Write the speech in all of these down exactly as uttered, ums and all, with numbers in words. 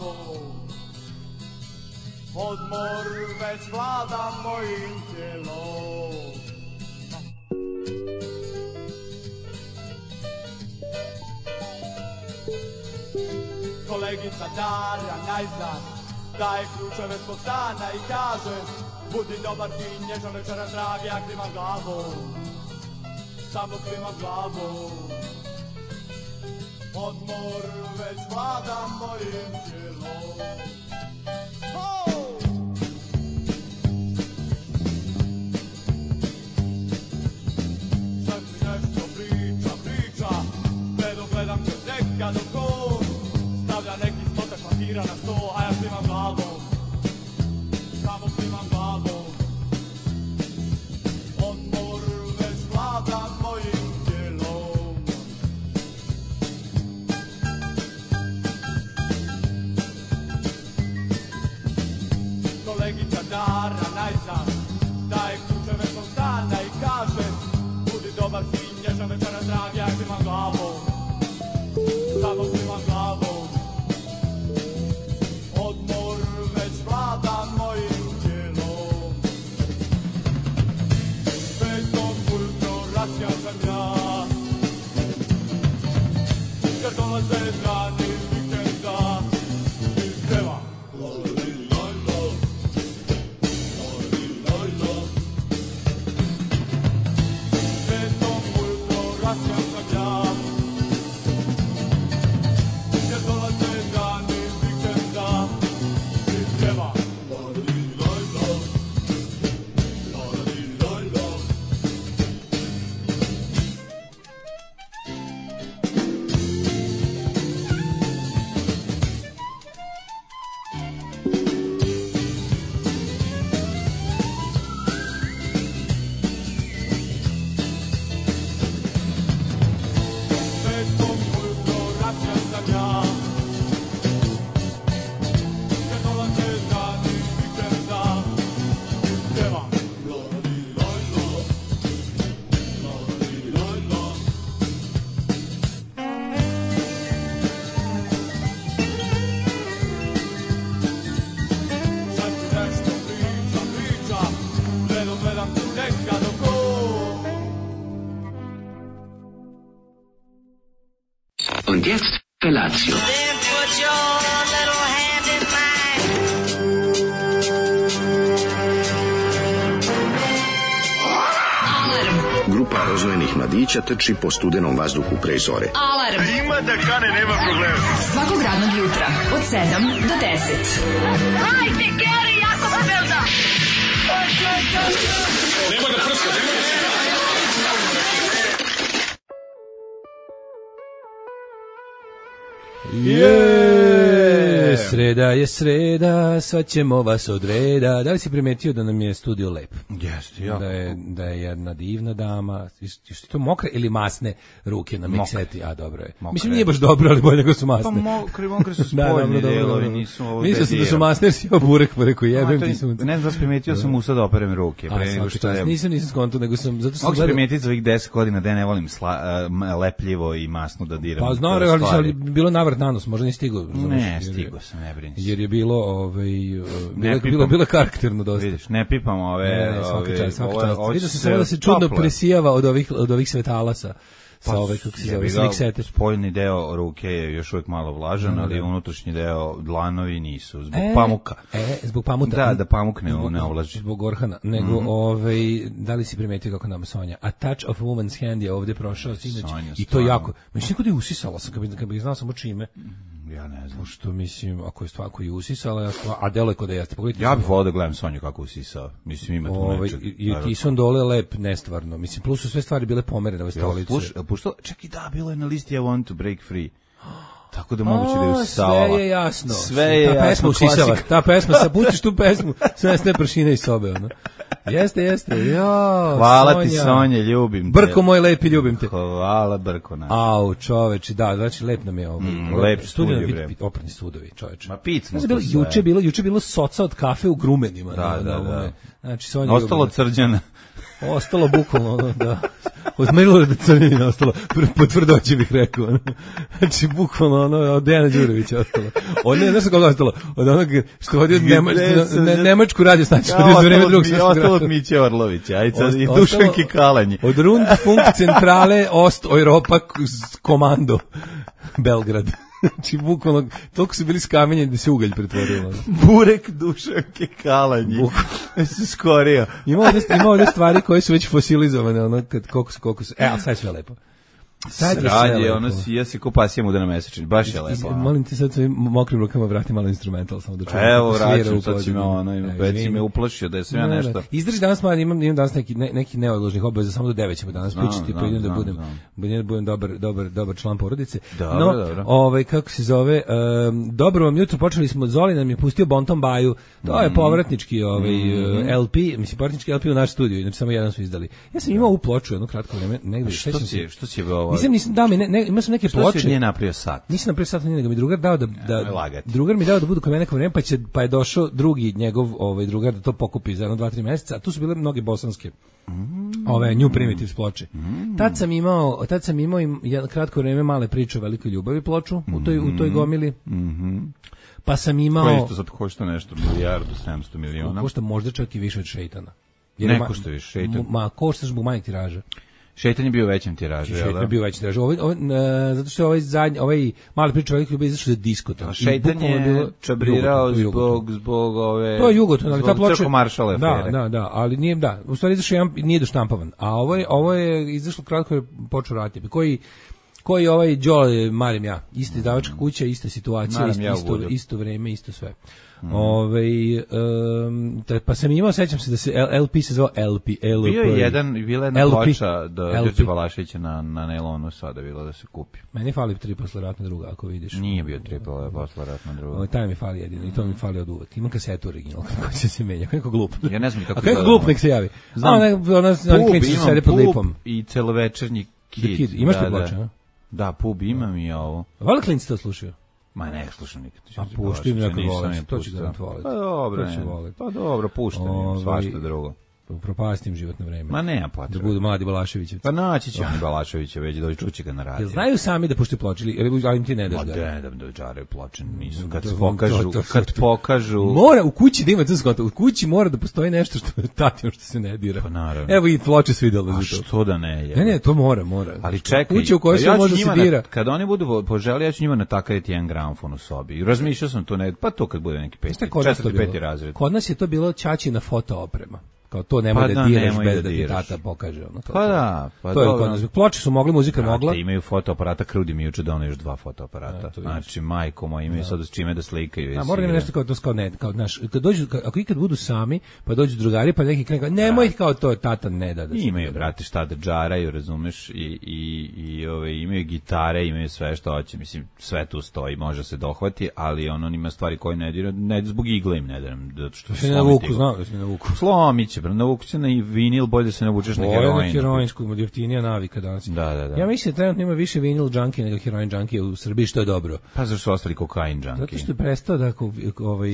glavom, odmor već vlada mojim tijelom. Kolegica Darja najzad daje ključeve svog stana i kaže: budi dobar, fin, nježan, večeras dragi, ja klimam glavom, samo klimam glavom. Odmor već vlada mojim tijelom. Oh! Sad mi nešto priča, priča, gledam, gledam kroz nekad oko. Stavlja neki stotak papira na sto, a ja klimam glavom, samo klimam glavom. Odmor već vlada mojim tijelom. Kolegica Dara najzad daje ključeve svog stana i kaže: budi dobar, fin, nježan, večeras dragi, ja klimam glavom, samo klimam glavom. Odmor već vlada mojim tijelom. Petom ujutro rasija sam ja, jer dolaze dani vikenda i pjeva. Petom ujutro rasija sam ja, jer dolaze dani vikenda i pjeva. Petom ujutro rasija sam ja, jer dolaze dani vikenda i pjeva. Sad mi nešto priča, priča, gledam, gledam tu nekad oko. Und jetzt Felatio. Then put your little hand in mine. Grupa rozvojenih mladića trči po studenom vazduhu pre zore. Alarm. Ima da kane, nema problema. Svakog radnog jutra od sedam do deset. Hajde, Geri, jako se velda. Nemoj da prska, nemoj da prska. Je, sreda je sreda, sad ćemo vas od reda. Da li si primetio da nam je studio lep? Jeste, jako. Da je, da je jedna divna dama. Što to mokre ili masne ruke na mikseti? A, dobro je. Mokre. Mislim, nije baš dobro, ali bolje nego su masne. Pa mokre, mokre su Da, spoljni dobro, dobro, delovi, dobro. nisu ovo Mislio sam da su bedira. masne, jer si jeo burek, pa rekao, A, jebem to ti je- sunce. Ne znam da sam primetio, sam usao da operem ruke. A, Pre nego svaki što čast. je... Nisam, nisam skonto, nego sam, zato sam Mogu se gledao- primetiti za ovih deset godina da ja ne volim sla, uh, lepljivo i masno da diram. Pa znam, te ali, stvari. ali bilo navrat na nos, možda nisi stigao. razumeš, Ne, jer je- stigo sam, ne brini se. Jer je bilo, ovaj, uh, bilo, pipam. bilo, bilo karakterno dosta. Vidiš, ne pipam ove... Ne, ne, svaka ove- čast, svaka ovo- čast. ovo Vidio će sam samo da se čudno tople. presijava od ovih, od ovih svetala sa, sa Pa, ove, kako se jebi zove, ga, sa miksete. spoljni deo ruke je još uvijek malo vlažan, Da, ali da. unutrašnji deo dlanovi nisu, zbog E, pamuka. E, zbog pamuka. Da, da pamuk ne, Zbog- ne ovlaži. Zbog orhana. Nego, Mhm. ovaj, da li si primetio kako nam Sonja? A touch of woman's hand je ovdje prošao sinoć. Sonja, I to stvarno. jako. Mislim, kod je usisala sam, kad bi, kad bi znao samo čime. Ja ne znam. Pošto, mislim, ako je stvar koji je usisala, ja stvar, a delo je kod da jeste. Pogledajte. Ja bih volio da gledam Sonju kako usisao. Mislim, ima tu Ovaj, nečeg. i, i Tison dole lep, nestvarno. Mislim, plus su sve stvari bile pomerene ove stolice. Puš, puštao, čak i da, bilo je na listi I want to break free. Tako da moguće da je A, usisala. sve je jasno. Sve je ta pesma jasno, usisava. klasika. Ta pesma, sad pustiš tu pesmu, sve sve pršine iz sobe, ono. Jeste, jeste. Jo, Hvala Sonja. ti, Sonja, ljubim te. Brko moj lepi, ljubim te. Hvala, Brko naš. Au, čoveče, da, znači lep nam je ovo. Mm, lep studio, bre. Oprani sudovi, čoveče. Ma pic smo znači, bilo, to sve. juče bilo, juče bilo soca od kafe u Grumenima. Da, na, da, na, da. Znači, Sonja Ostalo crđana. Ostalo bukvalno, ono, da. Od Milorada Crnjanina ostalo, po tvrdoći bih rekao. Ono. Znači, bukvalno, ono, od Dejana Đurovića ostalo. Od ne, znaš kako ostalo? Od onog što vodi od Nemačku, ne, Nemačku radio stanicu, od iz vreme drugog svjetskog rata. Ostalo od Miće Orlovića, ajde sad i Ostalo- Dušanki Kalanji. Od Rundfunk centrale Ost Europa komando Belgrad. Znači, bukvalno, toliko su bili skamenjeni da se ugalj pretvorio. ono. Burek Dušanke Kalanji. Se skorio. Ima ovdje, ima ovdje stvari koje su već fosilizovane, ono, kad, koliko su, koliko su, e, ali sad je sve lepo. Sad je sve Sradje, lepo. ono si, ja si ko pasija muda na mesečin, baš je Iz- lepo. ono. Molim ti sad svojim mokrim rukama vrati malo instrumental, samo da čujem. Evo, kako svira vraćam, u sad si me pozadini. ono, ima, E, već si izvini. me uplašio da je sam ja Ne, ne. nešto. Izdrži danas, mladi, imam, imam danas neki, ne, neki neodložnih obaveza, samo do devet ćemo danas Znam, pričati, pa znam, idem da znam, budem, znam. budem da budem dobar, dobar, dobar član porodice. Dobro, no, dobro. ovaj, kako se zove, um, dobro vam jutro, počeli smo, Zoli nam je pustio Bonton Baju, to Mm. je povratnički ovaj, uh, L P, mislim, povratnički L P u naš studiju, inače samo jedan su izdali. Ja sam imao u ploču jedno kratko vreme, negde, Što sećam si, se- što si ovo? Nisam, nisam, dao mi, ne, ne, imao sam neke Što si ploče. nije napravio sat? Nisam napravio sat nego mi drugar dao da da Nemoj lagati. drugar mi dao da budu kod mene neko vreme, pa će pa je došao drugi njegov ovaj drugar da to pokupi za jedno dva tri meseca. A tu su bile mnoge bosanske. Ove New Primitives ploče. Tad sam imao, tad sam imao im jedno kratko vreme male priče o velikoj ljubavi ploču u toj u toj gomili. Pa sam Koje imao isto sad košta nešto, milijardu, sedamsto miliona. košta možda čak i više od Šejtana. Ne ma- košta više Šejtan. m- Ma košta zbog manjeg tiraža. Šejtan je bio u većem tiražu, jel Šejtan da? je bio veći tiraž. Ovaj, ovaj, e, zato što je ovaj zadnji, ovaj mali priča velikoj ljubavi izašao za diskoton. A I Šejtan bukvalno je bilo- čabrirao Jugoton, to je Jugoton. zbog, zbog ove... To je Jugoton, ali ta zbog ploča... Crko-Maršale Da, afere. da, da, ali nije, da, u stvari izašao jedan, nije doštampavan, a ovo je, ovo je izašlo kratko je počeo raditi, koji koji ovaj Đole marim ja, ista izdavačka kuća, ista situacija, Marim isto, ja u isto, Budu. isto vreme, isto sve. Ovaj, em, te- pa sam imao, sećam se da se L- LP se zvao L P, L P. Bio je jedan, bila je jedna L P. ploča do L P. Đorđe Balaševića na, na Nelonu sada bila da se kupi. Meni fali tri posle ratna druga, ako vidiš. Nije bio triple posle ratna druga. Ovo, taj mi fali jedino i to mi fali od uvek. Imam kasetu original, kako će se menja, kako glup. Ja ne znam ni kako A kako izgleda. glup nek se javi. Znam. A, ne, ona, oni Pub, klinci su imam sede pod Pub lipom. i celovečernji Kid. The Kid. Imaš da, te ploče, da. a? Da, Pub imam i ovo. Vala klinci to slušaju? Ma ne slušam nikad. A pušti im nekog Nisam voleti, je to će pustio. garant voleti. Pa dobro, To će ne. voleti. Pa dobro, puštam im Ovaj, svašta drugo. Propastim životno vreme. Ma nema Da potrebe. budu mladi Balaševići. Pa naći će oni Balaševića već doći čući ga na radiju. Jel znaju sami da puštaju ploče ili ili- ali im ti ne daš Ma ga? da, da, da džaraju ploče, nisu. Kad To- se to- pokažu, to- kad pokažu... Mora u kući da ima to skonto. U kući mora da postoji nešto što je tatino što se ne dira. Pa naravno. Evo i ploče su videle A za to. što da ne je? Ne, ne, to mora, mora. Ali čekaj, Kuća u kojoj pa se ja ću može njima se na- dira. Kad oni budu po- poželi, ja ću njima natakariti jedan gramofon u sobi. I razmišljao sam to, ne, pa to kad bude neki peti, Šta je kod nas to četvrti, bilo? peti razred. Kod nas je to bilo ćaćina foto oprema. Kao to nemoj Pa da da, diraš nemoj bez da da ti diraš. tata pokaže. Ono, kao Pa to. da, pa to je dobro. kod nas. Ploče su mogli, muzika mogla. Brate, imaju fotoaparata, Krudi mi juče doneo još dva fotoaparata. E, to vidiš. Znači, majko moja, imaju sad s čime da slikaju. A mora da ima nešto kao to kao ne, kao naš, kad dođu, ka- ako ikad budu sami, pa dođu drugari, pa neki krenu, nemoj kao to, tata ne da da se Imaju, dira. brate, šta da džaraju, razumeš, i, i, i ove, imaju gitare, imaju sve što hoće, mislim, sve tu stoji, može se dohvati, ali ono, on ima stvari koje ne dira, ne zbog igle im ne diram, da što Se ne navuku, znao da se ne navuku. Slomit će, bre, navuku će na i vinil, bolje da se navučeš na Ovo je na heroin. heroinsku, jeftinija navika danas. Da, da, da. Ja mislim da trenutno ima više vinil junkie nego heroin junkie u Srbiji, što je dobro. Pa zašto su ostali kokain junkie? Zato što je prestao da ko- ovaj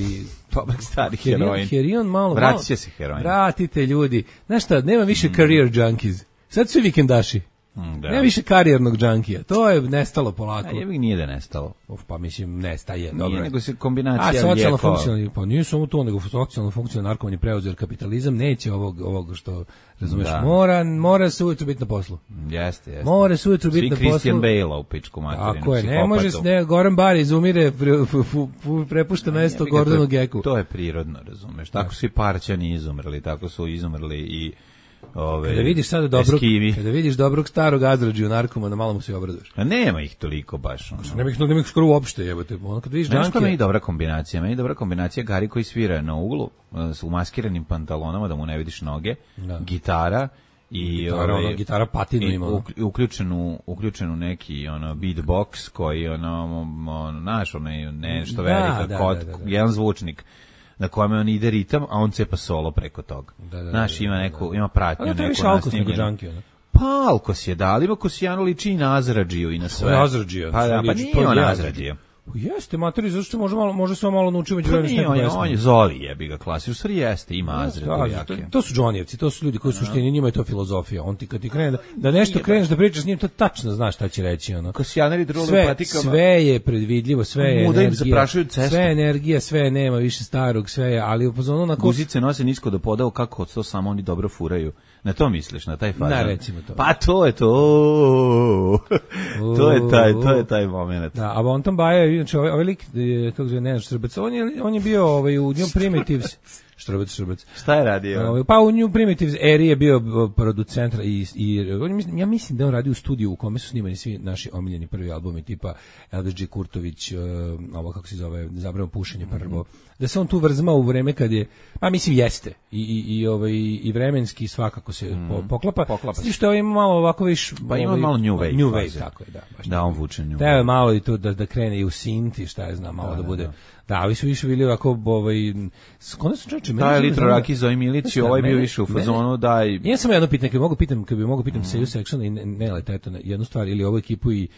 Dobar stari heroin, heroin. heroin malo, Vratit malo- će se heroin. Vratite ljudi. Znaš šta, nema više career junkies. Sad su vikendaši. Mm, da. Nema više karijernog junkija. To je nestalo polako. A jebi nije da nestalo. Of, pa mislim, nestaje. Nije, Dobro. nego se A kombinacija socijalno lijekova. funkcionalni, pa nije samo to, nego socijalno funkcionalni narkoman je preuzeo, jer kapitalizam neće ovog, ovog što, razumeš, Da. mora, mora se ujutro biti na poslu. Jeste, jeste. Mora se ujutro biti Svi na Christian poslu. Bale-a u pičku materinu. Tako je, ne može se, ne, Goran Bar izumire, pre, fu- fu- fu- prepušta mesto Jebi ga, Gordonu to je- Geku. To je prirodno, razumeš. Tako su i Parćani izumrli, tako su izumrli i ove Kada vidiš sada dobrog, Eskivi. kada vidiš dobrog starog Azrađiju narkomana, malo mu se obraduješ. A nema ih toliko baš. Ono. Ne bih, ne bih skoro uopšte, jebote. Ono kad vidiš Znaš što meni Junkija, dobra kombinacija? Meni je dobra kombinacija Gari koji svira na uglu uh, s umaskiranim pantalonama da mu ne vidiš noge, Da. gitara i gitara, ovaj, ono, gitara patinu i ima. ono. uk- uključenu uključenu neki ono beatbox koji ono ono naš onaj nešto Da, velika da, kod da, da, da. jedan zvučnik. na kome on ide ritam, a on cepa solo preko toga. Da, da, Znaš, da, ima da, neku, da. ima pratnju, A to je neku više alkos nego nasnimljenu. džanki, ono. Pa alkos je da, ali ima Kosijano liči i na Azradžiju i na sve. Azradžija, Pa da, pa liči, nije to je on ja. Azradžija. Jeste, materi, zašto se može malo, može samo malo naučiti među Pa vremenu nije, neku on je, pesmu. on je Zoli jebi ga klasi, u stvari jeste, ima Da, Azrad to, jake. to su Johnnyevci, to su ljudi koji su suštini, njima je to filozofija. On ti kad ti krene da, da nešto kreneš da pričaš s njim, to tačno znaš šta će reći, ono. Kosijaneri drolu Sve, patikama. sve je predvidljivo, sve je Muda im energija. zaprašuju cestu. Sve je energija, sve je nema više starog, sve je, ali upozorno na ko... Guzice nose nisko do poda, kako to samo oni dobro furaju. Na to misliš, na taj fazon? Da, recimo to. Pa to je to. To je taj, to je taj moment. Da, a Bonton Baja, znači ovaj, ovaj lik, je, kako zove, Nenad Štrbac, on je, on je bio ovaj, u New Primitives, Štrbac, Štrbac. Šta je radio? Ovaj, pa u New Primitives eri je bio producent i, i on, mislim- ja mislim da on radi u studiju u kome su snimani svi naši omiljeni prvi albumi tipa Elvis G. Kurtović, uh, ovo kako se zove, Zabranjeno pušenje prvo. Da se on tu vrzmao u vreme kad je, pa mislim jeste, i, i, i, ovaj, i vremenski svakako se po, poklapa. Poklapa S se. tim što je ima malo ovako viš... Pa ima ovaj, malo new wave New faze. wave, tako je, da. Baš Da, on vuče nju. Treba je malo i to da, da krene i u synth i šta je znam, malo da, bude... Da, ovi su više bili ovako, ovaj... Skoro su čoveče... meni Taj je litro zanimljivo- raki Zoe Milić, Znaš šta, ovaj bio mene- više u mene- fazonu, daj... Ja sam jedno pitanje, kad bi mogu pitam, kad bi mogu pitam Seju Seksona i Nela Teto na jednu stvar ili ovu ekipu i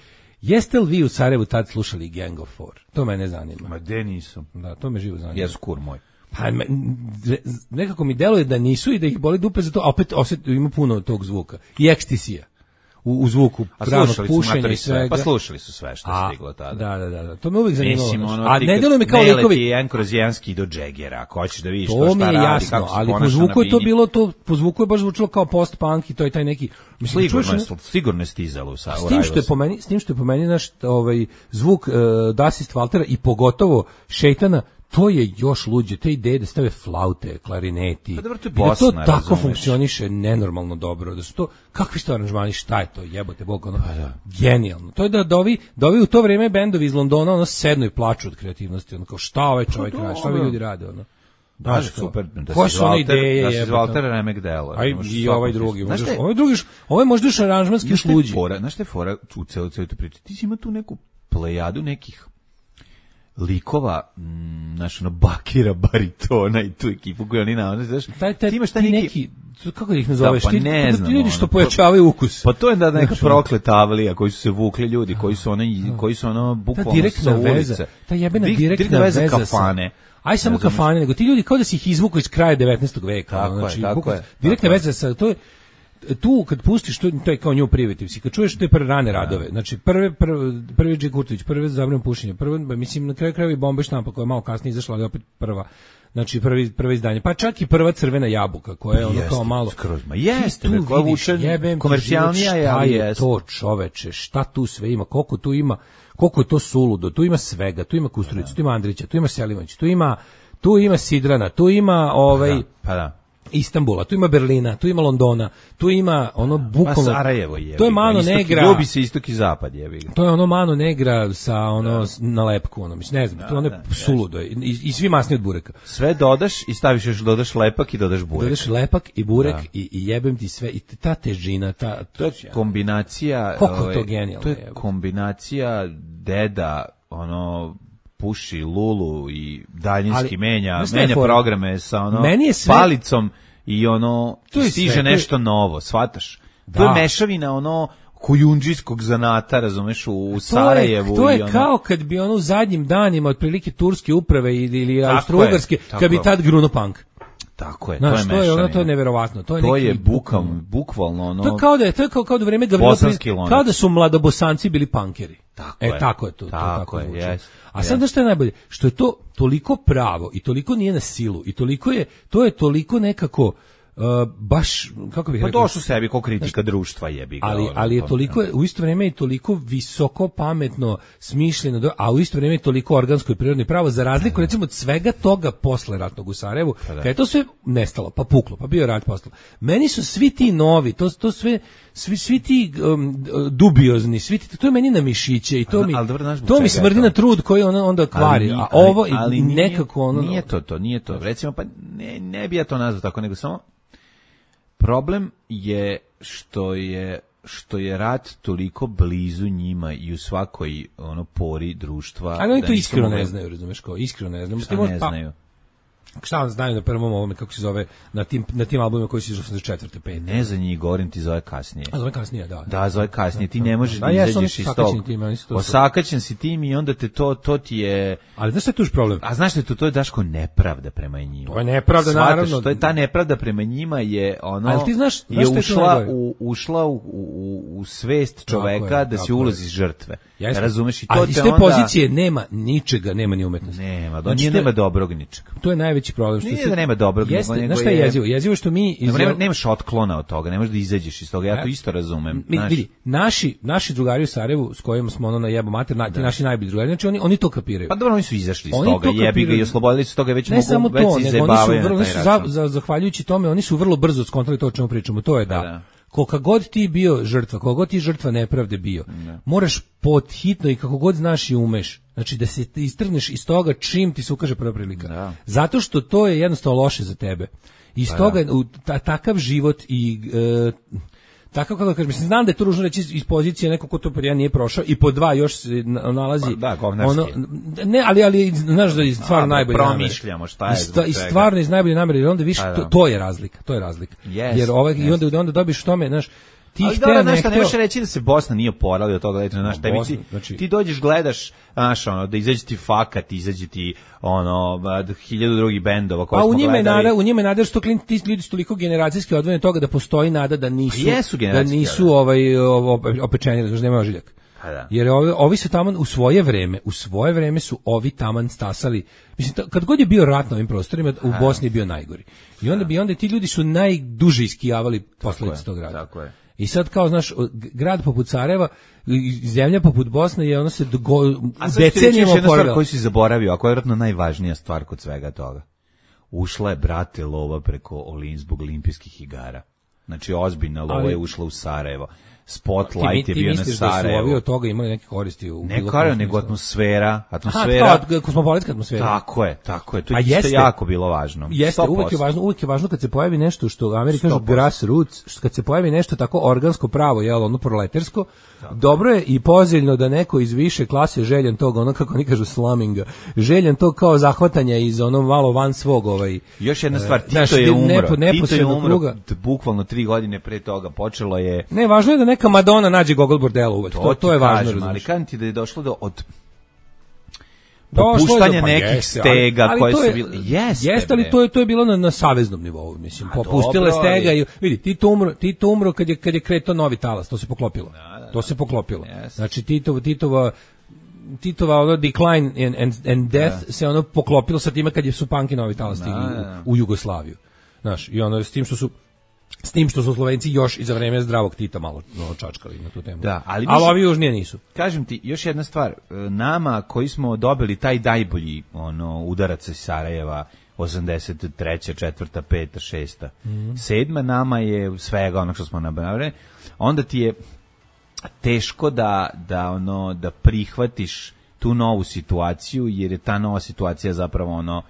jeste li vi u Sarajevu tad slušali Gang of Four? To mene zanima. Ma de nisu. Da, to me živo zanima. Jesu kur moj. Pa me- re- nekako mi deluje da nisu i da ih boli dupe za to, a opet osjet, ima puno tog zvuka. I ekstisija. U, u zvuku A pravnog slušali su pušenja matori i sve, svega. pa slušali su sve što je A, stiglo tada. Da, da, da, da. To me uvijek zanimalo. Mislim, znaš. ono, a ti ne kad deluje mi kao ne likovi. leti jedan kroz jedanski do Džegera, ako hoćeš da vidiš to, To šta mi je radi, jasno, kako se ali po ponaša na zvuku je to bini. bilo to, po zvuku je baš zvučilo kao post-punk i to je taj neki... Mislim, Sigurno čuješ, je, sigurno je stizalo u sa. S tim što je po meni, s tim što je po meni naš ovaj zvuk uh, Dasist Valtera i pogotovo Šejtana, to je još luđe, te ideje da stave flaute, klarineti. Pa dobro, to je i da to Bosna, tako razumeš. funkcioniše nenormalno dobro, da su to kakvi su to aranžmani, šta je to, jebote bog, ono, Pa da. genijalno. To je da, da, ovi, da ovi u to vrijeme bendovi iz Londona ono sednu i plaču od kreativnosti, ono kao šta ovaj čovjek Pa radi, šta ovi dobro. ljudi rade, ono. Da, Znaš, kao, super. Da koje si su one Walter- ideje, Da si jebote, Walter ono. Remek Delo. A i, i ovaj drugi, Znaš možda, šta je- ovaj drugi, ovaj možda još aranžmanski Znaš još šta je luđi. fora, znaš šta je fora u celu, celu tu priču? Ti si ima tu neku plejadu nekih likova, mm, znaš, ono, bakira, baritona i tu ekipu koju oni navode, znaš, Taj, taj, ti imaš taj ti neki... neki, kako ih nazoveš, Da, pa ti, ne ti znam, ljudi što ono, pojačavaju ukus. Pa to je da neka Znaš, ono. prokleta avlija koji su se vukli ljudi, koji su ono, koji su ono Ta bukvalno direktna sa veza, ulice. ta jebena Dik- direktna veza, sa- kafane. Aj samo Razumeš? kafane, nego ti ljudi kao da si ih izvukao iz kraja devetnaestog veka. Tako ono, je, znači, tako bukvalno- je, direktna tako je. veza sa, to je, tu kad pustiš, to, to je kao New Primitives, i kad čuješ te prve rane radove, znači prve, prve, prvi Dži Kurtović, prve Zabranjeno pušenje, prve, mislim, na kraju krajeva i Bomba i štampa koja je malo kasnije izašla, ali opet prva. Znači prvi prvo izdanje, pa čak i prva Crvena jabuka koja je ono Jeste, kao malo skroz, ma Ti jeste, tu bre, koja vidiš, vuče jebem ti komercijalnija život, je, šta ali je jeste. to čoveče, šta tu sve ima, koliko tu ima, koliko je to suludo, tu ima svega, tu ima Kusturicu, tu ima Andrića, tu ima Selimović, tu ima tu ima Sidrana, tu ima ovaj Da, pa da. Istanbula, tu ima Berlina, tu ima Londona, tu ima ono Pa bukvalno Sarajevo je. to je Mano istok, Negra. Ljubi se istok i zapad, jebi ga. To je ono Mano Negra sa ono s- na lepku, ono mislim, ne znam, to je ono da, suludo i, i, i svi masni od bureka. Sve dodaš i staviš još, dodaš lepak i dodaš burek. Dodaš lepak i burek Da. i, i jebem ti sve i ta težina, ta To je kombinacija... Koliko je ovaj, to genijalno, To je jebote. kombinacija deda, ono, puši lulu i daljinski Ali, menja, znaš šta je menja fora? programe sa ono Meni je sve- palicom i ono To je stiže sve, to je- nešto novo, shvataš? To Da. je mešavina ono kujundžijskog zanata, razumeš, u, u To je, Sarajevu. to i je ono, kao kad bi ono u zadnjim danima otprilike turske uprave ili, ili Tako austrougarske, je, tako kad bi je. tad gruno punk. Tako je, Znaš, to je to je ono, mešavina. to je neverovatno. To je, To neki je bukvalno, bukvalno- bukvalno ono... To je kao da je, to je kao, kao da u vreme Gavrila Bosanski Pri- lonac. kao da su mladobosanci bili punkeri. Tako e, je. tako je to. to Tako tako je, zvuči. jest, A sad jest. znaš šta je najbolje? Što je to toliko pravo i toliko nije na silu i toliko je, to je toliko nekako uh, baš, kako bih Pa rekao, došlo sebi ko kritika društva, jebi ga. ali, ono, ali je to- toliko, u isto vrijeme je toliko visoko pametno, smišljeno, do- a u isto vrijeme je toliko organsko i prirodno i pravo, za razliku recimo od svega toga posle ratnog u Sarajevu, kad je to sve nestalo, pa puklo, pa bio rat posle. Meni su svi ti novi, to, to sve, svi, svi ti um, dubiozni, svi ti, to je meni na mišiće i to Ali- mi, ali dobro, znaš zbog to mi čega je smrdi to? na trud koji ona onda kvari, nije- a ovo i ali nije- nekako ono... Nije to to, nije to. Recimo, pa ne, ne bi ja to nazvao tako, nego samo problem je što je što je rat toliko blizu njima i u svakoj ono pori društva. Ali oni da to nisu iskreno mogli- ne znaju, razumeš, kao iskreno ne znaju. Šta Ti možeš- ne pa- znaju? Šta vam znaju na prvom ovome, kako se zove, na tim, na tim albumima koji su iz osamdeset četvrte pete Ne za njih, govorim ti zove kasnije. A zove kasnije, da. Da, zove kasnije, ti ne možeš da, da izađeš iz tog. Osakaćen si tim i onda te to, to ti je... Ali znaš šta je tuž problem? A znaš što je to, to je Daško nepravda prema njima. To je nepravda, Svataš, naravno. To je ta nepravda prema njima je ono... Ali ti znaš, znaš je ušla, u, ušla u, u, u svest čoveka je, da si ulozi žrtve. Jasne. Razumeš? I to ali te iz te onda... pozicije nema ničega, nema ni umetnosti. Nema, do nije nema dobrog ničega. To je najveći problem. Što nije da nema dobrog, jeste, nego znaš šta je jezivo? Jezivo što mi... Iz... Nema, nemaš otklona od toga, ne možeš da izađeš iz toga, ja to isto razumem. Mi, vidi, naši, naši drugari u Sarajevu, s kojima smo ono na jebo mater, na, ti naši najbolji drugari, znači oni, oni to kapiraju. Pa dobro, oni su izašli iz oni toga, jebi ga i oslobodili su toga, već ne mogu, samo već to, se izjebavaju na taj račun. Za, za, zahvaljujući tome, oni su vrlo brzo skontrali to o čemu pričamo, to je da... da. Koliko god ti bio žrtva, koliko god ti žrtva nepravde bio, ne. moraš pod hitno i kako god znaš i umeš, znači da se istrgneš iz toga čim ti se ukaže prva prilika. Da. Zato što to je jednostavno loše za tebe. Iz pa toga, da. u, ta, takav život i... E, tako kako kažem, mislim, znam da je to ružno reći iz pozicije neko ko to pod jedan nije prošao i pod dva još se nalazi pa, da, ono, ne, ali, ali znaš da je stvarno najbolje promišljamo šta je zbog i stvarno iz najbolje namere, jer onda više, to, to je razlika, to je razlika. Yes, jer ovaj, yes. i onda, onda dobiš tome, znaš, ti ali hteo, ne hteo... Ne možeš reći da se Bosna nije oporavila od toga, znaš, no, Bosna, ti, znači... ti dođeš, gledaš, znaš, ono, da izađe ti Fakat, izađe ti, ono, hiljadu drugih bendova koje pa, smo u njima gledali. Nada, u njima je nada, što klin, ti ljudi su toliko generacijski odvojeni od toga da postoji nada da nisu, da nisu ovaj, opečeni, znači nema ožiljak. Da. Jer ovi, ovi su taman u svoje vreme, u svoje vreme su ovi taman stasali. Mislim, kad god je bio rat na ovim prostorima, u Bosni je bio najgori. I onda bi onda ti ljudi su najduže iskijavali posledice tog rata. Tako je. I sad kao, znaš, grad poput Sarajeva, zemlja poput Bosne je ono se go, decenijama oporavila. Stvar koju si zaboravio, a koja je vjerojatno najvažnija stvar kod svega toga. Ušla je, brate, lova preko Olin zbog olimpijskih igara. Znači, ozbiljna lova ali, je ušla u Sarajevo. Spotlight ti, je bio na Sarajevo. Ti misliš da su ovi od toga imali neke koristi? U ne kao, nego atmosfera. Atmosfera. Aha, kao kosmopolitska atmosfera. Tako je, tako je. To je isto jako bilo važno. Jeste, uvijek je važno, uvijek je važno kad se pojavi nešto što Amerika kažu grassroots, kad se pojavi nešto tako organsko pravo, jel, ono proletarsko, tako. Dobro je i poželjno da neko iz više klase željen tog, ono kako oni kažu sluminga, željen tog kao zahvatanja iz ono malo van svog ovaj. Još jedna stvar, Tito naš, je umro. Nepo, Tito je umro, kruga. Bukvalno tri godine pre toga počelo je. Ne, važno je da neka Madonna nađe gogol bordela uvek. To, to, to je važno, kažem, ali kažem ti da je došlo do od popuštanja pa nekih jeste, stega ali, ali koje je, su bile. Jeste, jeste, ali to je to je bilo na, na saveznom nivou, mislim. A popustile dobro, stega i vidi, Tito umro, Tito umro kad je kad je kretao novi talas, to se poklopilo. Da, da, to se poklopilo. Yes. Znači Titova Titova Titova ono decline and, and, and death da. se ono poklopilo sa time kad je su panki novi talas stigli da, u, u Jugoslaviju. Znaš, i ono s tim što su S tim što su Slovenci još i za vreme zdravog Tita malo no, čačkali na tu temu. Da, ali, ali ovi južnije nisu. Kažem ti, još jedna stvar. Nama koji smo dobili taj najbolji ono, udarac iz Sarajeva, osamdeset treća, četvrta, peta, šesta, mm. sedma nama je svega ono što smo nabrali, onda ti je teško da, da, ono, da prihvatiš tu novu situaciju, jer je ta nova situacija zapravo ono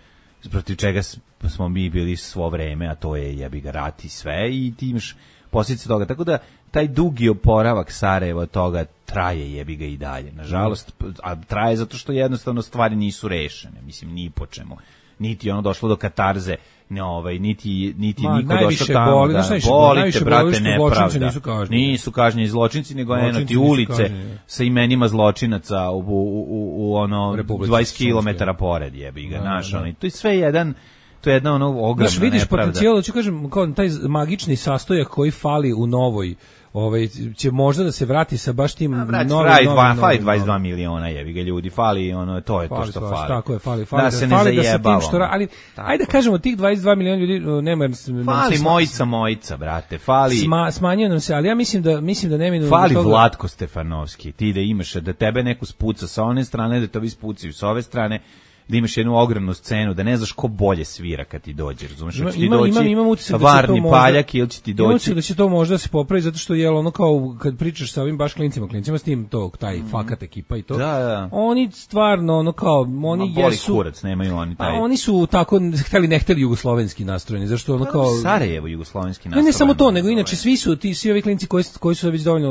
protiv čega smo mi bili svo vreme, a to je jebi ga rat i sve, i ti imaš posljedice toga. Tako da taj dugi oporavak Sarajeva toga traje jebi ga i dalje. Nažalost, a traje zato što jednostavno stvari nisu rešene, mislim, ni po čemu. Niti ono došlo do katarze, ne ovaj, niti, niti Ma, niko došao tamo boli, da boli te, brate, nepravda. Nisu kažnjeni, nisu kažnjeni zločinci, nego eno ti ulice kažnjeni. Sa imenima zločinaca u, u, u, u ono dvadeset kilometara pored jebi ga, naš, ono, to je sve jedan. To je jedna ono ogromna Znaš, vidiš nepravda. Potencijal, da ću kažem, kao taj magični sastojak koji fali u novoj, ovaj, će možda da se vrati sa baš tim A, brać, novim, novim, novim, fali dvadeset dva miliona jevi ga ljudi, fali ono, to je fali to što svaš, fali. Tako je, fali, fali da, da, se ne fali da se zajebavamo. tim što, ali tako. Ajde da kažemo, tih dvadeset dva miliona ljudi, nema... Fali sma, mojica, mojica, brate, fali... Sma, smanjuje nam se, ali ja mislim da, mislim da neminu... Fali toga... Vlatko Stefanovski, ti da imaš, da tebe neko spuca sa one strane, da te ovi spucaju sa ove strane, da imaš jednu ogromnu scenu, da ne znaš ko bolje svira kad ti dođe, razumeš? Ima, ima, doći imam, imam utisak Varni da Paljak ili će ti doći... Imam utisak da će to možda se popravi, zato što je ono kao, kad pričaš sa ovim baš klincima, klincima s tim, to, taj mm. fakat ekipa i to, da, da. oni stvarno, ono kao, oni Ma, boli jesu... kurac, nemaju oni taj... A oni su tako, hteli ne hteli jugoslovenski nastrojeni, zašto ono kao... Sarajevo jugoslovenski nastrojeni. Ne, ne samo to, nego inače svi su, ti, svi ovi klinci koji, koji su već dovoljno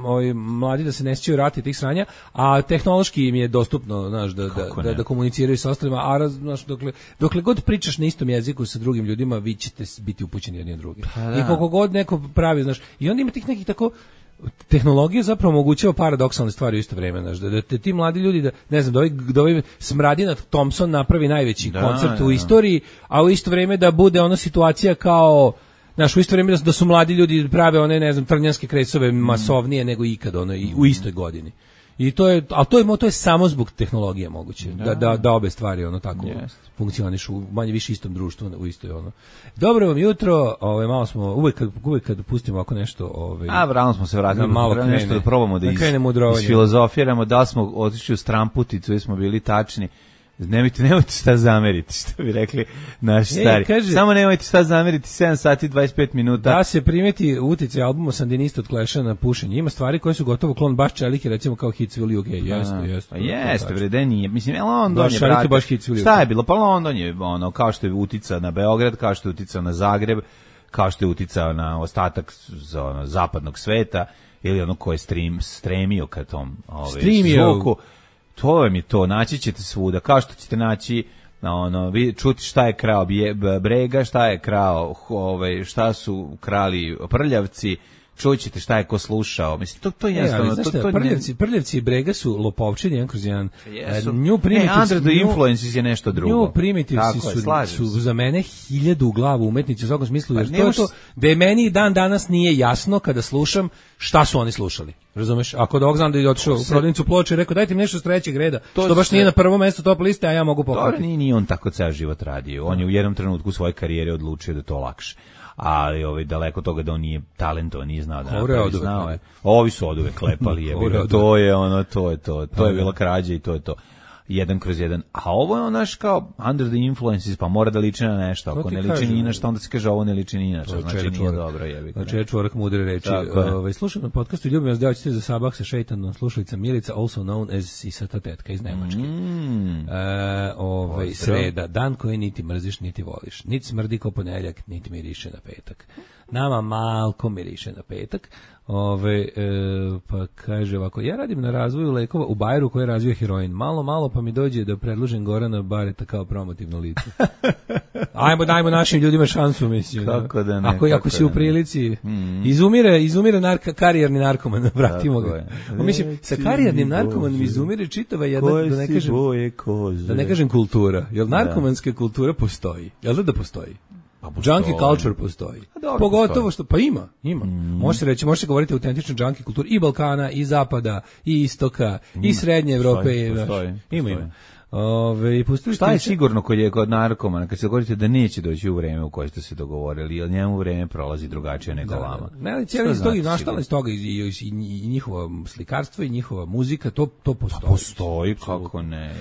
ovi, mladi da se ne sjećaju rati tih sranja, a tehnološki im je dostupno, znaš, da, da, da, da komuniciraju sa sa ostalima, a raz, znaš, dokle, dokle god pričaš na istom jeziku sa drugim ljudima, vi ćete biti upućeni jedni od drugih. I koliko god neko pravi, znaš, i onda ima tih nekih tako, tehnologija zapravo omogućava paradoksalne stvari u isto vrijeme, znaš, da, da te ti mladi ljudi, da, ne znam, da ovaj, da ovaj Smradina Thompson napravi najveći da, koncert da. u istoriji, a u isto vrijeme da bude ona situacija kao, znaš, u isto vrijeme da, da su mladi ljudi prave one, ne znam, trnjanske kresove masovnije nego ikad, ono, i, u istoj godini. I to je, al to je to je samo zbog tehnologije moguće da da da obe stvari ono tako yes. funkcionišu u manje više istom društvu u istoj ono. Dobro vam jutro, ovaj malo smo uvek kad uvek kad pustimo ako nešto, ovaj a vrano smo se vratili malo krene, nešto da probamo da, da iz, filozofiramo, da smo otišli u stramputicu i smo bili tačni. Nemojte, nemojte šta zameriti, što bi rekli naši e, stari. Kaže, samo nemojte šta zameriti, sedam sati dvadeset pet minuta. Da se primeti uticaj albuma Sandinista od Clash-a na pušenje. Ima stvari koje su gotovo klon baš Čelike, recimo kao Hits Will You Gay. Jeste, jeste. Jeste, bre, da nije. Mislim, London je, brate, baš Hits Will You. Šta je bilo? Pa London je, ono, kao što je uticao na Beograd, kao što je uticao na Zagreb, kao što je uticao na ostatak za, ono, zapadnog sveta, ili ono ko je stream, stremio ka tom ovaj, zvuku. To je mi to, naći ćete svuda, kao što ćete naći, ono, vi čuti šta je krao Brega, šta je krao, ovaj, šta su krali Prljavci, čućete šta je ko slušao. Mislim, to, to je jednostavno. E, to, to Prljavci, Prljavci i Brega su lopovčini, jedan kroz jedan. Jesu. New Primitives, e, Under the Influences je nešto drugo. New Primitives su, su za mene hiljadu u glavu umetnici u svakom smislu, jer pa, to je to da je meni dan danas nije jasno kada slušam šta su oni slušali. Razumeš? Ako dok znam da je otišao u prodavnicu Ploče i rekao dajte mi nešto s trećeg reda, to što baš se... nije na prvom mjestu top liste, a ja mogu pokupiti. Dobro, nije, nije on tako ceo život radio. On je u jednom trenutku svoje karijere odlučio da to lakše. Ali ovaj daleko toga da on nije talentovan, nije znao da napravi, znao je. Ovi su oduvek klepali, je, to je ono, to je to, to je bila krađa i to je to. Jedan kroz jedan. A ovo je onaš kao Under the Influences, pa mora da liči na nešto. Ako ne liči ni na što, onda se kaže ovo ne liči ni na što. Znači nije dobro, jebi ga. Znači je čvorak mudre reči. Ovaj slušam na podcastu Ljubim vas devojčice za sabah sa šejtanom, slušalica Milica, also known as Sisata tetka iz Nemačke. Mm. E, ovaj sreda, dan koji niti mrziš niti voliš. Niti smrdi kao ponedjeljak, niti miriše na petak. Nama malko miriše na petak. Ove, e, pa kaže ovako, ja radim na razvoju lekova u Bajeru koji razvija heroin. Malo, malo pa mi dođe da predložim Gorana Bareta kao promotivno lice. Ajmo, dajmo našim ljudima šansu, mislim. Kako da ne. Ako, ako si u prilici, mm. izumire, izumire narka, karijerni narkoman, vratimo ga. O, mislim, sa karijernim narkomanom izumire čitava jedna, da ne kažem, da ne kažem kultura. Jel narkomanska kultura postoji? Jel da da postoji? Pa junkie culture postoji. Dobro, pogotovo postoji. Što pa ima, ima. Mm. Može se reći, može se govoriti o autentičnoj junkie kulturi i Balkana i zapada i istoka mm. i srednje Evrope, postoji, postoji, ima ima. Ove, šta je sigurno kod je kod narkomana kad se govorite da neće doći u vreme u koje ste se dogovorili, jer njemu vreme prolazi drugačije nego da, vama. Ne, ali cijeli iz toga nastala iz toga i, i, i, i njihovo slikarstvo i njihova muzika, to to postoji. Pa postoji, kako ne.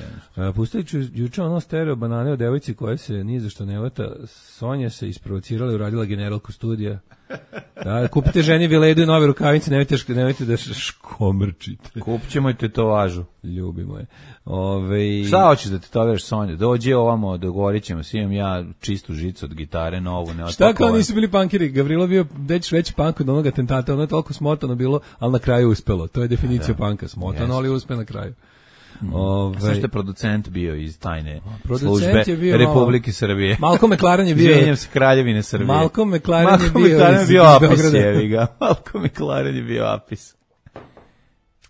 Pustit ću juče ono stereo banane o devojci koja se ni za što ne leta, Sonja se isprovocirala i uradila generalku studija. Da, kupite ženi Viledu i nove rukavice, nemojte, nemojte da škomrčite. Kupit ćemo i tetovažu. Ljubimo je. Ove... Šta hoćeš da tetoviraš, Sonja? Dođi ovamo, dogovorit ćemo, imam ja čistu žicu od gitare, novu, ne šta kao nisu bili punkiri? Gavrilo bio već veći punk od onog atentata, ono je toliko smotano bilo, ali na kraju uspelo. To je definicija da. Punka, smotano, yes. ali uspe na kraju. Mm. Ove... Sve što je producent bio iz tajne službe Republike malo... Srbije. Malko McLaren je bio... Izvinjam se, Kraljevine Srbije. Malko McLaren je bio, McLaren iz, bio iz apis, Beograda. Malko McLaren je bio apis.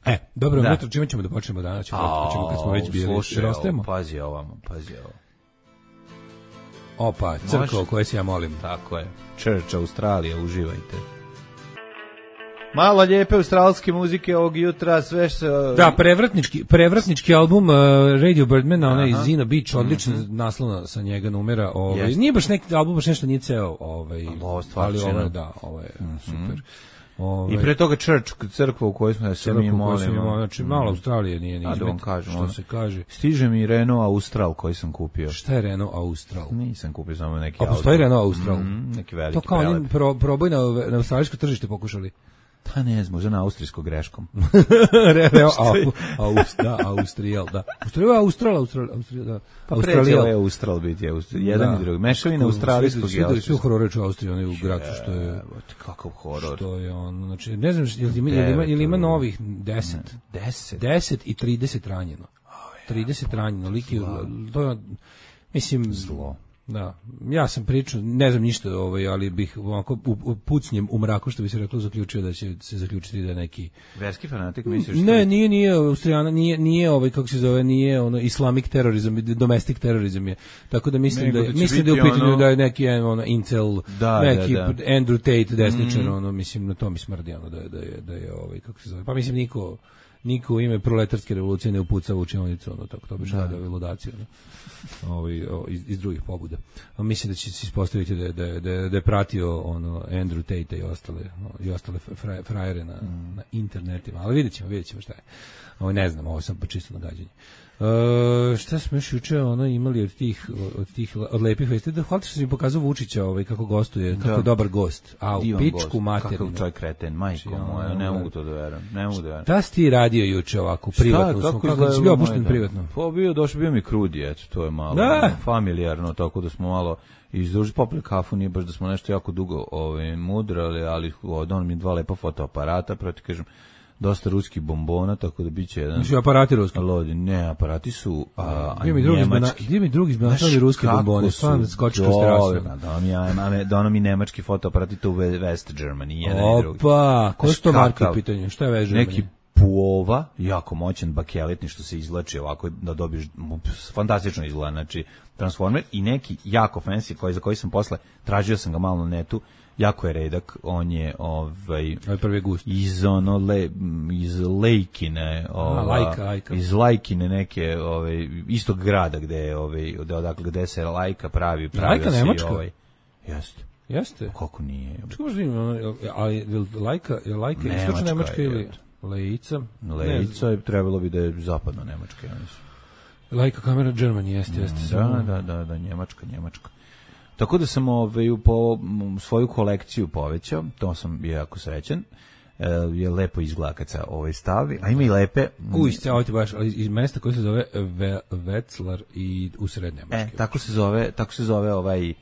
E, dobro, da. Jutro, čime ćemo da počnemo danas? Ćemo, A, ćemo kad smo već bili. Slušaj, ovo, pazi ovamo, pazi ovo. Opa, crkva koje se ja molim. Tako je. Church Australija, uživajte. Malo lijepe australske muzike ovog jutra, sve što... Da, prevratnički, prevratnički album uh, Radio Birdmana, onaj Zina Beach, odlična mm-hmm. naslova sa njega numera. Ovaj, nije baš neki album, baš nešto nije ceo, ovaj, ali ovo je, da, ovo je mm-hmm. super. Ove, I pre toga Church, crkva u kojoj smo se mi molimo. Znači, malo Australije nije ni izmet, da kažem, što ono, se kaže. Stiže mi Renault Austral koji sam kupio. Šta je Renault Austral? Nisam kupio samo neki auto. A postoji Renault Austral? Mm, neki veliki to kao oni pro, proboj na, na australijsko tržište pokušali. Pa ne znam, možda na austrijsko greškom. Renault Austral, da, Austrijal, da. Austrijal, Austral, Austral, Austrijal, da. Pa pređeo je Austral biti, jedan i drugi. Mešavina australijskog i austrijskog. Svi horor reči u Austriji, onaj u Gracu, što je... Kakav horor. Što je on, znači, ne znam, ili ima, ili ima novih deset. Deset? Deset i trideset ranjeno. trideset ranjeno, lik je, to je, mislim, zlo. Da, ja sam pričao, ne znam ništa, ovaj, ali bih ovako u, u pucnjem u mraku, što bi se reklo, zaključio da će se zaključiti da je neki verski fanatik, misliš? Ne, nije, nije Austrijana, nije, nije ovaj, kako se zove, nije ono islamic terorizam, domestic terorizam je. Tako da mislim Nego da, da mislim da je u pitanju ono... da je neki ono incel, da, neki da, da. Andrew Tate desničar, mm. ono mislim na to mi smrdi ono da je da je da je ovaj kako se zove. Pa mislim niko niko u ime proletarske revolucije ne upuca u učionicu, ono tako to obično rade ove ludacije, ono. Ovaj iz, iz drugih pobuda. A mislim da će se ispostaviti da je da je, da je, da je pratio ono Andrew Tate i ostale i ostale fraj, frajere na, mm. na internetima, ali videćemo, videćemo šta je. Ovo ne znam, ovo sam pa čisto nagađanje. Uh, šta smo još juče ono imali od tih od tih od lepih vesti, da hvala što si mi pokazao Vučića ovaj kako gostuje, kako da. je dobar gost. A u pičku materinu. Kakav čovjek kreten, majko moja, ne mogu to da verujem. Ne mogu da verujem. Šta si ti radio juče ovako privatno? Šta, kako, kako si bio opušten privatno? Pa bio, došao bio mi krudi, eto, to je malo da. familijarno, tako da smo malo izduži popili kafu, nije baš da smo nešto jako dugo ovaj mudrali, ali on mi dva lepa fotoaparata, proti kažem dosta ruskih bombona, tako da biće jedan. Znači aparati ruski. Lodi, ne, aparati su a, a gdje mi drugi njemački. Gdje mi drugi izbalansali ruske bombone, stvarno skočiš kroz terasu. Da mi ja, mame, da ono mi nemački fotoaparati tu u West Germany, jedan i drugi. Opa, ko su to marke u pitanju? Šta je West Germany? Neki Puova, jako moćan bakeletni što se izvlači ovako da dobiješ, fantastično izgleda, znači Transformer i neki jako fancy koji za koji sam posle tražio sam ga malo na netu. Jako je redak, on je ovaj prvi gust iz ono le, iz Lejkine, ova, lajka, lajka. iz Lajkine neke ovaj istog grada gde je ovaj odakle gde se Lajka pravi pravi Lajka Nemačka. Ovaj jeste. Jeste. Kako nije? Čekaj, ali Lajka, je Lajka istočna Nemačka ili Lejica? Lejica je trebalo bi da je zapadna Nemačka, ja mislim. Lajka kamera Germany jeste, jeste. Da, da, da, da, Njemačka, Njemačka. Tako da sam ovaj, po svoju kolekciju povećao, to sam bio jako srećan, e, je lepo izgleda kad se ovaj stavi, a ima i lepe... U, isceo baš iz mesta koje se zove Ve, Wetzlar i u sred Nemačke. E, tako se zove, tako se zove ovaj,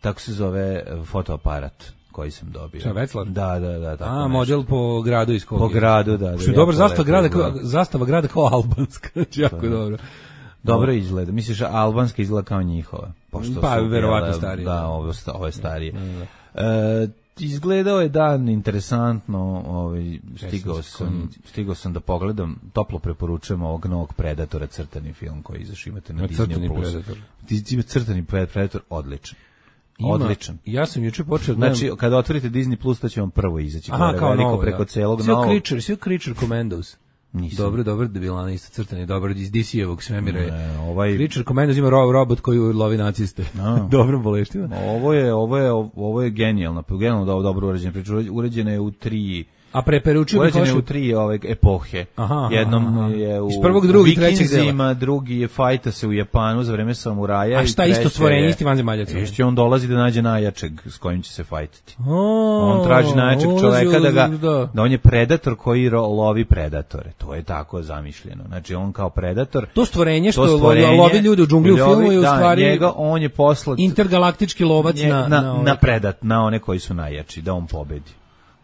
tako se zove fotoaparat koji sam dobio. Šta, Wetzlar? Da, da, da. Tako a, nešto. model po gradu iz kog Po gradu, da. da što je dobar zastava grada, kao, zastava grada kao albanska, jako dobro. Dobro izgleda. Misliš, albanska izgleda kao njihova? Pošto pa, su, verovatno starije. Da, ovo, ovo je starije. Da, da. E, izgledao je dan interesantno, ovaj, stigao, sam, stigao sam da pogledam, toplo preporučujem ovog novog Predatora, crtani film koji izašao, imate na Disney Plus. Predator. Crtani Predator, odličan. Ima, odličan. Ja sam juče počeo... Znači, kada otvorite Disney Plus, to će vam prvo izaći. Aha, kao novo, preko da. celog Sve novog. Creature, sve Creature Commandos. Nisam. Dobro, dobro, da bila na isto crtani, dobro, iz D C-evog svemira je. Ne, ovaj... Creature Commandos ima robot koji lovi naciste. Dobro boleština. Ovo je, ovo je, ovo je genijalno, genijalno dobro urađena priča, uređena je u tri... A preporučujem uređena je u tri ove epohe. Aha, jednom aha. je u iz prvog, drugog, trećeg dela. Drugi je fajta se u Japanu za vreme samuraja. A šta isto stvorenje, isti vanzemaljac? Isti on dolazi da nađe najjačeg s kojim će se fajtati. Oh, on traži najjačeg čoveka da ga, da. da on je predator koji lovi predatore. To je tako zamišljeno. Znači on kao predator. To stvorenje što to stvorenje, lovi ljude u džungli u filmu je u stvari da, njega, on je poslat intergalaktički lovac nje, na, na, na, na, na predat, na one koji su najjači, da on pobedi.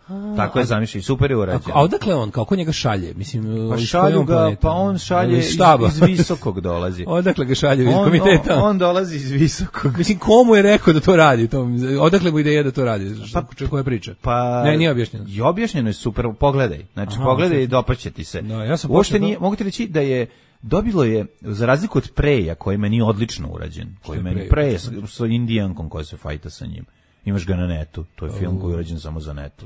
A, tako je zamišljeno, super je urađeno. A odakle on, kako njega šalje? Mislim, pa šalju ga, planeta? Pa on šalje iz, iz visokog dolazi. Odakle ga šalje iz komiteta? On, on dolazi iz visokog. Mislim, komu je rekao da to radi? To, odakle mu ideja da to radi? Pa, koja priča? Pa, ne, nije objašnjeno. I objašnjeno je super, pogledaj. Znači, aha, pogledaj i dopaće ti se. No, ja sam uopšte nije, mogu ti reći da je dobilo je, za razliku od Preja, koji meni odlično urađen, koji meni Preja sa Indijankom koja se fajta sa njim. Imaš ga na netu, to je film koji je urađen samo za netu.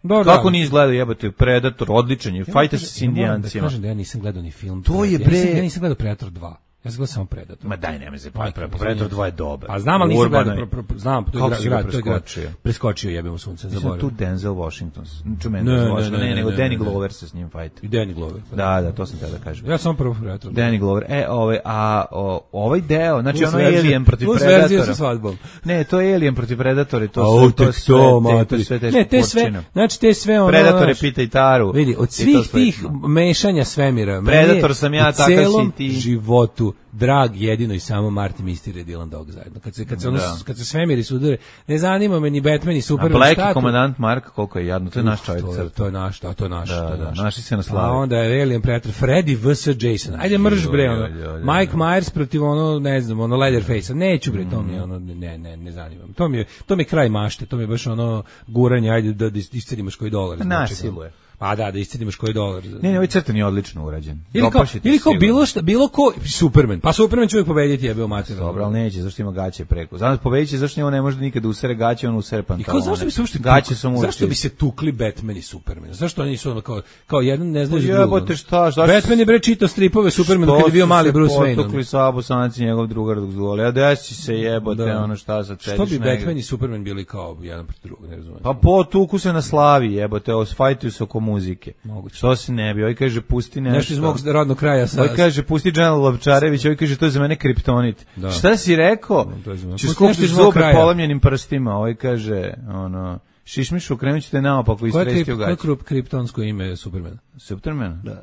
Da, kako da. nisi gledao, jebate, Predator, odličan je, ja, fajta se s Indijancima. Ja kažem da ja nisam gledao ni film. To je bre... Ja nisam, ja nisam gledao Predator dva. Ja sam gledao samo Predator. Ma daj, nema se, pa Predator dva je dobar. Pa znam, ali nisam gledao, pro, pro, pro, znam, to je grad, grad, to je grad. Preskočio, jebemo sunce, zaboravio. Tu Denzel Washington, čujem Denzel Washington, ne, nego Danny Glover se s njim fajta. I Danny Glover. Da, da, to sam tada kažem. Ja sam prvo Predator. Danny Glover, e, ovaj, a ovaj deo, znači ono Alien protiv Predatora. Ne, to je Alien protiv Predatora, to to sve teško. Ne, te sve, znači te sve ono. Predator je pita i Taru. Vidi, od svih tih mešanja svemira, Predator sam ja, takav si ti. životu drag jedino i samo Marty Mystery i Dylan Dog zajedno. Kad se, kad se, ono, Da. kad se svemiri sudare, ne zanima me ni Batman ni A Superman. Black šta i to- komandant Mark, koliko je jadno, to je naš čovjek To je, crta. to je naš, da, to je naš. Da, to je da, naš. naši se na A slavi. onda je Alien Predator, Freddy vs. Jason. Ajde mrž bre, ono. Joj, joj, joj, Mike Myers protiv ono, ne znam, ono Leatherface-a. Neću bre, to mi je ono, ne, ne, ne zanima me. To mi je, to mi je kraj mašte, to mi je baš ono guranje, ajde da, da iscedimaš koji dolar. iz nečega. Nasiluje. Pa da, da iscedimaš koji dolar. Ne, ne, ovaj crtan je odlično urađen. Ili kao, Dopaše ti ili kao sigurno. bilo šta, bilo ko, Superman. Pa Superman će uvijek pobediti, jebeo mater. Dobro, ali neće, zašto ima gaće preko. Zato pobediće, zašto on ne može nikada usere gaće, on usere I pantalone. kao zašto bi se uopšte gaće tukli? su mu Zašto uvijek bi se tukli Batman i Superman? Zašto oni su ono kao kao jedan ne znaš Pa drugo? jebote, šta, zašto- Batman je bre čitao stripove Supermana kad je bio mali Bruce Wayne. ono. Potukli sa Bosanci njegov drugar dok zvoli. A desi se jebote, Da. ono šta sad sediš Što bi negdje. Batman i Superman bili kao jedan protiv drugog, ne razumem. Pa potuku se na slavi, jebote, osfajtuju se oko muzike. Moguće. Što se ne bi, ovaj kaže pusti nešto. Nešto iz mog rodnog kraja sa Ovaj kaže pusti Džanel Lovčarević, ovaj kaže to je za mene kriptonit. Da. Šta si rekao? to je za mene. Ću Pusti skupiti nešto iz mog zube kraja. polomljenim prstima, ovaj kaže, ono, šišmišu, krenut ćete naopako i Koje je stresti krip, u koje je gaći. krip, kriptonsko ime Supermana? Superman? Da.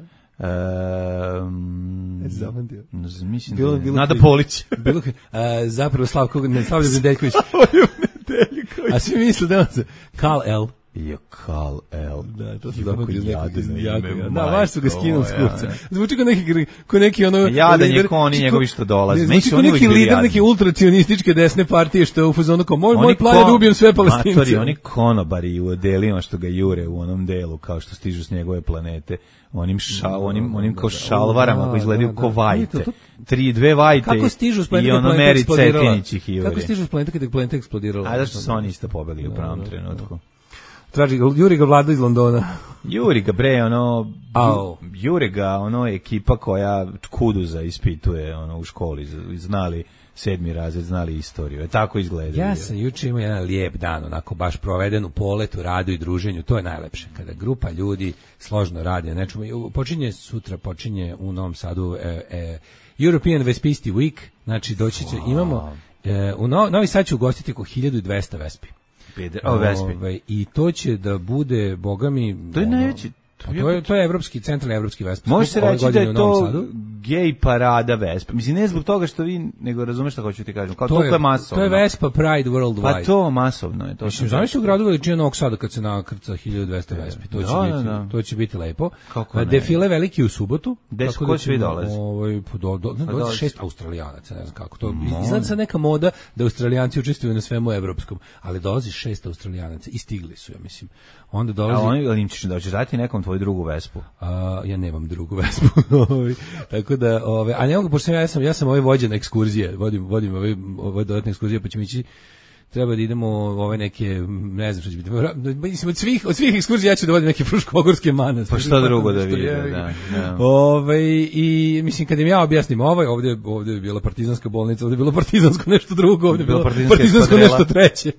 Um, Jesi zapamtio? mislim Bilo- da je. bilo Nada krip. Polić. Bilo je, a, zapravo Slavko, ne Slavljo Nedeljković. A svi misle da on se Kal El. Jo, Kal El. Da, to se Jako zapamtio iz nekog jadno iz ime, jako. Da, majko baš su ga skinuli s moja. kupca. Zvuči kao neki gr- kao neki ono Jadan je lider- ko oni njegovi što dolaze. Ne, Meni Zvuči su kao oni neki uvijek bili lider jadni. neke ultracionističke desne partije što je u fazonu kao moj, Oni moj plan je da ko- ubijem sve Palestince. Matori, oni konobari u odelima što ga jure u onom delu, kao što stižu s njegove planete, onim, ša, onim, onim kao šalvarama Da, koji izgledaju da, ko da. vajte. To- to- Tri, dve vajte Kako stižu s planeta i kad ono planeta Meri eksplodirala? Cetinić ih Kako jure. stižu s planeta kad je planeta eksplodirala? A zašto su oni isto pobegli u pravom trenutku? Traži ga, Juri ga vlada iz Londona. Juri ga bre, ono, Au. Juri ga, ono, ekipa koja kuduza ispituje ono, u školi, z- znali sedmi razred, znali istoriju. E, tako izgleda. Ja sam juče imao jedan lijep dan, onako baš proveden u poletu, radu i druženju. To je najlepše. Kada grupa ljudi složno radi na nečemu. I počinje sutra, počinje u Novom Sadu e, e, European Vespisti Week. Znači, doći će, imamo, e, u no, Novi Sad će ugostiti oko hiljadu dvesta vespi. Peder, o, Vespi. Ovaj, I to će da bude, boga mi... To je ono, najveći- pa to je, to je evropski, centralni evropski vespa. Može se Ove reći da godine je u Novom to Sadu. gej parada Vespa. Mislim, ne zbog toga što vi, nego razumeš šta hoću ti kažem. Kao to, je, je masovno. To je Vespa Pride Worldwide. Pa to masovno je. To Mislim, sam znaš u gradu veličine Novog Sada kad se nakrca hiljadu dvesta vespi, to će Da, biti, da, da. to će biti lepo. Kako A ne? Defile veliki u subotu. Gde su- tako ko da svi ćemo, dolaze? Ovaj po do, do, do, dolazi. šest Australijanaca, ne znam kako to. Izgleda sad neka moda da Australijanci učestvuju na svemu evropskom, ali dolazi šest Australijanaca i stigli su, ja mislim. Onda A dolazi oni, ali im ćeš da ćeš dati nekom tvoju drugu Vespu. a, ja nemam drugu vespu. Ovaj, tako da, ove, a ne mogu, pošto sam ja, ja sam, ja sam ovaj vođen ekskurzije, vodim, vodim ove, ove dodatne ekskurzije, pa ćemo ići, treba da idemo u ove neke, ne znam što će biti, mislim, od svih, od svih ekskurzija ja ću da vodim neke fruškogorske manastire. Pa šta drugo da Što vide, je- da, da. Ovaj, i mislim, kad im ja objasnim ovaj, ovdje, ovdje je bila partizanska bolnica, ovdje je bilo partizansko nešto drugo, ovdje je Bilo bilo partizanska partizansko eskadrela. nešto treće.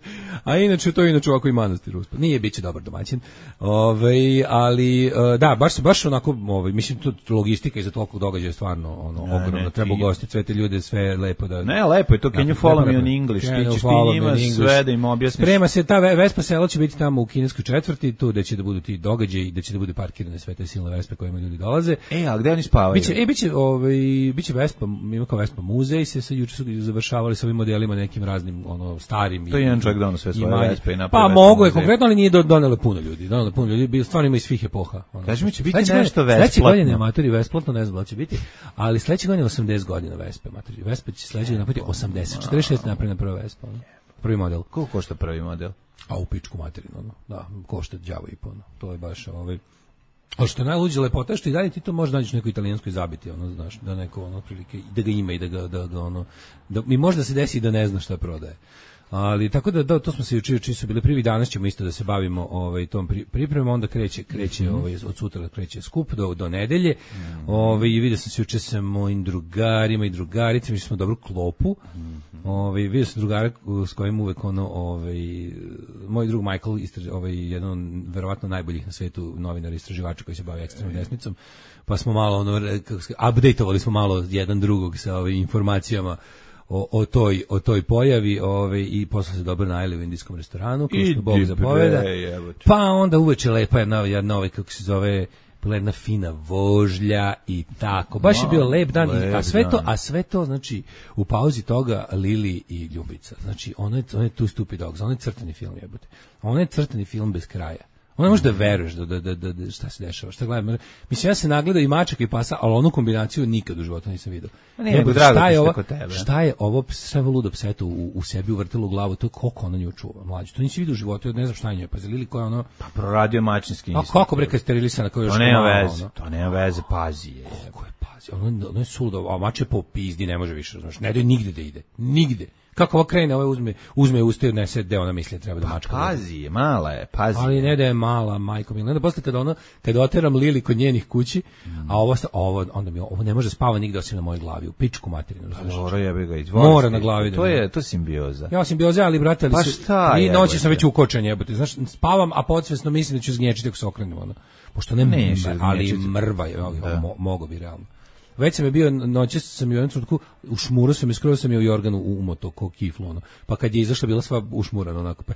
A inače, to je inače ovako i manastir uspod. Nije, bit će dobar domaćin. Ovaj, ali, e, da, baš, baš onako, ovaj, mislim, to logistika iza tolikog događaja je stvarno ono, Ne, ogromno. ne, Treba ti- ugostiti sve te ljude, sve lepo da... Ne, lepo je to, can you Lepo, follow me lepo. on English? Can Ti you ćeš ti follow me njima on English? sve da im objasniš. Sprema se, ta ve- Vespa selo će biti tamo u kineskoj četvrti, tu da će da budu ti događaji i da će da bude parkirane sve te silne Vespe kojima ljudi dolaze. E, a gde oni spavaju? Biće, e, biće, ovaj, biće Vespa, ima kao Vespa muzej, se sa juče su završavali sa ovim modelima nekim raznim, ono, starim. To je i- jedan čovjek doneo sve i svoje manje. Vespe i napravio Pa Vespa mogu je muzej. konkretno, ali nije do- donelo puno ljudi. Donelo puno ljudi, bi- stvarno ima iz svih epoha. Ono. Kaži mi, će biti Sledeće nešto godine- Sledeće besplatno. godine, amatori, besplatno, ne znam da li će biti, ali sledeće godine osamdeset godina Vespe, amatori. Vespa će sledeće godine napraviti osamdeset, četrdeset šest napravljena prva Vespa. Ono. Prvi model. Koliko košta prvi model? A u pičku materinu, ono. Da, košta đavo i po, ono. To je baš, ovaj, ali što je najluđe lepota, što i dalje ti to možeš naći neko italijansko i zabiti, ono, znaš, da neko, ono, prilike, da ga ima i da ga, da ga, ono, da, mi možda se desi i da ne zna šta prodaje. Ali tako da, da to smo se juče juče su bili prvi, danas ćemo isto da se bavimo ovaj tom pri, pripremom, onda kreće kreće mm-hmm. ovaj od sutra kreće skup do do nedelje. Mm-hmm. Ovaj i vidio sam se juče sa mojim drugarima i drugaricama, mi smo dobru klopu. Mm-hmm. Ovaj vidio sam drugara s kojim uvek ono ovaj moj drug Michael istraž, ovaj jedan verovatno najboljih na svetu novinar istraživač koji se bavi ekstremnom desnicom. Pa smo malo ono kako se updateovali smo malo jedan drugog sa ovim informacijama O, o toj o toj pojavi, ovaj i posle se dobro najeli u indijskom restoranu, kao što Bog zapoveda. Pa onda uveče lepa jedna jedna ovaj kako se zove bila jedna fina vožlja i tako. Baš je bio lep dan, i, a sve to, a sve to znači u pauzi toga Lili i Ljubica. Znači ono je, ono je Two Stupid Dogs, ono je crtani film, jebote. Ono je crtani film bez kraja. Ono ne možeš da veruješ da, da, da, da šta se dešava, šta gledam. Mislim, ja se nagledao i mačaka i pasa, ali onu kombinaciju nikad u životu nisam vidio. Ne, nego drago ti što kod tebe. Šta je ovo sve ludo pseto u, u sebi uvrtilo u glavu, to je koliko ona nju čuva, mlađe. To nisi vidio u životu, ja ne znam šta je njoj, pa Lili koja ono... Pa proradio mačinski instinkt. A kako bre kad sterilisana, kao još to nema malo, veze, ono. To nema veze, pazi je. Kako je pazi, ono, ono je suludo, a mač je po pizdi, ne može više, znaš, ne daj nigde da ide, nigde. Kako ova krene, ovaj uzme, uzme usta i odnese gde ona misli treba da mačka. Pa, pazi je, mala je, pazi. Ali ne da je mala, majko mi. Onda posle kada ono, kada oteram Lili kod njenih kući, mm. a ovo, ovo, onda mi ovo ne može spava nigde osim na mojoj glavi, u pičku materinu. Dobro, ja bih ga izvolio. Mora na glavi. To je, to simbioza. Ja simbioza, ali brate, ali pa šta i noći sam već ukočen, jebote. Znaš, spavam, a podsvesno mislim da ću zgnječiti ako se okrenem, ono. Pošto ne, ne ali mrva je, mo, mogo bi realno. Već sam je bio, noće sam je u jednom trenutku, ušmurao sam je, skoro sam je u jorganu umoto, ko kiflu, ono. Pa kad je izašla, bila sva ušmurana, onako, pa...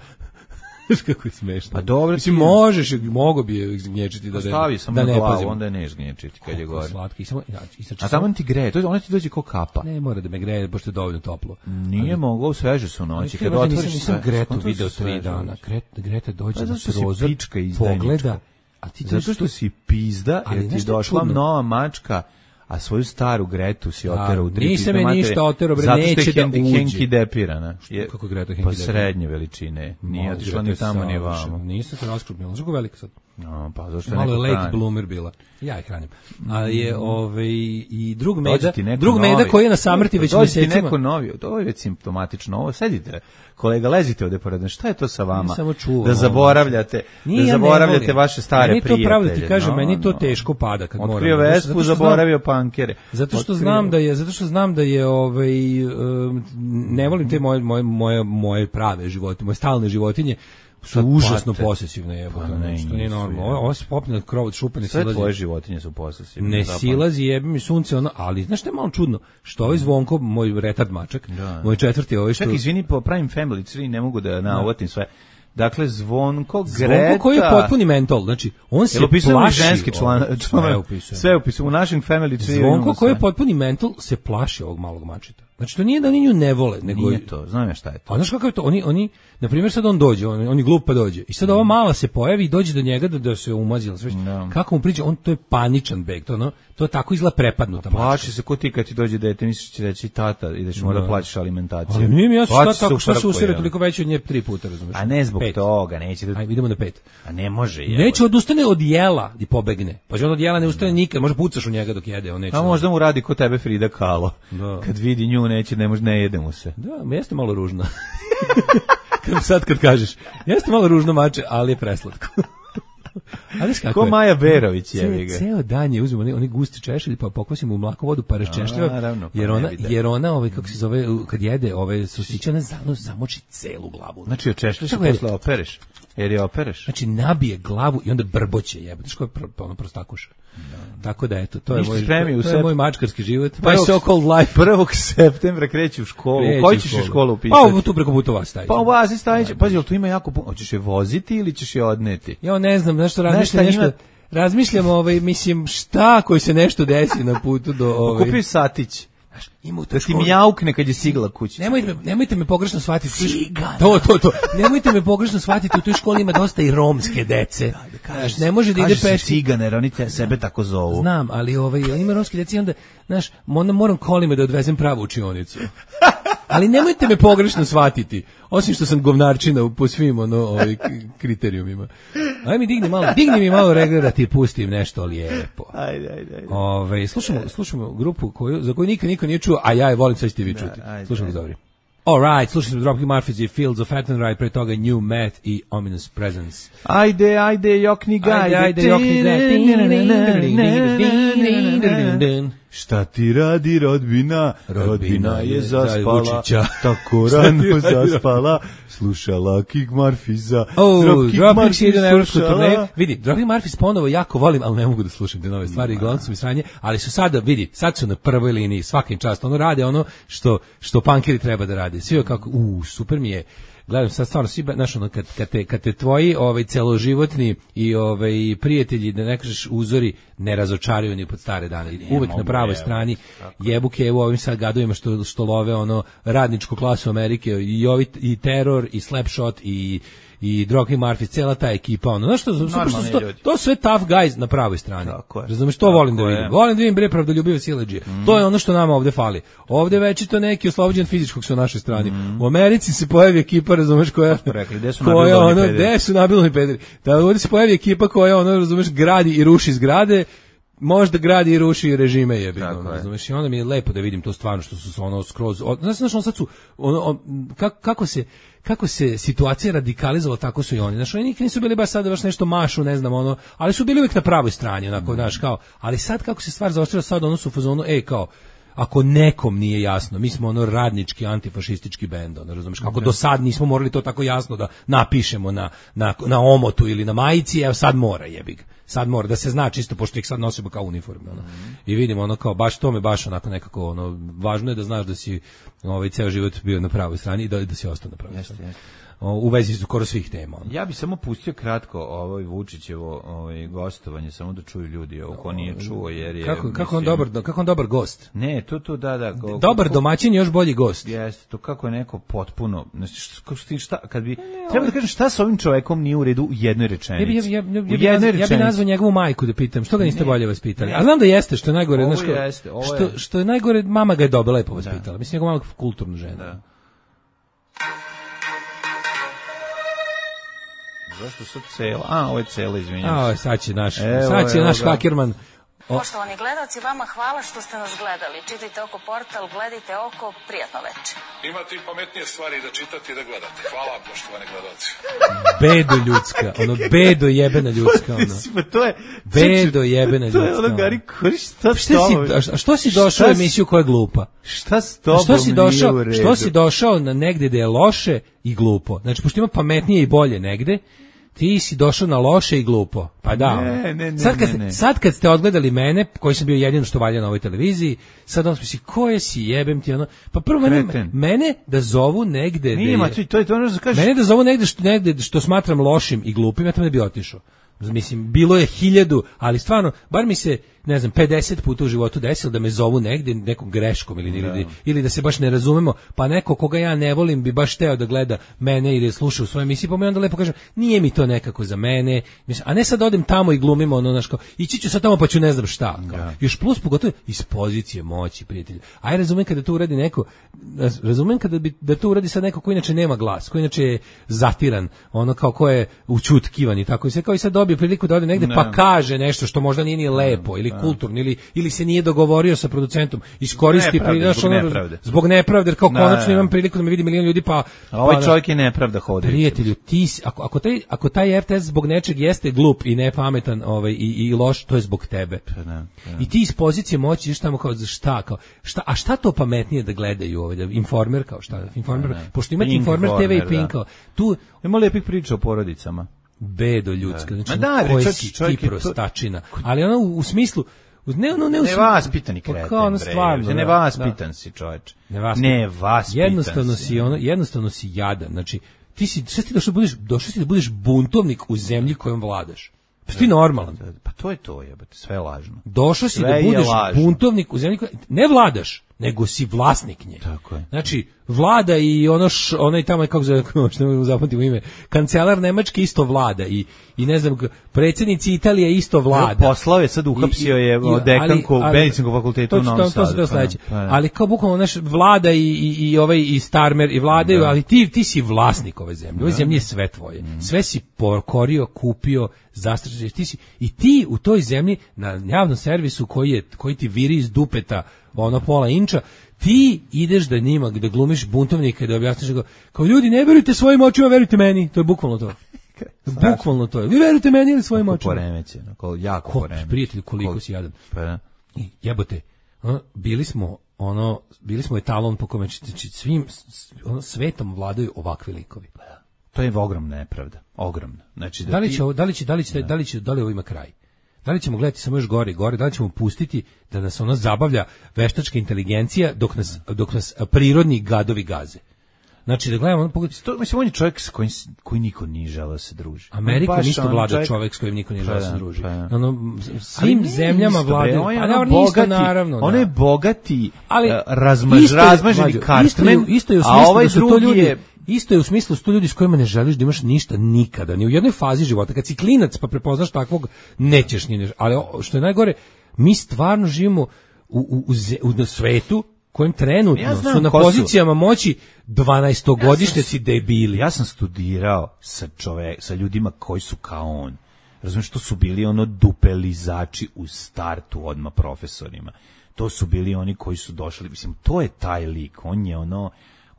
Znaš kako je smešno. Pa dobro, mislim, možeš, mogo bi je zgnječiti da, stavi sam da ne glavu, pazim. Onda je neš gnječiti kad je gore. Slatki, samo, ja, a tamo ti greje, to ona ti dođe ko kapa. Ne mora da me greje, pošto je dovoljno toplo. Nije moglo, sveže su noći. Kad otvoriš, nisam, nisam Gretu video tri dana. Greta dođe na prozor, pogleda, a ti zato što si pizda, jer ti došla nova mačka, a svoju staru Gretu si oterao u tri nisam je ništa oterao, bre, neće da uđe. Henki depirana. Je, kako Greta Henki pa srednje veličine. Nije otišla ni tamo, ni vamo. Nisam se raskrupnila. Znaš kako velika sad? No, pa zašto je malo neko late hrani? Bloomer bila. Ja je hranim. A je ovaj i drug meda, drug meda koji je na samrti već mesecima. Dođe ti neko novi, to je već simptomatično. Ovo sedite. Kolega, lezite ovde pored. Šta je to sa vama? Čuvam, da zaboravljate, da zaboravljate ja vaše stare prijatelje. Meni to pravo da ti kažem, no, meni to teško pada kad moram. Otkrio Vespu, zaboravio pankere. Zato što znam da je, zato što znam da je ovaj um, ne volim te moje moje moje moje prave životinje, moje stalne životinje. Su užasno posesivne, jebote, pa ne, što nije normalno. Ovo se popne od krova, šupane silazi. Sve tvoje životinje su posesivne. Ne zapravo. Silazi, jebi mi sunce, ono, ali znaš što je malo čudno? Što ovaj Zvonko, moj retard mačak, da. Moj četvrti ovaj što... Čak, izvini, po pravim family tree ne mogu da navotim sve. Dakle, Zvonko, Greta... Zvonko koji je potpuni mentol, znači, on se plaši... ženski član, član, sve upisuje. U našem family tree... Zvonko koji je potpuni mentol se plaši ovog malog mačeta. Znači, to nije da oni nju ne vole, nego... Nije to, znam ja šta je to. A znaš kako je to? Oni, oni na primjer, sad on dođe, on, on je glup pa dođe. I sad ova mala se pojavi i dođe do njega da, da se umazila. No. Kako mu priđe? On, to je paničan beg. To, no, to je tako izgleda prepadnuta mačka. Plaši se ko ti kad ti dođe dete, misliš će reći tata, ideš no. Mora plaćaš alimentaciju. Ali nije mi jasno šta, tako, šta se usere toliko veće od nje tri puta, razumiješ? A ne zbog pet. Toga, neće da... Ajde, idemo na pet. A ne može. Je, neće odustane od jela i pobegne. Pa on od jela ne ustane nikad, može pucaš u njega dok jede. On neće. A možda mu radi ko tebe Frida Kahlo. Da. Kad vidi nju neće, ne može, ne jede mu se. Da, jeste malo ružno. Sad kad kažeš, jeste malo ružno mače, ali je preslatko. Ali kako ko je? Maja Berović je ga. Ceo dan je uzmemo oni, oni gusti češelj pa pokvasimo u mlaku vodu pa raščešljiva. Jer ona jer ona ovaj kako se zove kad jede ove sosiće na zanos zamoči celu glavu. Znači očešljaš i posle opereš. Jer je opereš. Znači nabije glavu i onda brboće jebote. Što je ono prostakuša. Da. Tako da eto, to je moj to, to je moj mačkarski život. My so called life. prvog septembra kreće u školu. Koji ćeš u školu upisati? Pa tu preko puta vas staviti. Pa u vas staviti. Pa jel tu ima jako puno. Hoćeš je voziti ili ćeš je odneti? Ja ne znam, nešto razmišljam nešto. Razmišljam ovaj mislim šta koji se nešto desi na putu do ovaj. Kupi satić. Znaš, ima u da ti mjaukne kad je stigla kući. Nemojte me, nemojte me pogrešno shvatiti. Cigana. To, to, to. Nemojte me pogrešno shvatiti, u toj školi ima dosta i romske dece. Da, da kažeš, znaš, ne može da ide peške. Cigane, jer oni te sebe tako zovu. Znam, ali ovaj, on ima romske dece i onda, znaš, onda moram kolima da odvezem pravu učionicu. Ali nemojte me pogrešno shvatiti, osim što sam govnarčina po svim ono, ovaj, kriterijumima. Aj mi digni malo, digni mi malo reglera ti pustim nešto lijepo. Ajde, ajde, ajde. Ove, slušamo, slušamo grupu koju, za koju nikad niko nije čuo, a ja je volim, sad ćete vi čuti. Slušamo ga dobri. Alright, slušamo Dropkick Murphys i Fields of Attenry, pre toga New Math i Ominous Presence. Ajde, ajde, jokni gajde. Ajde, ajde, jokni gajde. Šta ti radi rodbina? Rodbina, rodbina je zaspala, tako rano zaspala, slušala Kick Murphys-a. Oh, Dropkick Murphys ide na evropsku turneju. Vidi, Dropkick Murphys ponovo jako volim, ali ne mogu da slušam te nove stvari, glavno su mi sranje, ali su sada, vidi, sad su na prvoj liniji, svakim čast, ono rade ono što, što punkeri treba da rade. Svi kako, u, super mi je. gledam sad stvarno svi, znaš, ono, kad, kad, te, kad te tvoji ovaj, celoživotni i ovaj, prijatelji, da ne kažeš uzori, ne razočaraju ni pod stare dane. Uvek na pravoj strani jebu kevu ovim sad gadovima što, što love ono radničku klasu Amerike i, ovi, i teror, i slapshot, i i Drogi Marfi, cela ta ekipa, ono, znaš što, to, to sve tough guys na pravoj strani. Razumeš, to volim da vidim. Volim da vidim bre pravdoljubive siledžije. Mm. To je ono što nama ovde fali. Ovde večito neki oslobođen fizičkog su na našoj strani. Mm. U Americi se pojavi ekipa, razumeš, koja rekli, gde su koja ono, gde su nabilni pederi. Da ovde se pojavi ekipa koja ono, razumeš, gradi i ruši zgrade. Možda gradi i ruši režime jebi, ono, razumeš, i onda mi je lepo da vidim to stvarno što su ono skroz, znaš, znaš, on sad su, ono, on, kako, kako se, kako se situacija radikalizovala, tako su i oni, znaš, oni nikad nisu bili baš sad da baš nešto mašu, ne znam, ono, ali su bili uvijek na pravoj strani, onako, znaš, kao, ali sad kako se stvar zaoštrila, sad ono su u fazonu, ej, kao, ako nekom nije jasno, mi smo ono radnički antifašistički bend, ono, razumeš, kako do sad nismo morali to tako jasno da napišemo na, na, na omotu ili na majici, evo sad mora, jebi ga. Sad mora da se zna čisto pošto ih sad nosimo kao uniforme, ono. Mm-hmm. I vidimo ono kao baš to me baš onako nekako ono važno je da znaš da si ovaj ceo život bio na pravoj strani i da da si ostao na pravoj strani. Jeste, jeste. U vezi su skoro svih tema. Ono. Ja bih samo pustio kratko ovaj Vučićevo ovaj gostovanje samo da čuju ljudi, ovo ko nije čuo jer je kako mislim, kako on dobar kako on dobar gost. Ne, to to da da go, dobar ko, domaćin još bolji gost. Jeste, to kako je neko potpuno, znači šta, šta kad bi ne, treba da kažem šta sa ovim čovekom nije u redu u jednoj rečenici. Ja bi ja, ja, ja, ja, ja bih nazvao njegovu majku da pitam što ga niste ne, bolje vaspitali. Ne, a znam da jeste što je najgore, znači što je. što je najgore mama ga je dobro lepo vaspitala. Mislim njegova mama kulturna žena. Da. Zašto sad cela? A, ovo je cela, izvinjam se. A, sad će naš, evo, sad će evo, naš Hakirman. O. Poštovani gledalci, vama hvala što ste nas gledali. Čitajte oko portal, gledajte oko, prijatno veče. Imate i pametnije stvari da čitate i da gledate. Hvala, poštovani gledalci. Bedo ljudska, ono, bedo jebena ljudska, ono. To je... Bedo jebena ljudska. To je ono, Gari, šta s tobom? A što si došao u emisiju koja je glupa? Šta s tobom što si došao, što si došao na negde da je loše i glupo? Znači, pošto ima pametnije i bolje negde, ti si došao na loše i glupo. Pa da. Ne, ne, ne, sad, kad, ne, ne. sad kad ste odgledali mene, koji sam bio jedino što valja na ovoj televiziji, sad on smisli, koje si jebem ti ono? Pa prvo mene, mene da zovu negde... Nima, to, to je to ono što kažeš. Mene da zovu negde što, negde što smatram lošim i glupim, ja tamo ne bi otišao. Mislim, bilo je hiljadu, ali stvarno, bar mi se, ne znam, pedeset puta u životu desilo da me zovu negde nekom greškom ili, da. ili, ili da se baš ne razumemo, pa neko koga ja ne volim bi baš teo da gleda mene ili sluša u svojoj emisiji, pa mi onda lepo kažem, nije mi to nekako za mene, mislim, a ne sad odem tamo i glumimo ono, znaš, kao, ići ću sad tamo pa ću ne znam šta, kao. Da. Još plus pogotovo iz pozicije moći, prijatelji. Aj, razumem kada to uradi neko, razumem kada bi, da to uradi sad neko ko inače nema glas, ko inače je zatiran, ono kao ko je učutkivan i tako i sve, kao i sad dobije priliku da ode negde ne. pa kaže nešto što možda nije ni lepo ili kulturno ili ili se nije dogovorio sa producentom, iskoristi nepravde, zbog, nepravde. zbog nepravde, jer kao da, konačno imam priliku da me vidi milion ljudi, pa a ovaj pa, čovjek je nepravda hodi. Prijatelju, ti ako ako taj ako taj R T S zbog nečeg jeste glup i nepametan, ovaj i, i loš, to je zbog tebe. Da, da. I ti iz pozicije moći ideš tamo kao za šta, kao šta, a šta to pametnije da gledaju ovaj da Informer kao šta, Informer, da, da. Pošto imate Informer T V i Pink, da. Tu ima lepih priča o porodicama. Bedo ljudska, znači da, koji si ti prostačina, ali ono u, u smislu ne ono ne u nevaspitan kreten, kao ono stvarno, bre, nevaspitan da. Si čoveče, nevaspitan, jednostavno si ono, jednostavno si jadan, znači ti si, šta ti došao da budeš, došao si da budeš buntovnik u zemlji kojom vladaš. Pa ti normalan. Pa to je to, jebote, sve je lažno. Došao si da budeš buntovnik u zemlji kojom ne vladaš, nego si vlasnik nje. Tako je. Znači, vlada i ono š, onaj tamo kako zove, što ne zapamtim ime, kancelar Nemačke isto vlada i i ne znam, predsjednici Italije isto vlada. Poslao je, sad uhapsio je dekanku medicinskog fakulteta u Novom Sadu. To, to, to, to ali kao bukvalno naš vlada i, i, i ovaj i Starmer i vladaju, da. Ali ti, ti si vlasnik ove zemlje. Ove zemlje je sve tvoje. Mm. Sve si pokorio, kupio, zastrašio. Ti si, i ti u toj zemlji na javnom servisu koji, je, koji ti viri iz dupeta ono pola inča, ti ideš da njima, da glumiš buntovnika i da objasniš kao, kao ljudi, ne verujte svojim očima, verujte meni. To je bukvalno to. Bukvalno to je. Vi verujete meni ili svojim očima? Poremeće, jako Ko, poremeće. Prijatelju, koliko Kol... si jadan. Pa da. I jebote, ono, bili smo ono, bili smo etalon po kome znači, svim ono, svetom vladaju ovakvi likovi. Pa da. To je ogromna nepravda, ogromna. Znači da, da li ti... će da li će da li će da li će da li ovo ima kraj? Da li ćemo gledati samo još gore i gore, da li ćemo pustiti da nas ono zabavlja veštačka inteligencija dok nas, dok nas prirodni gadovi gaze? Znači da gledamo, pogledaj, To, mislim, on je čovjek s kojim, s- koji niko nije želeo se druži. Amerikom Baš isto ono vlada čovjek- čovjek s kojim niko nije Pa želeo se da, druži. pa da. Ono, Ali svim nije zemljama isto, bre, vladaju. on je Pa ono dobro, nije isto, bogati, naravno. on da. je bogati, Ali e, razmaž, isto je, razmaženi mlađo, kartmen, isto je, isto je u a smislu ovaj da su to drugi ljudi, je... isto je u smislu da su to ljudi s kojima ne želiš da imaš ništa nikada, ni u jednoj fazi života. Kad si klinac pa prepoznaš takvog, nećeš ni nešto. Ali o, što je najgore, mi stvarno živimo u, u, u, ze- u na svetu kojem trenutno Ja znam su na ko su. pozicijama moći dvanaestogodišnjaci debili. Ja sam studirao sa čove, sa ljudima koji su kao on. Razumiješ, to su bili ono dupelizači u startu odmah profesorima. To su bili oni koji su došli, mislim, to je taj lik, on je ono,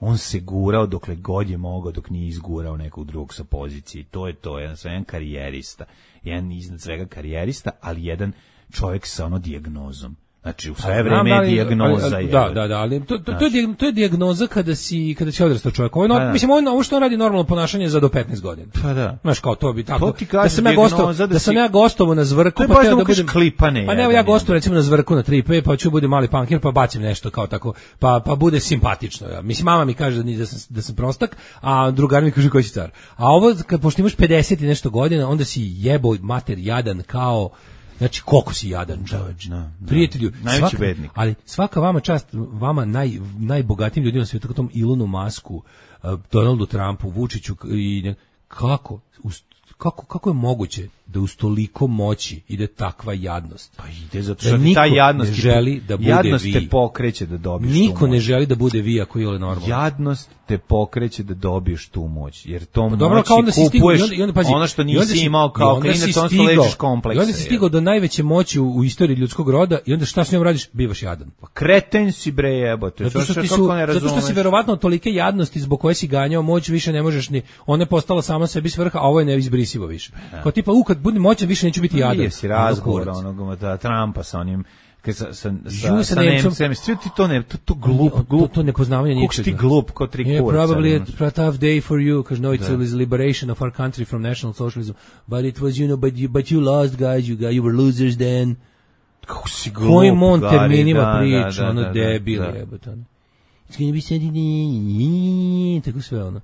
on se gurao dokle god je mogao, dok nije izgurao nekog drugog sa pozicije. To je to, jedan, jedan karijerista, jedan iznad svega karijerista, ali jedan čovjek sa ono dijagnozom. Znači, u sve Znam, vreme je ali- dijagnoza. ali- je. Da, da, da, ali to, to, to, je, dijag- to je dijagnoza kada si, kada si odrastao čovjek. Ovo, je no- Pa da. mislim, ovo, je- ovo što on radi normalno ponašanje za do petnaest godina. Pa da. Znaš, kao to bi tako. To ti kaže da sam ja dijagnoza gostao, da da, sam si- ja gostovao na Zvrku, To je pa baš teo da mu da kažeš budem klipane Pa ne, jedan, ja gostovao jedan. recimo na Zvrku na tri P, pa ću budem mali pankir, pa bacim nešto kao tako, pa pa bude simpatično. Ja. Mislim, mama mi kaže da, ni- da sam da sam prostak, a drugar mi kaže koji si car. A ovo kad pošto imaš pedeset i nešto godina, onda si jebo mater jadan kao. Znači, koliko si jadan, čoveče. da, da. Prijatelju, Najveći svaka, bednik. ali svaka vama čast, vama naj, najbogatijim ljudima na svijetu, kao tom Ilonu Masku, uh, Donaldu Trumpu, Vučiću i ne- kako, uz, kako, kako je moguće da uz toliko moći ide takva jadnost? Pa ide zato Da što ti niko ta jadnost ne ti- želi da bude jadnost vi. te pokreće da dobiješ tu Niko ne moć. želi da bude vi ako je ole normalno. Jadnost te pokreće da dobiješ tu moć, jer tom Pa dobro, moći kao onda si stigao, kupuješ i onda, i onda, pazi, ono što i onda nisi si- imao i kao onda si klinac, on što stigao- ležiš kompleksa. I onda si stigao do najveće moći u, u istoriji ljudskog roda i onda šta s njom radiš? Bivaš jadan. Pa kreten si bre jebote, Zato što, ti kako su, ne zato što si razumeš? verovatno od tolike jadnosti zbog koje si ganjao moć više ne možeš ni, ona je postala sama sebi svrha, a ovo je neizbrisivo više. Kao tipa, u kad budem moćan više neću biti jadan. Nije si Ono razgovor kurac. onog da, Trumpa sa onim kad sa, sa, Ju, sa, sa sa Nemcem. Nemcem, sve ti to ne, to, to glup, To- glup, to nepoznavanje Kako si ti ničega. glup, ko tri Yeah, kurca. probably ono. a tough day for you, because no, it's the liberation of our country from national socialism. But it was, you know, but you, but you lost, guys. You, got, you were losers then. Kako si glup, Kojim on Gari, terminima da, priča, da, ono da, da, debil da. jebote. ono. It's gonna be Saturday, tako sve ono.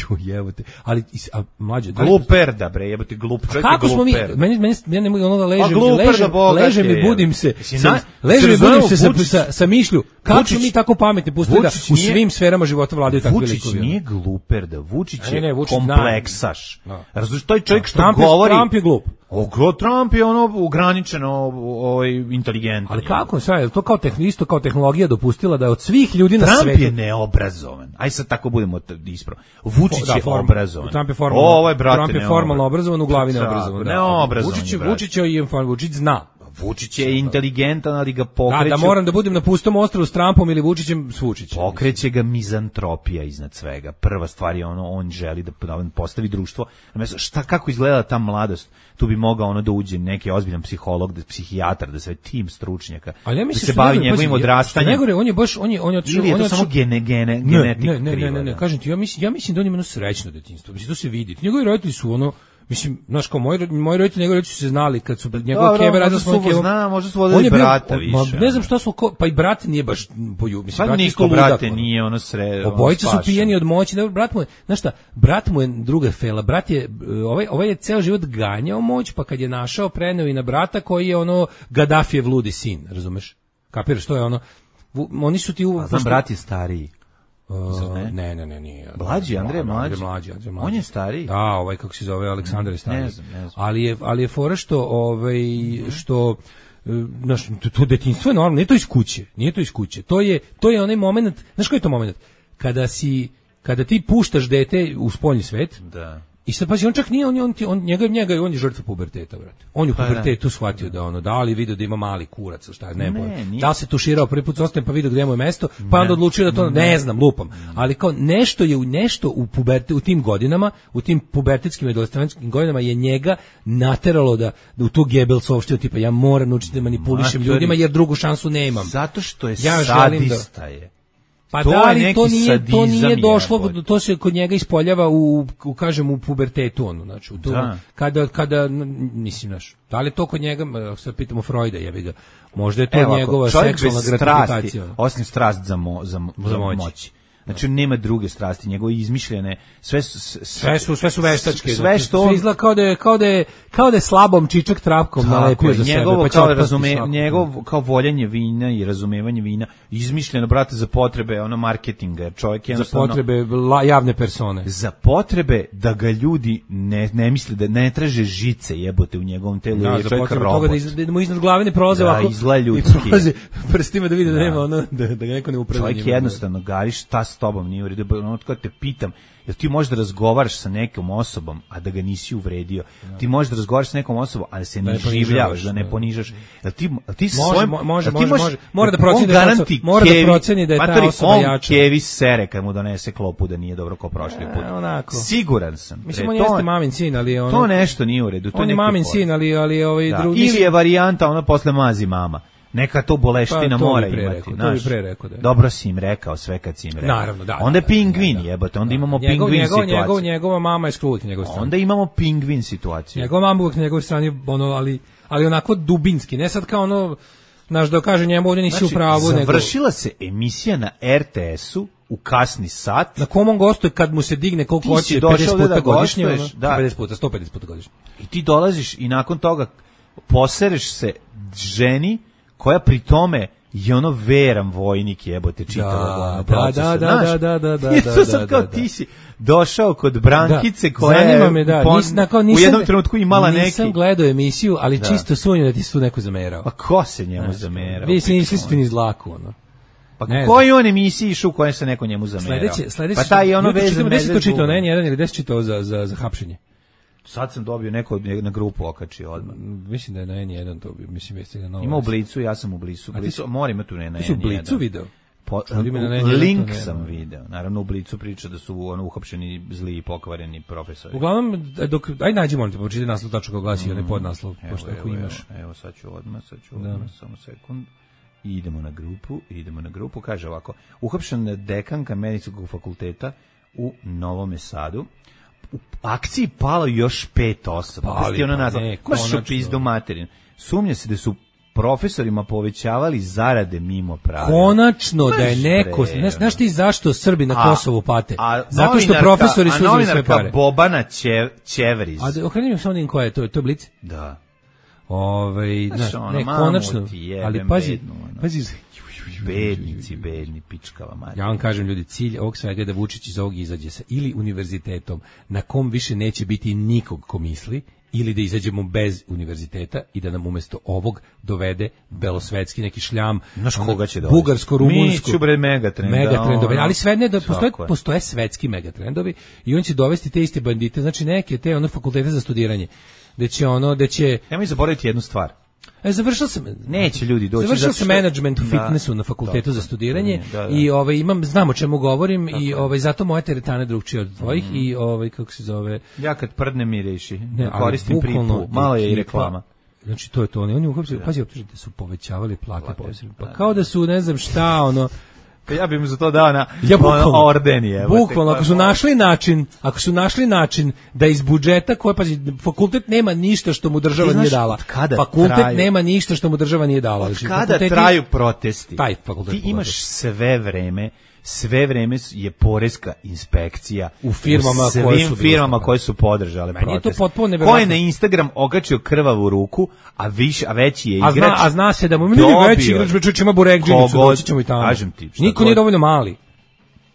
Jo, jebote. Ali, is- a mlađe... da li- Gluperda bre, jebote glup, čovjek je Kako smo mi, gluper. meni, meni, ja ne mogu ono da ležem, Pa gluper da ležem, bogat ležem je, i budim se, Mislim, sa, na- ležem i se budim razumemo, se sa, Vučić- sa, sa mišlju, kako Vučić- smo mi tako pametni pustili da Vučić u nije- svim sferama života vladaju takvi Vučić likovi. ono. nije gluperda, Vučić Ne, je ne, Vučić zna. kompleksaš. Da. Razumiješ, to je čovjek što Trump je- govori... Trump je glup. O, glo- Trump je ono ograničeno ovaj, inteligentan. Ali kako, sad, je li to kao, tehn, isto kao tehnologija dopustila da od svih ljudi na Trump svetu... je neobrazovan. Aj sad tako budemo t- ispravo. Vučić Da, je form- obrazovan. Trump je formalno, Ovo je, brate, Trump je formalno obrazovan, u glavi Tako, neobrazovan. Da. neobrazovan je, Vučić, je- brate. Vučić je i Vučić zna. Vučić je inteligentan, ali ga Da, pokreće... da moram da budem na pustom ostrvu s Trumpom ili Vučićem s Vučićem. Pokreće ga mizantropija iznad svega. Prva stvar je ono, on želi da da on postavi društvo. Na mesto, šta, kako izgleda ta mladost? Tu bi mogao ono da uđe neki ozbiljan psiholog, da, psihijatar, da sve tim stručnjaka, Ali ja da mislim se što bavi najgore, njegovim pazi, odrastanjem. što najgore, on je baš, on je, on je otišao, Ili je on to je samo otišao- gene, gene, Ne, genetika ne, ne, ne, kriva, ne, ne, da. kažem ti, ja mislim, ja mislim da on ima jedno srećno detinjstvo. Mislim, to se vidi. Njegovi roditelji su ono, mislim, znaš, kao moji, moji roditelji, njegovi roditelji su se znali kad su njegove Dobro, keve radile možda s mojim su kevom. zna, možda su vodili On je bio- brata ma, više, Ne znam ono. šta su, ko- pa i brat nije baš poju, mislim, Pa brat je isto niko, ludak, brate, ono. nije ono sre... Obojica su spašen. pijeni od moći. Dobro, brat mu je, znaš šta, brat mu je druga fela. Brat je, ovaj, ovaj je ceo život ganjao moć, pa kad je našao, preneo i na brata koji je ono Gaddafijev ludi sin, razumeš? Kapiraš, to je ono, vu- oni su ti u... A znam, brat je stariji. Uh, ne? ne, ne, ne, nije. Mlađi, Andrej je mlađi. Andrej mlađi, Andrej mlađi. On je stariji? Da, ovaj kako se zove, Aleksandar je stariji. Ne znam, ne znam. Ali je, ali je fora što, ovaj, što e, znaš, to, to detinjstvo je normalno, nije to iz kuće, nije to iz kuće. To je, to je onaj moment, znaš koji je to moment? Kada si, kada ti puštaš dete u spoljni svet, Da. i sad pazi, on čak nije, on, je- on, ti- on njega, njega, on je žrtva puberteta, brate. On je u Pa da. pubertetu shvatio da ono, da li video da ima mali kurac, ili šta, ne, Ne, ne nije. da li se tuširao prvi put s ostajem pa video gdje mu je mesto, pa onda odlučio da to, ne, znam, lupam. Ali kao nešto je u nešto u, puberte, u tim godinama, u tim pubertetskim i adolescentskim godinama je njega nateralo da, da u tu Gebelsovštinu, tipa ja moram naučiti da manipulišem Matori. ljudima jer drugu šansu nemam. Zato što je Ja želim da- sadista je. Pa To da, je ali neki to nije, to sadizam nije došlo, jebote. to se kod njega ispoljava u, u kažem, u pubertetu, ono, znači, u to, Da. kada, kada, n- mislim, znaš, da li je to kod njega, ako sad pitamo Freuda, jebi ga, možda je to Evo ovako, njegova čovjek seksualna bez gratifikacija. strasti, osim strast za, mo, za, mo- Za za moć. moć. Znači on nema druge strasti, njegove izmišljene, sve su sve su sve su veštačke. Sve što on izgleda kao da je kao da je kao da je slabom čičak trapkom nalepio za sebe. Njegovo Pa kao razume, njegov kao voljenje vina i razumevanje vina, izmišljeno brate za potrebe ono marketinga, čovjek je za potrebe la, javne persone. Za potrebe da ga ljudi ne ne misle da ne traže žice jebote u njegovom telu, da, je čovjek robot. Toga da, iz, da mu iznad glave ne prolaze da, ovako. Izgleda ljudski. Prolaze prstima da vidi da, da nema ono da, da ga neko ne upravlja. Čovjek jednostavno gariš šta s tobom nije u redu. Ono kad te pitam, jel ti možeš da razgovaraš sa nekom osobom, a da ga nisi uvredio? Ja. Ti možeš da razgovaraš sa nekom osobom, a da se ne življavaš, da ne ponižaš. Jel ti, jel ti može, svojim, može, jel ti može, može. Mora da proceni da je ta, mora kevi, da proceni da je ta osoba on jača. Kevi sere kad mu donese klopu da nije dobro kao prošli put. E, onako. Siguran sam. Mislim, on jeste mamin sin, ali je ono... To nešto nije u redu. To on je mamin sin, ali, ali ovaj da. drugi... Ili je varijanta, ona posle mazi mama. Neka to boleština pa, mora imati. Rekao, to bi pre rekao, da. Dobro si im rekao sve kad si im rekao. Naravno, da. Onda je da, pingvin, da, da. jebote, onda da. imamo njegov, pingvin njegov, situaciju. Njegov, njegova mama je skroz njegov strani. Onda imamo pingvin situaciju. Njegova mama uvijek na njegovoj strani, ono, ali, ali onako dubinski, ne sad kao ono, znaš, da kaže njemu ovdje nisi znači, u pravu. Završila nego... se emisija na er te esu u kasni sat. Na kom on gostuje kad mu se digne koliko hoće, pedeset puta da godišnje, ono, da. pedeset puta, sto pedeset puta godišnje. I ti dolaziš i nakon toga posereš se ženi koja pri tome je ono veran vojnik jebote čitavog procesa. Da, da, da, da, da, I to sad kao ti si došao kod Brankice koja je me, da. pon, Nis, nakon, nisam, u jednom trenutku imala nisam neki... Nisam gledao emisiju, ali da. čisto sumnjam da ti su neko zamerao. Pa ko se njemu zamerao? Vi se nisi spini zlaku, ono. Pa koji on emisiji išao u kojem se neko njemu zamerao? Sledeće, sledeće, pa taj je ono vezan... Gde si to čitao, ne, jedan ili gde si čitao za, za, za hapšenje? Sad sam dobio neko na grupu okačio odmah. Mislim da je na en jedan to, mislim jeste na novo. Ima u Blicu, ja sam u Blicu. Blicu mora ima tu ne na en jedan. Ti si u Blicu video? Po, link sam video. Naravno u Blicu priča da su ono uhapšeni zli i pokvareni profesori. Uglavnom dok aj nađi molim te pročitaj naslov tačno kako glasi, onaj podnaslov, pošto ako imaš. Evo, evo sad ću odmah, sad ću odmah, samo sekund. I idemo na grupu, idemo na grupu, kaže ovako: uhapšena dekanka medicinskog fakulteta u Novom Sadu. U akciji palo još pet osoba. Pa ti ono nazva, maš u pizdu materin. Sumnja se da su profesorima povećavali zarade mimo pravila. Konačno da je neko, znaš, znaš ti zašto Srbi na Kosovu pate? A, a zato što profesori su uzeli sve pare. Bobana Čev, Čevriz. A okrenim se onim koja je, to, to je Blic? Da. Ove, znaš, ono, ne, konačno, ali pazi, bednu, ono. pazi, bednici, bedni, pičkava Marija. Ja vam kažem, ljudi, cilj ovog svega je da Vučić iz ovog izađe sa ili univerzitetom na kom više neće biti nikog ko misli, ili da izađemo bez univerziteta i da nam umesto ovog dovede belosvetski neki šljam, znaš koga će dovesti? Bugarsko, rumunsko, mi ću bre megatrend, megatrendovi, ali sve ne, da postoje, postoje svetski megatrendovi i on će dovesti te iste bandite, znači neke te ono fakultete za studiranje, da će ono, da će... Nemoj zaboraviti jednu stvar. E, završio sam, neće ljudi doći. Završio sam menadžment u fitnessu na fakultetu da, za studiranje da, da. i ovaj imam znam o čemu govorim tako i ovaj zato moje teretane drugčije od tvojih mm. i ovaj kako se zove. Ja kad prdne mi reši, ne, koristim pripu, malo je i reklama. Znači to je to, oni oni uopšte pazi optužite su povećavali plate posebno. Pa kao da su ne znam šta ono. Ja bih mu za to dao na ja, bukvalno, orden je. Bukvalno, ako su našli način, ako su našli način da iz budžeta, koje pazi, fakultet nema ništa što mu država nije dala. Fakultet traju, nema ništa što mu država nije dala. Od kada traju protesti? Taj fakultet. Ti imaš sve vreme, sve vreme je poreska inspekcija u firmama u svim koje su firmama koje su podržale protest. Meni je to potpuno neverovatno. Ko je na Instagram okačio krvavu ruku, a više a veći je igrač. A zna, a zna se da mu nije veći igrač, već ima burekđinicu, doći ćemo i tamo. Kažem ti, niko nije dovoljno mali.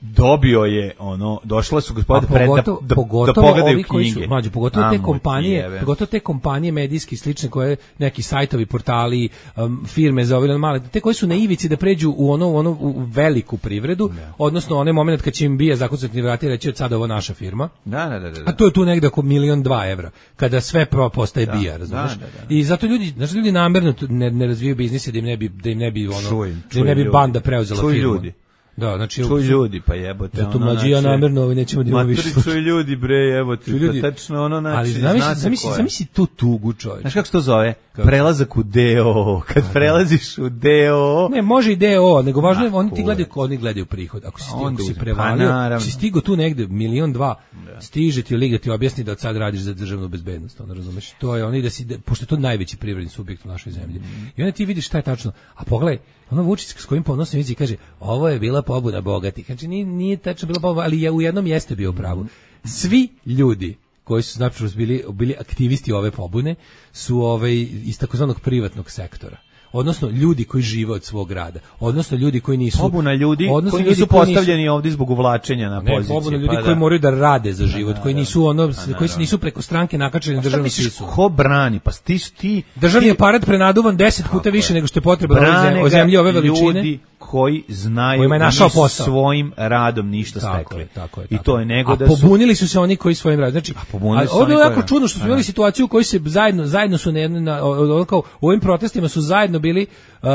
Dobio je ono, došla su gospoda pred da, da, pogotovo da pogledaju ovi koji su, mlađe, pogotovo te kompanije, pogotovo te kompanije medijski slične koje neki sajtovi, portali, um, firme za ove male, te koji su na ivici da pređu u ono, u ono u veliku privredu, ne. Odnosno onaj moment kad će im bija zakucati vrati reći od sada ovo naša firma. Da, da, da, da. A to je tu negde oko milion dva evra, kada sve pro postaje da, bija, razumiješ? Da, da, da. I zato ljudi, znači ljudi namerno ne, ne razvijaju biznise da im ne bi, da im ne bi ono, čujem, da im ne bi ljudi. Banda preuzela čuj firmu. Ljudi. Da, znači čuj ljudi, pa jebote. Zato mlađi ja namjerno ovaj nećemo da imamo više. Čuj ljudi, bre, jebote. Ljudi, tačno ono znači. Ali zamisli, zamisli, zamisli tu tugu, čovjek. Znaš kako se to zove? prelazak u D O, kad prelaziš u D O. Ne, može i D O, nego važno je, oni ti gledaju, oni gledaju prihod. Ako si stigao, ako si prevalio, pa, si stigao tu negde milion dva, da. Stiže ti liga ti objasni da od sad radiš za državnu bezbednost, ono razumeš? To je oni da si, pošto je to najveći privredni subjekt u našoj zemlji. Mm. I onda ti vidiš šta je tačno. A pogledaj, ono Vučić s kojim ponosom vidi kaže, ovo je bila pobuna bogatih. Znači nije, nije tačno bila pobuna, ali je u jednom jeste bio u pravu. Svi ljudi koji su znači bili bili aktivisti ove pobune su ovaj iz takozvanog privatnog sektora. Odnosno ljudi koji žive od svog rada, odnosno ljudi koji nisu pobuna ljudi koji nisu postavljeni nisu, ovdje zbog uvlačenja na ne, poziciju. Pobuna ljudi pa koji da. moraju da rade za život, da, koji da, nisu ono, da, koji se nisu preko stranke nakačeni na državnu sisu. Ko brani? Pa ti ti državni aparat prenaduvan deset puta više nego što je potrebno o zemlji ove veličine. Ljudi koji znaju kojima je našao posao svojim radom ništa tako stekli. Je, tako je, I tako to je nego a da su pobunili su se oni koji svojim radom. Znači, ovo je jako čudno što smo imali situaciju u kojoj se zajedno zajedno su na, na kao u ovim protestima su zajedno bili uh,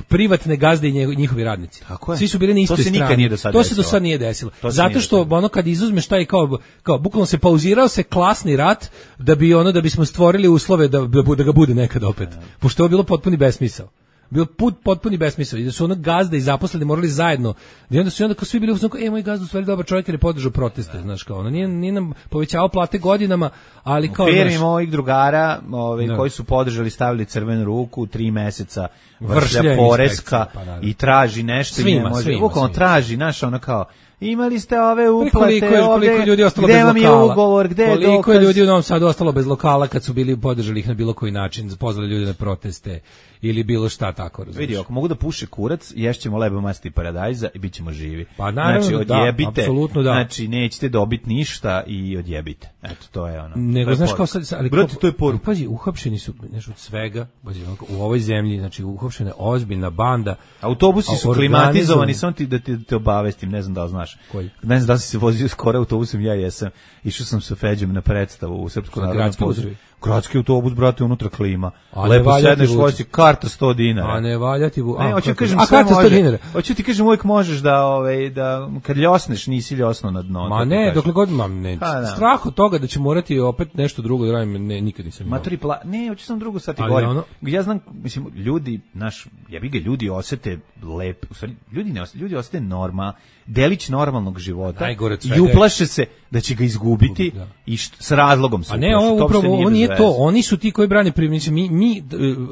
privatne gazde i njihovi radnici. Tako je. Svi su bili na istoj strani. To se nikad nije do sad To se do sad nije desilo. Zato nije što ono kad izuzmeš taj kao kao bukvalno se pauzirao se klasni rat da bi ono da bismo stvorili uslove da da ga bude nekad opet. Pošto je bilo potpuni besmisao. Bio put potpuni besmisao i da su ono gazda i zaposleni morali zajedno. I onda su onda kao svi bili u fazonu, ej moj gazda u stvari dobar čovjek jer je podržao proteste, znaš kao ono nije, nije nam povećavao plate godinama, ali kao u firmi mojih drugara, ovaj no. koji su podržali, stavili crvenu ruku, tri meseca vršlja poreska pa, i traži nešto svima, i ne može. Svima, Bukvalno traži, znaš, ono kao imali ste ove uplate, koliko je, koliko je ljudi ostalo gde bez vam je lokala? Ugovor, gde je koliko dokaz? je ljudi u Novom Sadu ostalo bez lokala kad su bili podržali ih na bilo koji način, pozvali ljude na proteste ili bilo šta tako, razumiješ? Vidi, ako mogu da puše kurac, ješćemo lebo masti paradajza i bit ćemo živi. Pa naravno, znači, odjebite, da, apsolutno da. Znači, nećete dobiti ništa i odjebite. Eto, to je ono. Nego, znaš kao sad, ali brate, to je poruka. Pazi, uhapšeni su, znaš, od svega, pazi, u ovoj zemlji, znači, uhapšena je ozbiljna banda. Autobusi su klimatizovani, samo ti da te, te obavestim, ne znam da li znaš. Koji? Ne znam da li si se vozio skoro autobusom, ja jesam. Išao sam sa Feđem na predstavu u Srpskom narodnom pozorištu. Gradski autobus, brate, unutra klima. A lepo sedneš, vozi karta sto dinara. A ne valja ti... Ne, hoću kažem, a karta sto dinara. Hoću ti kažem, uvijek možeš da, ovaj, da kad ljosneš, nisi ljosno na dno. Ma ne, dokle god, ma ne, ha, strah od toga da će morati opet nešto drugo da radim, ne, nikad nisam imao. Maturi, pla... ne, hoću sam drugo sad ti govorim. Ono... Ja znam, mislim, ljudi, naš, ja bi ga ljudi osete lep, u stvari, ljudi ne osete, ljudi osete norma, delić normalnog života i uplaše se da će ga izgubiti da. I št, s razlogom se. A ne, ovo upravo, ovo nije to, oni su ti koji brane privrednici, mi, mi,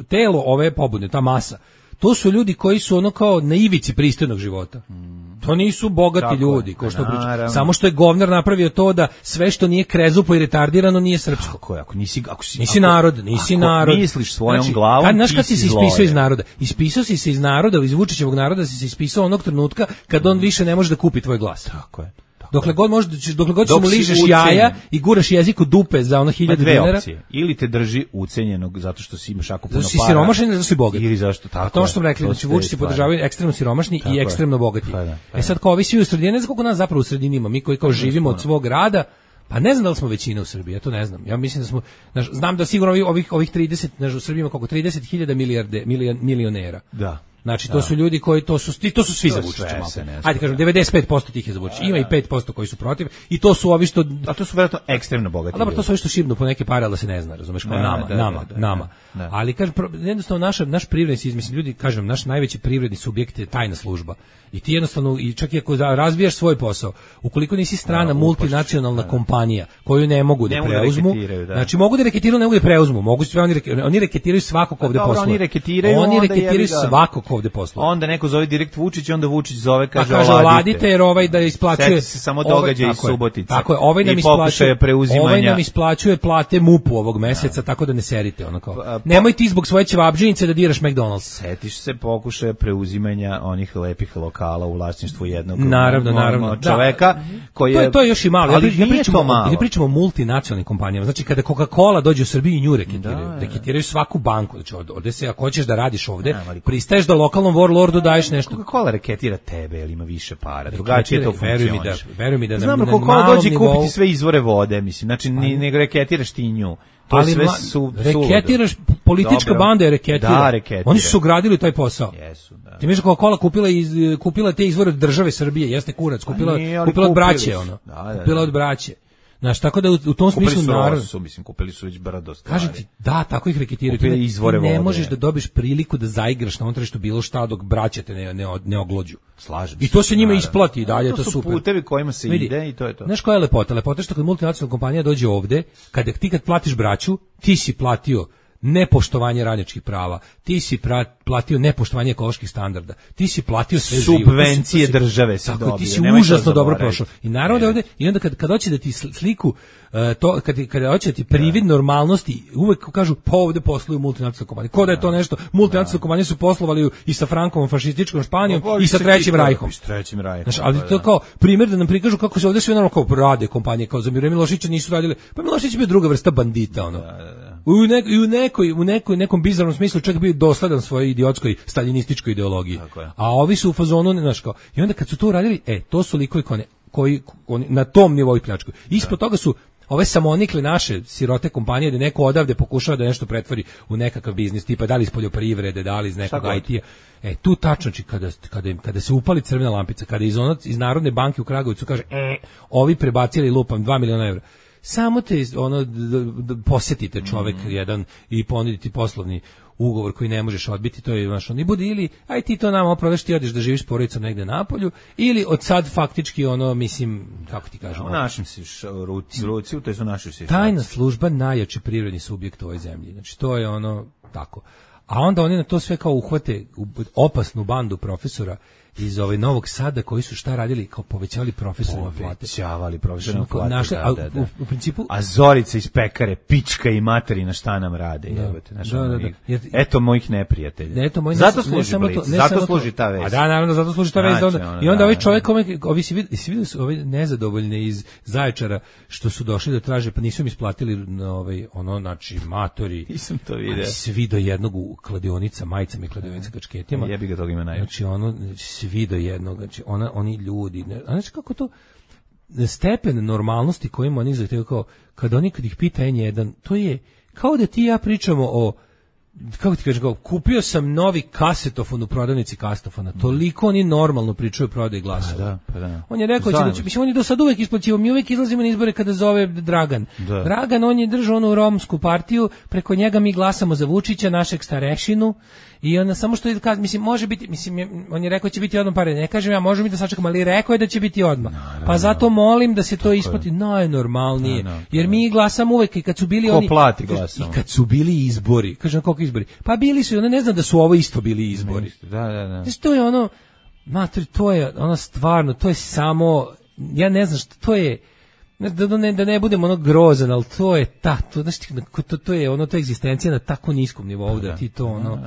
telo ove pobune, ta masa, to su ljudi koji su ono kao na ivici pristojnog života. Hmm. To nisu bogati tako ljudi, ko što priča. Samo što je govnar napravio to da sve što nije krezupo i retardirano nije srpsko. Tako je, ako nisi, ako si, nisi ako, narod, nisi ako narod. misliš svojom znači, glavom, kad, znaš kad si se ispisao iz je. naroda? Ispisao si se iz naroda, iz Vučićevog naroda si se ispisao onog trenutka kad on više ne može da kupi tvoj glas. Tako je. Dokle god možeš, dokle god Dok mu ližeš jaja i guraš jezik u dupe za ono hiljadu dinara. Opcije. Ili te drži ucenjenog zato što si imaš jako puno para. Zato si siromašan ili zato si bogat. Ili zašto tako. A to što smo rekli, znači Vučići podržavaju ekstremno siromašni tako i ekstremno bogati. Pa da, pa da. E sad kao ovi svi u sredini, ne znam koliko nas zapravo u sredini ima, mi koji kao živimo od svog rada, pa ne znam da li smo većina u Srbiji, ja to ne znam. Ja mislim da smo, znaš, znam da sigurno ovih ovih trideset, znaš, u Srbiji ima koliko trideset hiljada milijarde milion, milionera. Da. Znači, to da. su ljudi koji, to su, to su svi za Vučića. Ajde kažem, devedeset pet posto tih je za Vučića. Ima i pet posto koji su protiv i to su ovi što... A to su vjerojatno ekstremno bogati. A dobro, to su ovi što šibnu po neke pare, ali da se ne zna, razumeš, kao da, nama, da, nama, da, da, nama. Da, da. Ali, kažem, jednostavno, naš, naš privredni, mislim, ljudi, kažem, naš najveći privredni subjekt je tajna služba. I ti jednostavno, i čak i ako razvijaš svoj posao, ukoliko nisi strana da, multinacionalna da, kompanija koju ne mogu da ne preuzmu, da znači mogu da reketiraju, ne mogu da preuzmu, mogu sve oni reketiraju, oni reketiraju svakog ovde posluje. Oni reketiraju, oni reketiraju svakog ovde posluje. Onda neko zove direkt Vučić, onda Vučić zove kaže, pa kaže oladite jer ovaj da isplaćuje se samo događaj iz Subotice. Tako je, ovaj nam isplaćuje preuzimanja. Ovaj nam isplaćuje plate MUP-u ovog meseca, da. Tako da ne serite ono kao. Pa, nemoj ti zbog svoje ćevabdžinice da diraš McDonald's. Setiš se pokušaja preuzimanja onih lepih lokala u vlasništvu jednog naravno, naravno, čoveka da. Koji je to je to još i malo. Ali ja pričamo malo. Ja pričamo o multinacionalnim kompanijama. Znači kada Coca-Cola dođe u Srbiju i nju reketiraju, da, reketiraju svaku banku. Znači ovde se ako hoćeš da radiš ovde, da, pristaješ da lokalnom warlordu daješ nešto. Coca-Cola reketira tebe, ili ima više para. Drugačije to funkcioniše. Veruj mi da znam da Coca-Cola dođe kupiti sve izvore vode, mislim. Znači ne reketiraš ti nju. To ali sve su reketiraš, politička dobro. Banda je reketira. Da, reketira. Oni su gradili taj posao. Jesu, da. Ti misliš kako Coca-Cola kupila iz kupila te izvore od države Srbije, jeste kurac, kupila kupila od braće ono. Da, da, kupila od braće. Znaš, tako da u, u tom smislu Kupili su naravno Rosu, mislim, kupili su već brdo stvari. kažem ti, da, tako ih reketiraju. Kupili Ti ne, izvore ti ne vode. možeš da dobiješ priliku da zaigraš na onom tržištu bilo šta dok braća te ne, ne, ne oglođu. Slažem I to se njima naravno. isplati i dalje, To to, su super. putevi kojima se Vidi, ide i to je to. Znaš koja je lepota? Lepota je što kad multinacionalna kompanija dođe ovde, kada ti kad platiš braću, ti si platio nepoštovanje radničkih prava, ti si pra, platio nepoštovanje ekoloških standarda, ti si platio sve živo. Subvencije To si- to si- države si tako, dobio, ti si nemoj to užasno dobro zaboraviti. prošao. I naravno da ovde, i onda kad, kad hoće da ti sl- sliku, uh, to, kad, kad hoće da ti privid normalnosti, uvek kažu, pa ovde posluju multinacionalne kompanije. Ko da je to nešto, multinacionalne kompanije su poslovali i sa Frankom, fašističkom Španijom Pa, i sa Trećim rajhom. I s trećim rajhom. Znaš, ali pa to da. kao primjer da nam prikažu kako se ovdje sve naravno kao rade kompanije, kao za Miro Milošića nisu radile, pa Milošić je bio druga vrsta bandita, ono. U, nek, i u, nekoj, u nekoj, nekom bizarnom smislu čak bio dosledan svojoj idiotskoj staljinističkoj ideologiji. Tako je. A ovi su u fazonu, ne znaš kao, i onda kad su to uradili, e, to su likovi koji, koji, oni na tom nivou pljačkuju. Ispod toga su ove samonikle naše sirote kompanije da neko odavde pokušava da nešto pretvori u nekakav biznis, tipa da li iz poljoprivrede, da li iz nekog god. I T-a. E, tu tačno, či kada, kada, im, kada se upali crvena lampica, kada iz, ono, iz Narodne banke u Kragujevcu kaže, e, ovi prebacili lupam dva miliona evra. Samo te ono d, d, posjetite čovek mm. jedan i ponuditi poslovni ugovor koji ne možeš odbiti, to je znaš, on i bude ili aj ti to nama oprodaš, ti odeš da živiš s porodicom negde napolju, ili od sad faktički ono, mislim, kako ti kažem, U našim si ruci, ruci, to je su naši si. tajna služba najjači privredni subjekt u ovoj zemlji. Znači, to je ono, tako. A onda oni na to sve kao uhvate u opasnu bandu profesora iz ovaj Novog Sada koji su šta radili, kao povećavali profesorima plate. Povećavali profesorima Znači, plate, naše- da, a da, da. u- u principu- A Zorica iz pekare, pička i materina šta nam rade, Da. jebote. Znaš, Da, ono, da, da. i- Jer- Eto mojih neprijatelja. Ne, eto, moj ne- zato ne služi samo Blic, to- ne zato samo to- služi ta vest. A da, naravno, zato služi ta vest. Znači, Onda, ono, I onda da, ovaj da. čovjek, kome, ovi si vidi, si vidio su ovi nezadovoljne iz Zaječara što su došli da traže, pa nisu im isplatili na ovaj, ono, znači, matori. Nisam to vidio. Ali svi do jednog u kladionica, majicama i kladionica kačketima. Jebi ga, toga ima najviše. Znači, ono, svi do jednog, znači, ona, oni ljudi, ne, a znači kako to, stepen normalnosti kojim oni zahtevaju, kao, kad oni, kad ih pita en jedan, to je, kao da ti i ja pričamo o, kako ti kažem, kao, kupio sam novi kasetofon u prodavnici kasetofona, toliko oni normalno pričaju o prodaji glasova. Pa da, pa da. On je rekao će da će, mislim, on je do sad uvek isplaćivao, mi uvek izlazimo na izbore kada zove Dragan. Da. Dragan, on je držao onu romsku partiju, preko njega mi glasamo za Vučića, našeg starešinu, i onda samo što je, kaže, mislim, može biti, mislim, je- on je rekao će biti odmah pare, ne kažem ja, može mi da sačekam, ali rekao je da će biti odmah. Pa zato molim da se to isplati najnormalnije, Da, da, jer mi glasamo uvek i kad su bili Ko oni... plati kaže, glasamo? I kad su bili izbori, kažem, koliko izbori? Pa bili su, i onda ne znam da su ovo isto bili izbori. Da, da, da. Znači, to je ono, mater, to je ono stvarno, to je samo, ja ne znam što, to je, ne, da, ne, da ne budem ono grozan, ali to je ta, to, znaš, ti, to, to je ono, to je egzistencija na tako niskom nivou, da ti to ono,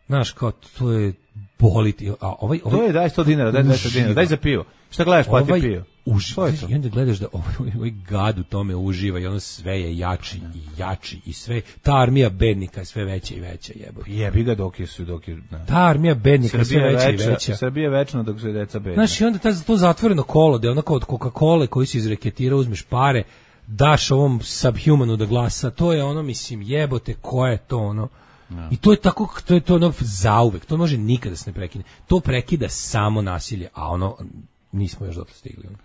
znaš, kao, to je boliti, a ovaj, ovaj To je, daj sto dinara, daj dvesta dinara, daj za pivo. Šta gledaš, plati ovaj pivo. uži- To je to. I onda gledaš da ovaj, ovaj gad u tome uživa i ono sve je jači i jači i sve, ta armija bednika je sve veća i veća, jebote. Jebi ga dok je su, dok je... Da. Ta armija bednika je sve Srbija je veća i večna, veća. Srbija je večna dok su deca bedna. Znaš, i onda ta, to zatvoreno kolo, da je onako od Coca-Cola koji se izreketira, uzmeš pare, daš ovom subhumanu da glasa, to je ono, mislim, jebote, ko je to ono? I to je tako, to je to ono zauvek, to može nikada se ne prekine. To prekida samo nasilje, a ono, nismo još dotle stigli. Ono.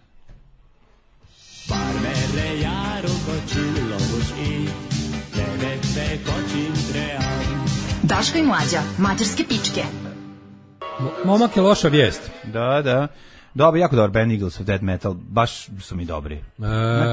Daško i Mlađa, mađarske pičke. Momak je loša vijest. Da, da. Dobro, jako dobar band Eagles of Dead Metal, baš su mi dobri. E,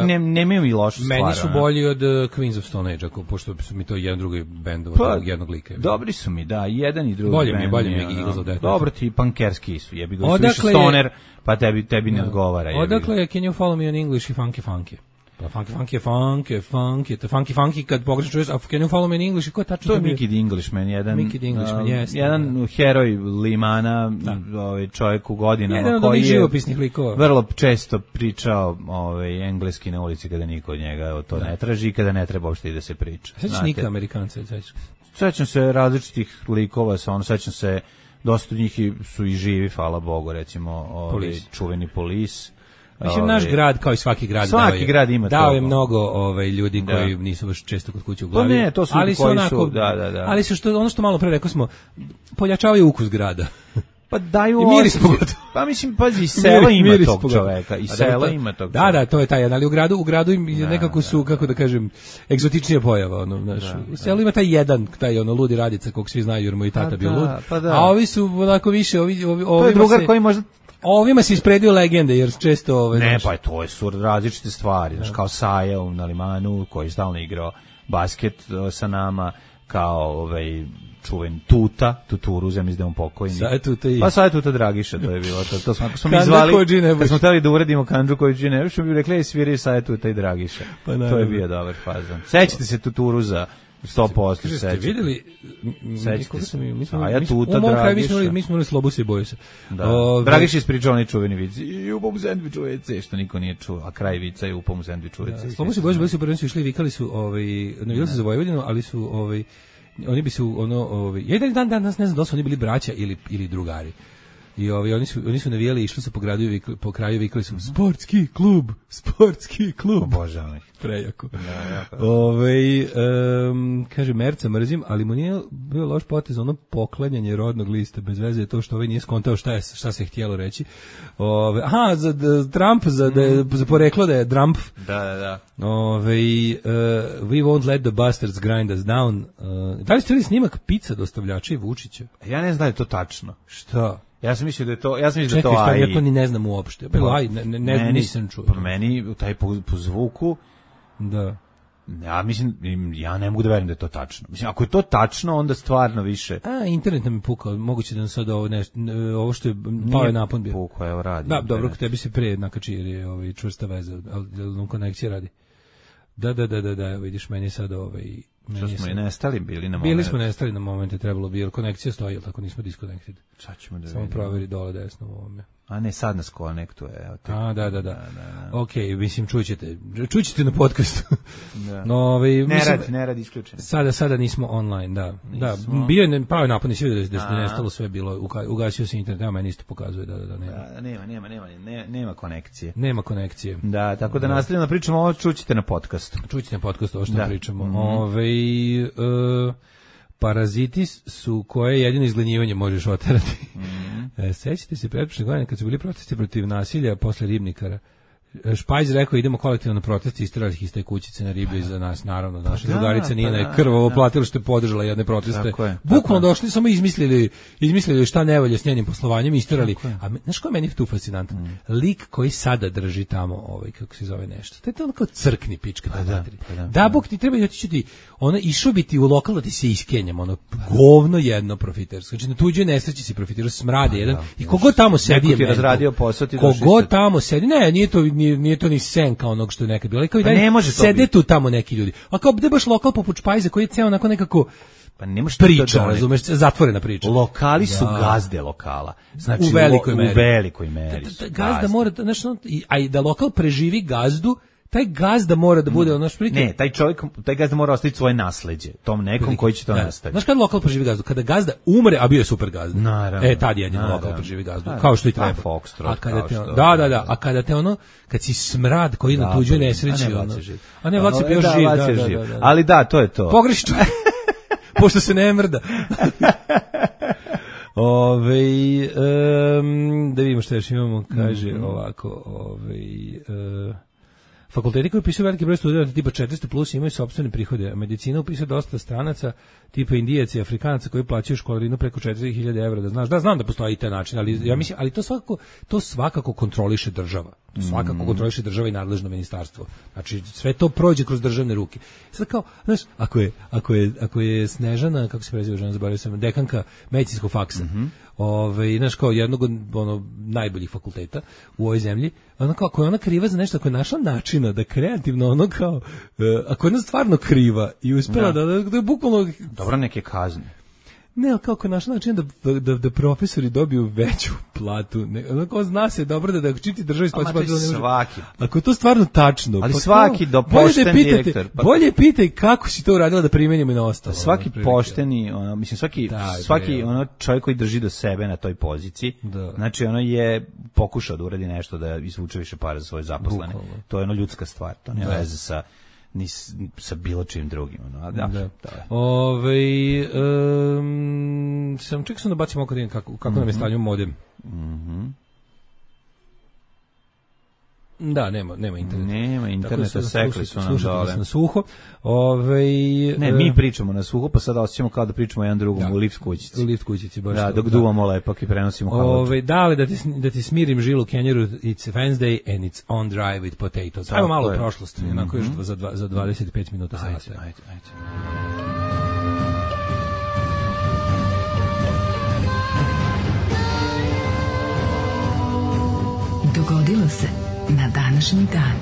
Ne, nemaju mi lošu stvar. Meni su ono. bolji od uh, Queens of Stone Age, ako, pošto su mi to jedan drugi bend od Pa, jednog lika. Dobri su mi, da, i jedan i drugi. Bolje mi je, band bolje mi je ono, Eagles of Death Metal. Dobro ti pankerski su, jebi ga, su Odakle više je- stoner, pa tebi, tebi ne odgovara. jebi ga. Odakle je Can You Follow Me on English i Funky Funky? Pa Funky Funky je Funky, Funky, to Funky Funky kad pogrešno čuješ, a Can You Follow Me on English i ko je tačno To je bio? Mickey the Englishman, jedan, Mickey the Englishman, uh, jeste, jedan heroj Limana, ovaj čovjek u godinama Jedan od koji onih je živopisnih likova. vrlo često pričao ovaj engleski na ulici kada niko od njega to ne traži i kada ne treba uopšte i da se priča. Sećaš znate. Nika Amerikanca, sećaš? Sećam se različitih likova, sa ono sećam se dosta od njih i- su i živi, hvala Bogu, recimo ovaj Polis. čuveni Polis. Mislim, naš Ovaj, grad, kao i svaki grad, Svaki dao je, grad ima dao je toga. mnogo ovaj, ljudi Da. koji nisu baš često kod kuće u Pa glavi. ne, to su ljudi ali koji su- onako, da, da, da. Ali su što, ono što malo pre rekao smo, pojačavaju ukus grada. Pa daju I miris osjećaj. pogotovo. Pa mislim, pazi, i sela ima Miris tog pogotovo. čoveka, i A da, sela to- ima tog Da, čoveka. da, to je taj jedan, ali u gradu, u gradu im Da, nekako su, da, kako da kažem, egzotičnija pojava, ono, znaš. U selu ima taj jedan, taj ono ludi Radica, kog svi znaju jer mu i tata Pa bio da, lud. pa da. A ovi su onako više, ovi, ovi, To je ovima drugar se- koji možda... ovima se ispredio legende, jer često ove, Ne, znaš, pa to je su različite stvari, znaš, kao Saja u Nalimanu, koji je stalno igrao basket uh, sa nama, kao ovaj čuven Tuta, Tuturu, ja mislim da je on pokojni. Sad je Tuta i- Pa sad je Tuta Dragiša, to je bilo to. To smo, ako smo mi Kandža zvali, Kodži Nebuš. kad smo hteli da uredimo Kandžu Kodži Nebuš, bi rekli, ej, sviraju sad je Tuta i Dragiša. Pa to naravno. je bio dobar fazon. Sećate se Tuturu za sto posto, Kaže, ste sećate. videli, m- m- Sećate koga se. smo mi- mi smo- A ja mi smo- Tuta, u mom kraju mi Dragiša. smo imali- mi smo imali Slobuse i Bojuse. Da. Ove, Dragiš je ispričao onaj čuveni vic. I upom u sendviču ve ce, što niko nije čuo. A kraj vica je upom u sendviču ve ce. Slobose i Bojuse bili su prvenstvo su išli, vikali su, ovaj, navijali su za Vojvodinu, ali su, ovaj, oni bi su, ono, ovaj, ja i dan dan danas ne znam da li su oni bili braća ili, ili drugari. I ovaj, oni su oni su navijali i išli su po gradu i vikali, po kraju vikali su sportski klub, sportski klub. Obožavam ih. Prejako. Da, jako. Ovaj em, kaže Merca mrzim, ali mu nije bio loš potez ono poklanjanje rodnog lista, bez veze je to što ovaj nije skontao šta je šta se htjelo reći. Ove, aha, za da, Trump za da je- za poreklo da je Trump. Da, da, da. Ove, uh, we won't let the bastards grind us down. Uh, da li ste vidjeli snimak pizza dostavljača i Vučića? Ja ne znam da je to tačno. Šta? Ja sam mislio da je to, ja sam mislio da Čekaj, je to šta, A I. ja to ni ne znam uopšte. Bilo aj, ne, ne, ne Meni- nisam čuo. Pa meni, taj po, po zvuku, Da. ja mislim, ja ne mogu da verujem da je to tačno. Mislim, ako je to tačno, onda stvarno više. A, internet nam je pukao, moguće da nam sad ovo, nešto, ovo što je, pao je napon bio. Pukao, evo radi. Da, dobro, kod tebi se pre nakači jer je ovaj, čvrsta veza, ali ali nam konekcija radi. Da, da, da, da, da, vidiš, meni je sad ovaj... Što meni je smo i sad- nestali bili na moment. Bili smo nestali na momente, trebalo bi, jer konekcija stoji, ali tako nismo disconnected. Sad ćemo da Samo vidimo. proveri dole desno u ovome. A ne, sad nas konektuje. Evo te. A, da, da, da. Ok, mislim, čućete, čućete na podcastu. Da. No, ovaj, Ne mislim, radi, ne radi isključeno. Sada, sada nismo online, da. Nismo. Da, bio je ne- pao je napad, nisi vidio da, da A. je nestalo sve bilo, uka- ugasio se internet, evo meni isto pokazuje da, da, da, nema. Da, nema, nema, nema, nema, nema konekcije. Nema konekcije. Da, tako da nastavljamo da pričamo ovo, čućete na podcastu. Čućete na podcastu ovo što Da. pričamo. Mhm. Ovaj, e, paraziti su koje jedino izglenjivanje možeš oterati. Mhm. E, sećate se pretprošle godine kad su bili protesti protiv nasilja posle ribnikara? Špajz rekao idemo kolektivno na protest, isterali ih iz te kućice na ribe iza nas, naravno, naša da, drugarica Nina pa je da, krvavo da. platila što je podržala jedne proteste. Tako je, Bukvalno tako je. došli, samo izmislili, izmislili šta ne valja s njenim poslovanjem i isterali. A me- znaš ko je meni tu fascinantan? Mm. Lik koji sada drži tamo, ovaj, kako se zove nešto. To je to ono kao crkni pička. Pa da, materi. pa da, da, Bog ti treba otići ti, ono, išao bi ti u lokal da ti se iskenjam, ono, govno jedno profitersko. Znači, na tuđoj nesreći si profitirao, smrade jedan. I kogod tamo sedi Neko ti je je razradio posao, ti došli Kogod sad. tamo sedi, ne, nije to, nije, nije to ni senka onog što je nekad bilo. Ali kao i Pa dalje ne može to sede biti. tu tamo neki ljudi. A kao gde baš lokal poput Špajza koji je ceo onako nekako Pa ne možeš to priča, doneti. razumeš, zatvorena priča. Lokali su Da. gazde lokala. Znači, U velikoj lo- meri. U velikoj meri. Da, su da, gazda gazde. mora, da, znaš, ono, i- a i da lokal preživi gazdu, taj gazda mora da bude ono što Ne, taj čovjek, taj gazda mora ostaviti svoje nasleđe tom nekom koji će to Da. nastaviti. Znaš kada lokal preživi gazdu? Kada gazda umre, a bio je super gazda. Naravno. E, tad jedino Naravno. lokal preživi gazdu. Da, Kao što i pa, treba. Foxtrot, a kada kao te, što- ono- da, da, da. A kada te ono, kad si smrad koji na Da, tuđoj pa, nesreći, a ne, ono. Vlad je živ. A ne, Vlad je Ono, bio da, živ. Vlad Da, je da, živ. da, da. Ali da, to je to. Pogreši čovjek. Pošto se ne mrda. Ove, um, da vidimo što još imamo, kaže ovako, ove, uh, fakulteti koji upisuju veliki broj studenta tipa četiristo plus imaju sopstvene prihode, a medicina upisuje dosta stranaca tipa Indijaca i Afrikanaca koji plaćaju školarinu preko četiri hiljade evra, da znaš, da znam da postoji i taj način, ali ja mislim, ali to svakako, to svakako kontroliše država. To svakako kontroliše država i nadležno ministarstvo. Znači sve to prođe kroz državne ruke. Sad kao, znaš, ako je ako je ako je Snežana, kako se preziva žena, zaboravio sam, dekanka medicinskog faksa. Ovaj, znaš, kao jednog od ono najboljih fakulteta u ovoj zemlji, ona kao, ako je ona kriva za nešto, ako je našla načina da kreativno ono kao, e, ako je ona stvarno kriva i uspela da, da, da, je bukvalno, Dobro, neke kazne. ne, ali kako je našla način da, da, da profesori dobiju veću platu, ne, ono kao zna se dobro da da čiti državi A, ma, isplaćuje to je platu, ne može- svaki. Ako je to stvarno tačno, Ali pa svaki kao, do bolje pošten da je pitate- direktor, pa- bolje pitaj kako si to uradila da primenimo i na ostalo. Svaki ono, otprilike. pošteni, ono, mislim svaki Da, svaki bre, ono čovjek koji drži do sebe na toj poziciji, Da. znači ono je pokušao da uradi nešto da izvuče više para za svoje zaposlene. Bukvalno. To je ono ljudska stvar, to nema Da. veze sa ni s, sa bilo čim drugim. No, da, Da. da. Ove, um, sam čekao sam da bacim oko da vidim kako, kako mm-hmm. nam je stanju modem. Mhm. Da, nema, nema interneta. Nema interneta, sekli su nam slušate dole. nas na suho. Ove, Ne, mi pričamo na suho, pa sada osjećamo kao da pričamo jedan drugom da. u lift kućici. U lift kućici, baš. Da, to, dok da. duvamo lepak i prenosimo haluđu. Ove, da li da ti, da ti smirim žilu Kenjeru, it's Wednesday and it's on drive with potatoes. Ajmo malo u prošlost, mm-hmm. onako još za, dva, za dvadeset pet minuta Ajde, sada. ajde, ajde. Dogodilo se na današnji dan.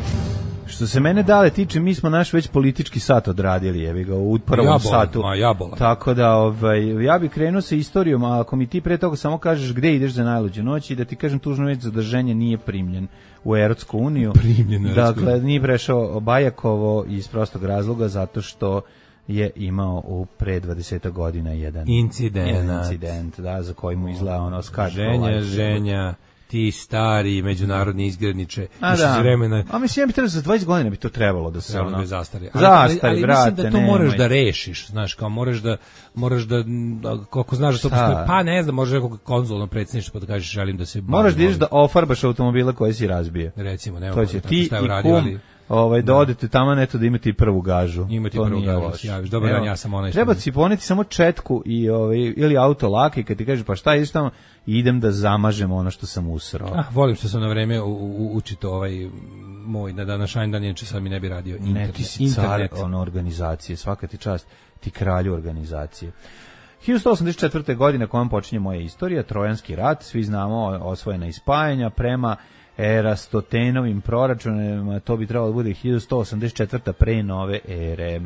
Što se mene dale tiče, mi smo naš već politički sat odradili, jebi ga, u prvom ja bolam, satu. Ma, ja bolam. Tako da, ovaj, ja bih krenuo sa istorijom, a ako mi ti pre toga samo kažeš gde ideš za najluđu noć i da ti kažem tužno već zadrženje nije primljen u Evropsku uniju. Primljen u Evropsku uniju. Dakle, nije prešao Bajakovo iz prostog razloga zato što je imao u pre dvadeset godina jedan Incident. jedan incident, da, za koji mu izgleda ono skad. Ženja, ženja, ti stari međunarodni izgredniče, A još da. iz vremena A mislim, ja bi trebalo za dvadeset godina bi to trebalo da se trebalo ono... da zastari. Ali, Zastari, ali, ali brate, mislim da to nemoj. moraš da rešiš, znaš, kao moraš da, moraš da, da koliko znaš da to Šta? postoji, pa ne znam, možeš nekog konzulno predsjedništvo pa da kažeš želim da se... Moraš da bavim ideš da ofarbaš automobile koje si razbije. ovim. Recimo, nema To će tako ti šta je i uradio, kum, ali ovaj, da odete tamo neto da imate i prvu gažu. Imati To prvu nije gažu, loše. javiš. Dobar Evo, dan, ja sam onaj što- Treba si poneti samo četku i, ovaj, ili auto laka i kad ti kažeš pa šta ideš tamo, idem da zamažem ono što sam usrao. Ah, volim što sam na vreme u, u, učito ovaj moj na današnji dan, inače sad mi ne bi radio internet. Ne, ti si car internet. ono, organizacije, svaka ti čast, ti kralju organizacije. hiljadu sto osamdeset četvrte. godine kojom počinje moja istorija, Trojanski rat, svi znamo osvojena i spajanja prema Erastotenovim proračunima, to bi trebalo da bude hiljadu sto osamdeset četvrta. pre nove ere.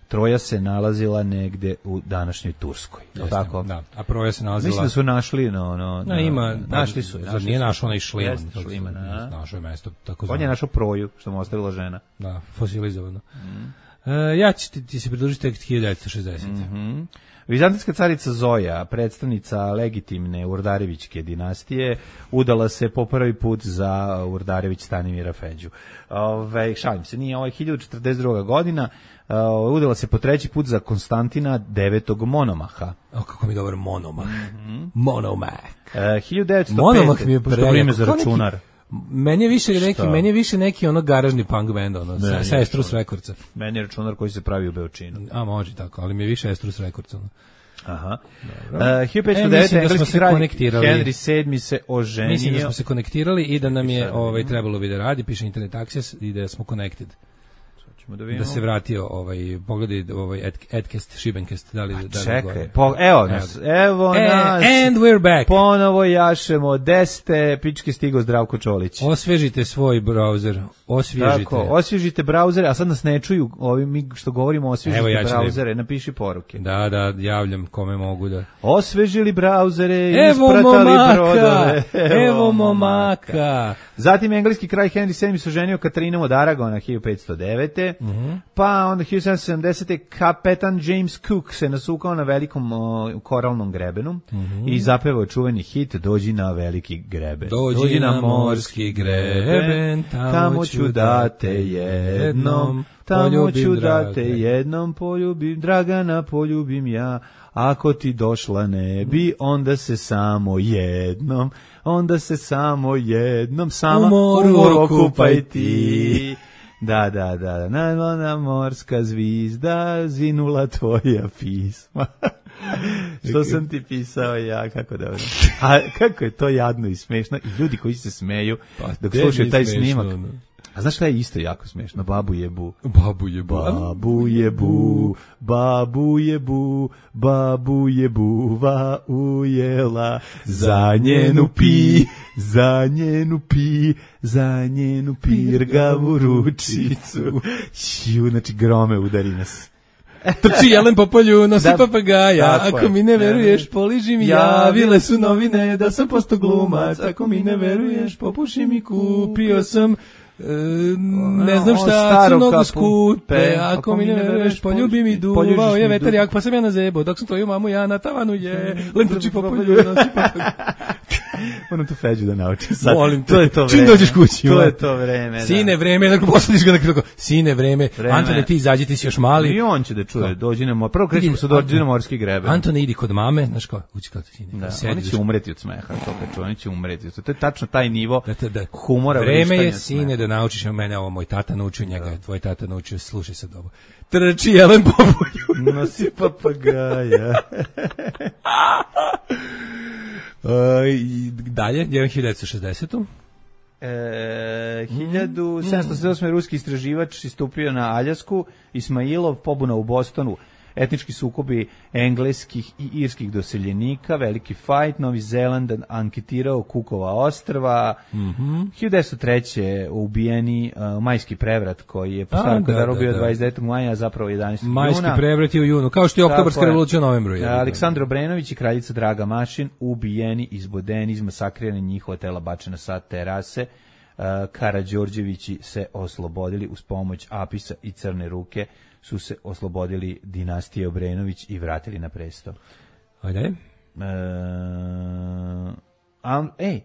Troja se nalazila negde u današnjoj Turskoj. Je li tako? Da, a Proja se nalazila... Mislim da su našli no, no, Na, ima, našli su. Zar nije našao onaj Šliman? Jeste, Šliman, a? Našao je mesto, tako On zvano. je našao Proju, što mu ostavila žena. Da, fosilizovano. Mm. E, ja ću ti, ti se pridružiti tek hiljadu devetsto šezdesete. Mm-hmm. Vizantijska carica Zoja, predstavnica legitimne Urdarevićke dinastije, udala se po prvi put za Urdarević Stanimira Feđu. Ove, šalim se, nije ovo hiljadu četrdeset druga. godina, uh, udala se po treći put za Konstantina devetog Monomaha. O, kako mi je dobar Monomah. Mm-hmm. Monomah. Uh, hiljadu devetsto pete. Monomah mi je što vrijeme za kao neki- računar. Meni je više neki, Šta? meni je više neki ono garažni punk band, ono, sa, Ne, sa nije Estrus to. Rekordca. Meni je računar koji se pravi u Beočinu. A može tako, ali mi je više Estrus Rekordca. Ono. Aha. Uh, hiljadu petsto E, devet. mislim da smo engleski se kralj konektirali. Henry sedmi se oženio. Mislim da smo se konektirali i da nam je sad ovaj vidimo. trebalo bi da radi, piše Internet Access i da smo connected. Ćemo da Da vidimo. se vratio ovaj pogledaj ovaj Ed, Edcast Šibencast da li da li Čekaj, gore. po, evo nas, evo E, nas. and we're back. Ponovo jašemo, deste, pičke stigo Zdravko Čolić. Osvežite svoj browser, osvježite. Tako, osvježite brauzere, a sad nas ne čuju, ovi mi što govorimo osvježite Evo, ja ću da- brauzere, napiši poruke. Da, da, javljam kome mogu da. Osvežili brauzere, Evo ispratali momaka, brodove. evo momaka. Zatim engleski kralj Henry sedmi se oženio Katarinom od Aragona hiljadu petsto devete. Mhm. Pa onda hiljadu sedamsto sedamdesete. kapetan James Cook se nasukao na velikom o, koralnom grebenu i zapevao čuveni hit Dođi na veliki greben. Dođi na morski greben, tamo ću da te jednom tamo poljubim, ću da te drage. jednom poljubim, Dragana poljubim ja. Ako ti došla ne bi, onda se samo jednom, onda se samo jednom, sama U moru okupaj okupaj ti. Da, da, da, najmlada morska zvizda, zinula tvoja pisma. Što sam ti pisao ja, kako dobro. A kako je to jadno i smešno, i ljudi koji se smeju dok gde slušaju mi taj smešno, snimak. ono? A znaš šta je isto jako smešno? Babu jebu. Babu je bu. Babu jebu, babu jebu, babu jebuva ujela, za njenu pi, za njenu pi, za njenu pirgavu ručicu. Šiu, znači grome udari nas. Trči jelen po polju, nosi Da, papagaja. tako Ako je. mi ne veruješ, poliži mi javile su novine da sam posto glumac. Ako mi ne veruješ, popuši mi, kupio sam e, ne znam Ono, šta, staru su mnogo kapu, skupe. pe, Ako mi ne veruješ, poljubi mi, poljubiš duvao je mi vetar jak, pa sam ja na zebo. Dok sam tvoju mamu ja na tavanu je, len trči po polju, nosi papagaja. Moram tu Feđu da naučim sad. Molim te, to je to čim vreme. dođeš kući. To je to vreme, da. Sine, vreme, dakle, posadiš ga na krilo. Sine, vreme. Vreme. Antone, ti izađi, ti si još mali. I on će da čuje, dođi na mor. Prvo krećemo sa dođi na morski greben. Antone, idi kod mame, znaš kao, ući kao ti sine. Da, sedi, oni će znaš, umreti od smeha, to kad čuje, oni će umreti. To je tačno taj nivo da, te- da, humora. vreme je, vrištanja sine, smeha. da naučiš, mene ovo moj tata naučio, njega je tvoj tata naučio, slušaj sad ovo. Trči jelen po polju. Nosi papagaja. Uh, i dalje, jedan hiljadu devetsto šezdesetu. E, hiljadu sedamsto sedamdesete osme ruski istraživač istupio na Aljasku, Ismailov, pobuna u Bostonu, etnički sukobi engleskih i irskih doseljenika, veliki fajt, Novi Zeland anketirao Kukova ostrva, Mm-hmm. hiljadu devetsto treće ubijeni uh, majski prevrat koji je po A, starom da, kalendaru da, bio da. dvadeset devetog maja, a zapravo jedanaestog Majski juna. prevrat je u junu, kao što je oktobarska Tako je. revolucija u novembru. je. Aleksandar Obrenović i kraljica Draga Mašin ubijeni, izbodeni, izmasakrirani, njihova tela bačena sa terase. Uh, Karađorđevići se oslobodili uz pomoć Apisa i Crne ruke, su se oslobodili dinastije Obrenović i vratili na presto. Ajde. E, a, ej,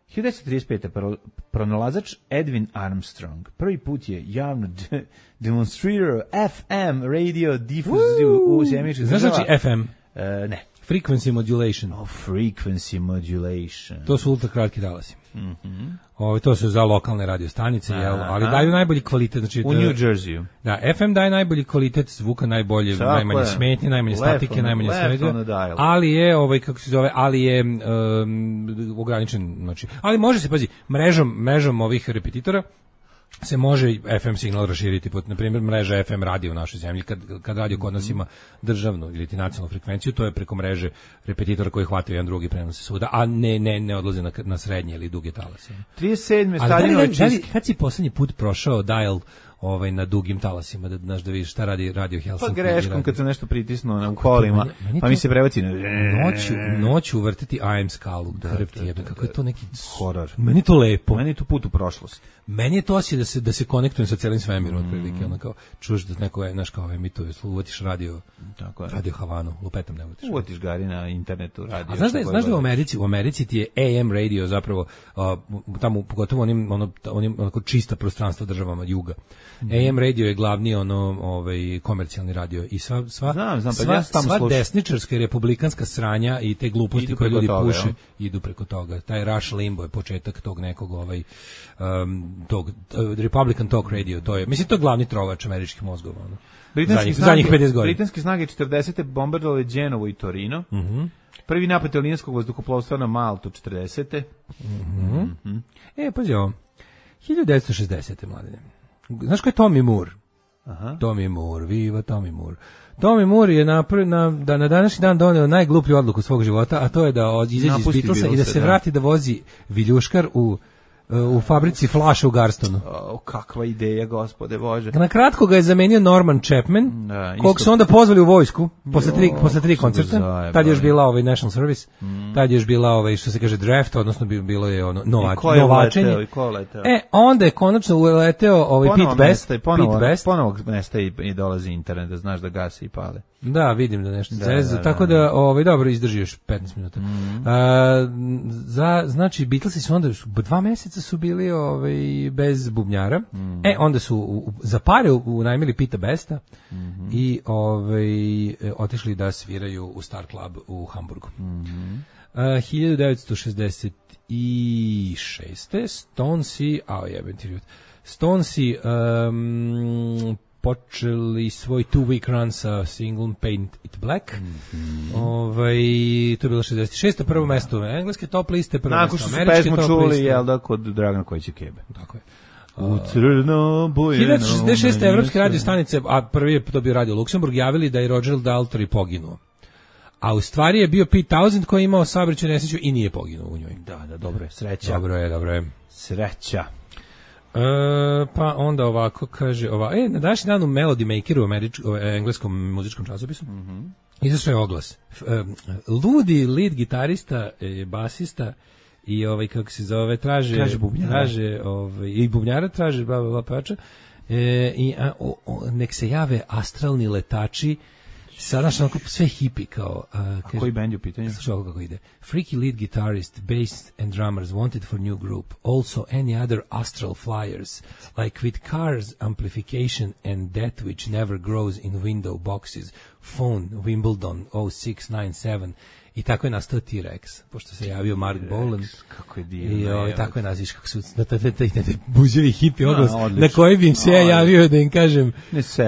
hiljadu devetsto trideset pete. Pro, pronalazač Edwin Armstrong prvi put je javno de, demonstrirao F M radio difuziju u Sjemeničkih Znaš država. znači F M? E, ne. Frequency modulation. Oh, frequency modulation. To su ultra kratki talasi. Mm-hmm. Ovo, to su za lokalne radio stanice, jel? Ali Aha. daju najbolji kvalitet. Znači, U to- New Jerseyu. Da, F M daje najbolji kvalitet zvuka, najbolje, Tako najmanje je. smetnje, najmanje Left statike, on- najmanje left svega. on the dial. Ali je, ovaj, kako se zove, ali je um, ograničen, znači, ali može se, pazi, mrežom, mrežom ovih repetitora se može F M signal raširiti, pod, na primjer, mreža F M radio u našoj zemlji, kad, kad radio kod nas ima državnu ili ti nacionalnu frekvenciju, to je preko mreže repetitora koji hvataju jedan drugi prenose svuda, a ne, ne, ne odlaze na, na srednje ili duge talase. trideset sedme. Ali da li, Staljinove da li, čistke. kad si poslednji put prošao dial ovaj, na dugim talasima, da, znaš, da vidiš šta radi Radio Pa Helsinki? greškom kad se nešto pritisnuo na kolima, meni- meni pa to- mi se prebaci na... Noću, noću vrteti A M skalu, da, krv ti jebe, kako je to neki... Horor. Meni je to lepo. Meni je to put u prošlost. Meni je to osjećaj da se da se konektujem sa celim svemirom, otprilike, ono kao čuješ da neko je, znaš, kao emituje, uvatiš radio, Tako je. Radio Havanu, lupetam ne uvatiš. Uvatiš gari na internetu, radio. A znaš da, je- šta znaš da u god. Americi, u Americi ti je A M radio zapravo, a, tamo pogotovo onim, ono, onim onako čista prostranstva državama juga. A M radio je glavni ono, ovaj, komercijalni radio i sva, sva, Znam, znam, pa sva, ja sam tamo sva slušao. desničarska i republikanska sranja i te gluposti Idu koje preko ljudi toga, puše, jel? idu preko toga. Taj Rush Limbo je početak tog nekog ovaj, um, tog, uh, Republican Talk Radio, to je, mislim, to je glavni trovač američkih mozgova. Ono. Britanski Zadnjih, snage- zadnjih pedeset godina. Britanske snage četrdesete bombardovale Đenovo i Torino. Mhm. Prvi napad italijanskog vazduhoplovstva na Maltu četrdesete. E, pazi ovo. hiljadu devetsto šezdesete. mladine. Znaš ko je Tommy Moore? Aha. Tommy Moore, viva Tommy Moore. Tommy Moore je napr- na, da na današnji dan doneo najgluplju odluku svog života, a to je da od- izađe iz Napusti Beatlesa i da Beatlese, se da. vrati da vozi viljuškar u, u fabrici Flaša u Garstonu. O, kakva ideja, gospode Bože. Na kratko ga je zamenio Norman Chapman, Da, kog isto- su onda pozvali u vojsku posle tri, Jo, posle tri kako su ga koncerta. zajebali. Tad je još bila ovaj National Service, tad je još bila ovaj, što se kaže, draft, odnosno bi bilo je ono nova, I ko je novačenje. uleteo, i ko je uleteo? E, onda je konačno uleteo ovaj Ponovo Pete Best, nestaje, ponovo, Pete Best. ponovo nestaje i, i dolazi internet, da znaš da gase i pale. Da, vidim da nešto Da, zeza, da, da, tako da. da, ovaj, dobro, izdrži još petnaest minuta. A, za, znači, Beatlesi su onda, su, dva meseca su bili ovaj, bez bubnjara, e, onda su u, u- za pare u- unajmili Pita Besta i ovaj, e, otišli da sviraju u Star Club u Hamburgu. A, hiljadu devetsto šezdeset šeste. Stonesi, a jebem ti život, Stonesi um, počeli svoj two-week run sa singlom Paint It Black. Ovaj, to je bilo šezdeset šeste. Prvo mesto engleske top liste, prvo Nakon mesto što su američke pesmu top čuli, liste. jel da, kod Dragana Kojića Kebe. Tako je. U crno bojeno. hiljadu devetsto šezdeset šeste. meni evropske se- radio stanice, a prvi je to bio Radio Luksemburg, javili da je Roger Daltrey poginuo. A u stvari je bio Pete Townsend koji je imao saobraćajnu nesreću i nije poginuo u njoj. Da, da, dobro je, sreća. Dobro je, dobro je. Sreća. E, pa onda ovako kaže, ova, e, na današnji dan u Melody Makeru, američ, o, e, engleskom muzičkom časopisu, mm-hmm. izašao je oglas. F, e, ludi lead gitarista, e, basista i ovaj, kako se zove, traže, Traže bubnjara. traže, ovaj, i bubnjara traže, bla, bla, bla, pevača, e, i a, o, o, nek se jave astralni letači Sada naš onako sve hipi kao... Uh, A koji band je u pitanju? Slušaj ovo kako ide. Freaky lead guitarist, bass and drummers wanted for new group. Also any other astral flyers. Like with cars, amplification and that which never grows in window boxes. Phone, Wimbledon, oh six nine seven. I tako je nastao T-Rex, pošto se javio Mark Bolan. Kako je divno. I o, tako je naziš kako su na taj buđevi hipi oglas, na koji bi im se ja javio da im kažem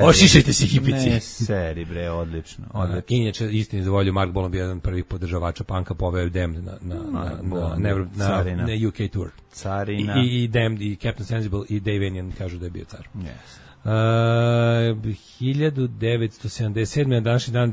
ošišajte se hipici. Ne seri bre, odlično. odlično. Inače, istini za volju, Mark Bolan bio jedan od prvih podržavača panka, poveo Damned na, na, na, na, na, na, na U K tour. Carina. I, i Damned, i Captain Sensible, i Dave Enion kažu da je bio car. Yes. Uh, hiljadu devetsto sedamdeset sedme. na današnji dan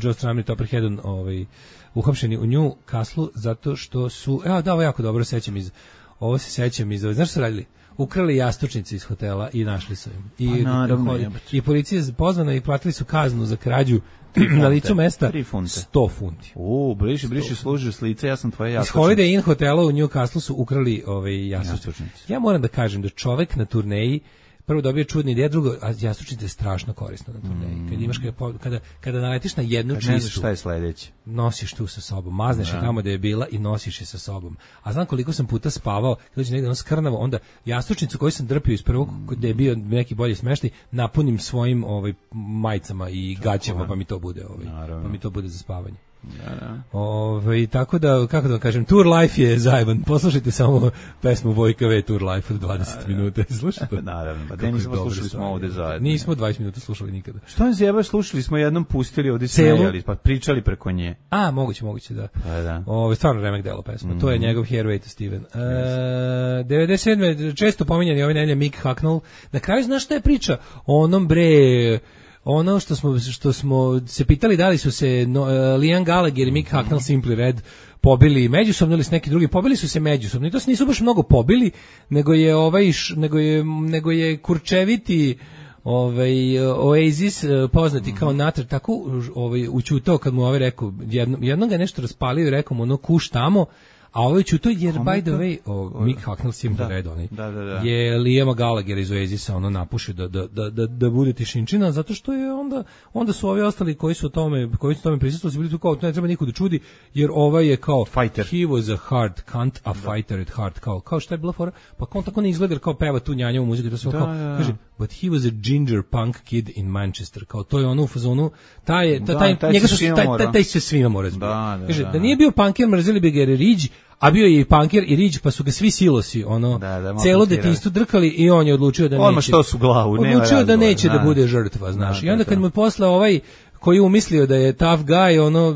Joe Strummer i Topper Headon ovaj, uhapšeni u New Castle zato što su, evo da, ovo jako dobro sećam iz, ovo se sećam iz, znaš što su radili? Ukrali jastučnice iz hotela i našli su im. I, pa, naravno, i, i policija je pozvana i platili su kaznu za krađu na licu mesta sto funti. U, briši, briši, služi s lice, ja sam tvoje jastučnice. Iz Holiday Inn hotela u New Castle su ukrali ovaj, jastučnice. Ja moram da kažem da čovek na turneji prvo dobije čudni ideja, drugo, a jastučnica je strašno korisna na turneji. Mm. Kad imaš, kada, kada, kada naletiš na jednu kad čistu, ne znaš šta je sledeće. Nosiš tu sa sobom, mazneš je tamo da je bila i nosiš je sa sobom. A znam koliko sam puta spavao, kad dođe negde ono skrnavo, onda jastučnicu koju sam drpio iz prvog, gde je bio neki bolji smeštaj, napunim svojim ovaj, majicama i gaćama, pa mi to bude, ovaj, pa mi to bude za spavanje. Da, da. Ove, tako da, kako da vam kažem, Tour Life je zajeban. Poslušajte samo pesmu Vojka V, Tour Life od dvadeset minuta. Slušajte? Naravno, pa da nismo slušali smo ovde zajedno. Nismo dvadeset minuta slušali nikada. Što nam zjeba, slušali smo jednom, pustili ovde smejali, pa pričali preko nje. A, moguće, moguće, da. Pa da. Ove, stvarno remek delo pesma. Mm. To je njegov Hairway to Steven. E, devedeset sedme često pominjani ovaj nelje Mick Hucknall. Na kraju znaš šta je priča? O onom bre... Ono što smo što smo se pitali da li su se no, uh, Liam Gallagher i Mick Hucknall Simply Red pobili međusobno ili s neki drugi, pobili su se međusobno. I to se nisu baš mnogo pobili, nego je ovaj nego je nego je kurčeviti ovaj Oasis poznati kao Natter tako ovaj učutao kad mu ovaj rekao jedno, jednom ga nešto raspalio i rekao mu ono kuš tamo. A ovo je čuto jer, by the way, o, Mick Hucknall Simply Red, onaj, da, da, da. je Liama Gallagher iz Oasisa ono napušio da, da, da, da, da bude tišinčina, zato što je onda, onda su ovi ostali koji su o tome, koji su tome prisustvovali, bili tu kao, to ne treba niko da čudi, jer ovaj je kao, fighter. He was a hard cunt, a fighter at heart, kao, kao šta je bila fora, pa on tako ne izgleda, kao peva tu njanjavu muziku, to sve da, kao, da. kaže, but he was a ginger punk kid in Manchester, kao, to je ono u fazonu, taj, taj, da, taj, taj njega se su, taj, taj, taj se svima mora zbiti. Da, da, kaže, da, da nije bio punker, mrzeli bi ga jer je Ridge, a bio je i punker i Ridge, pa su ga svi silosi, ono, da, da, celo detinjstvo drkali i on je odlučio da neće. Odmah što su glavu, nema Odlučio razgovor, da neće da. da bude žrtva, znaš. Da, I onda da, kad mu je posle ovaj koji je umislio da je tough guy, ono,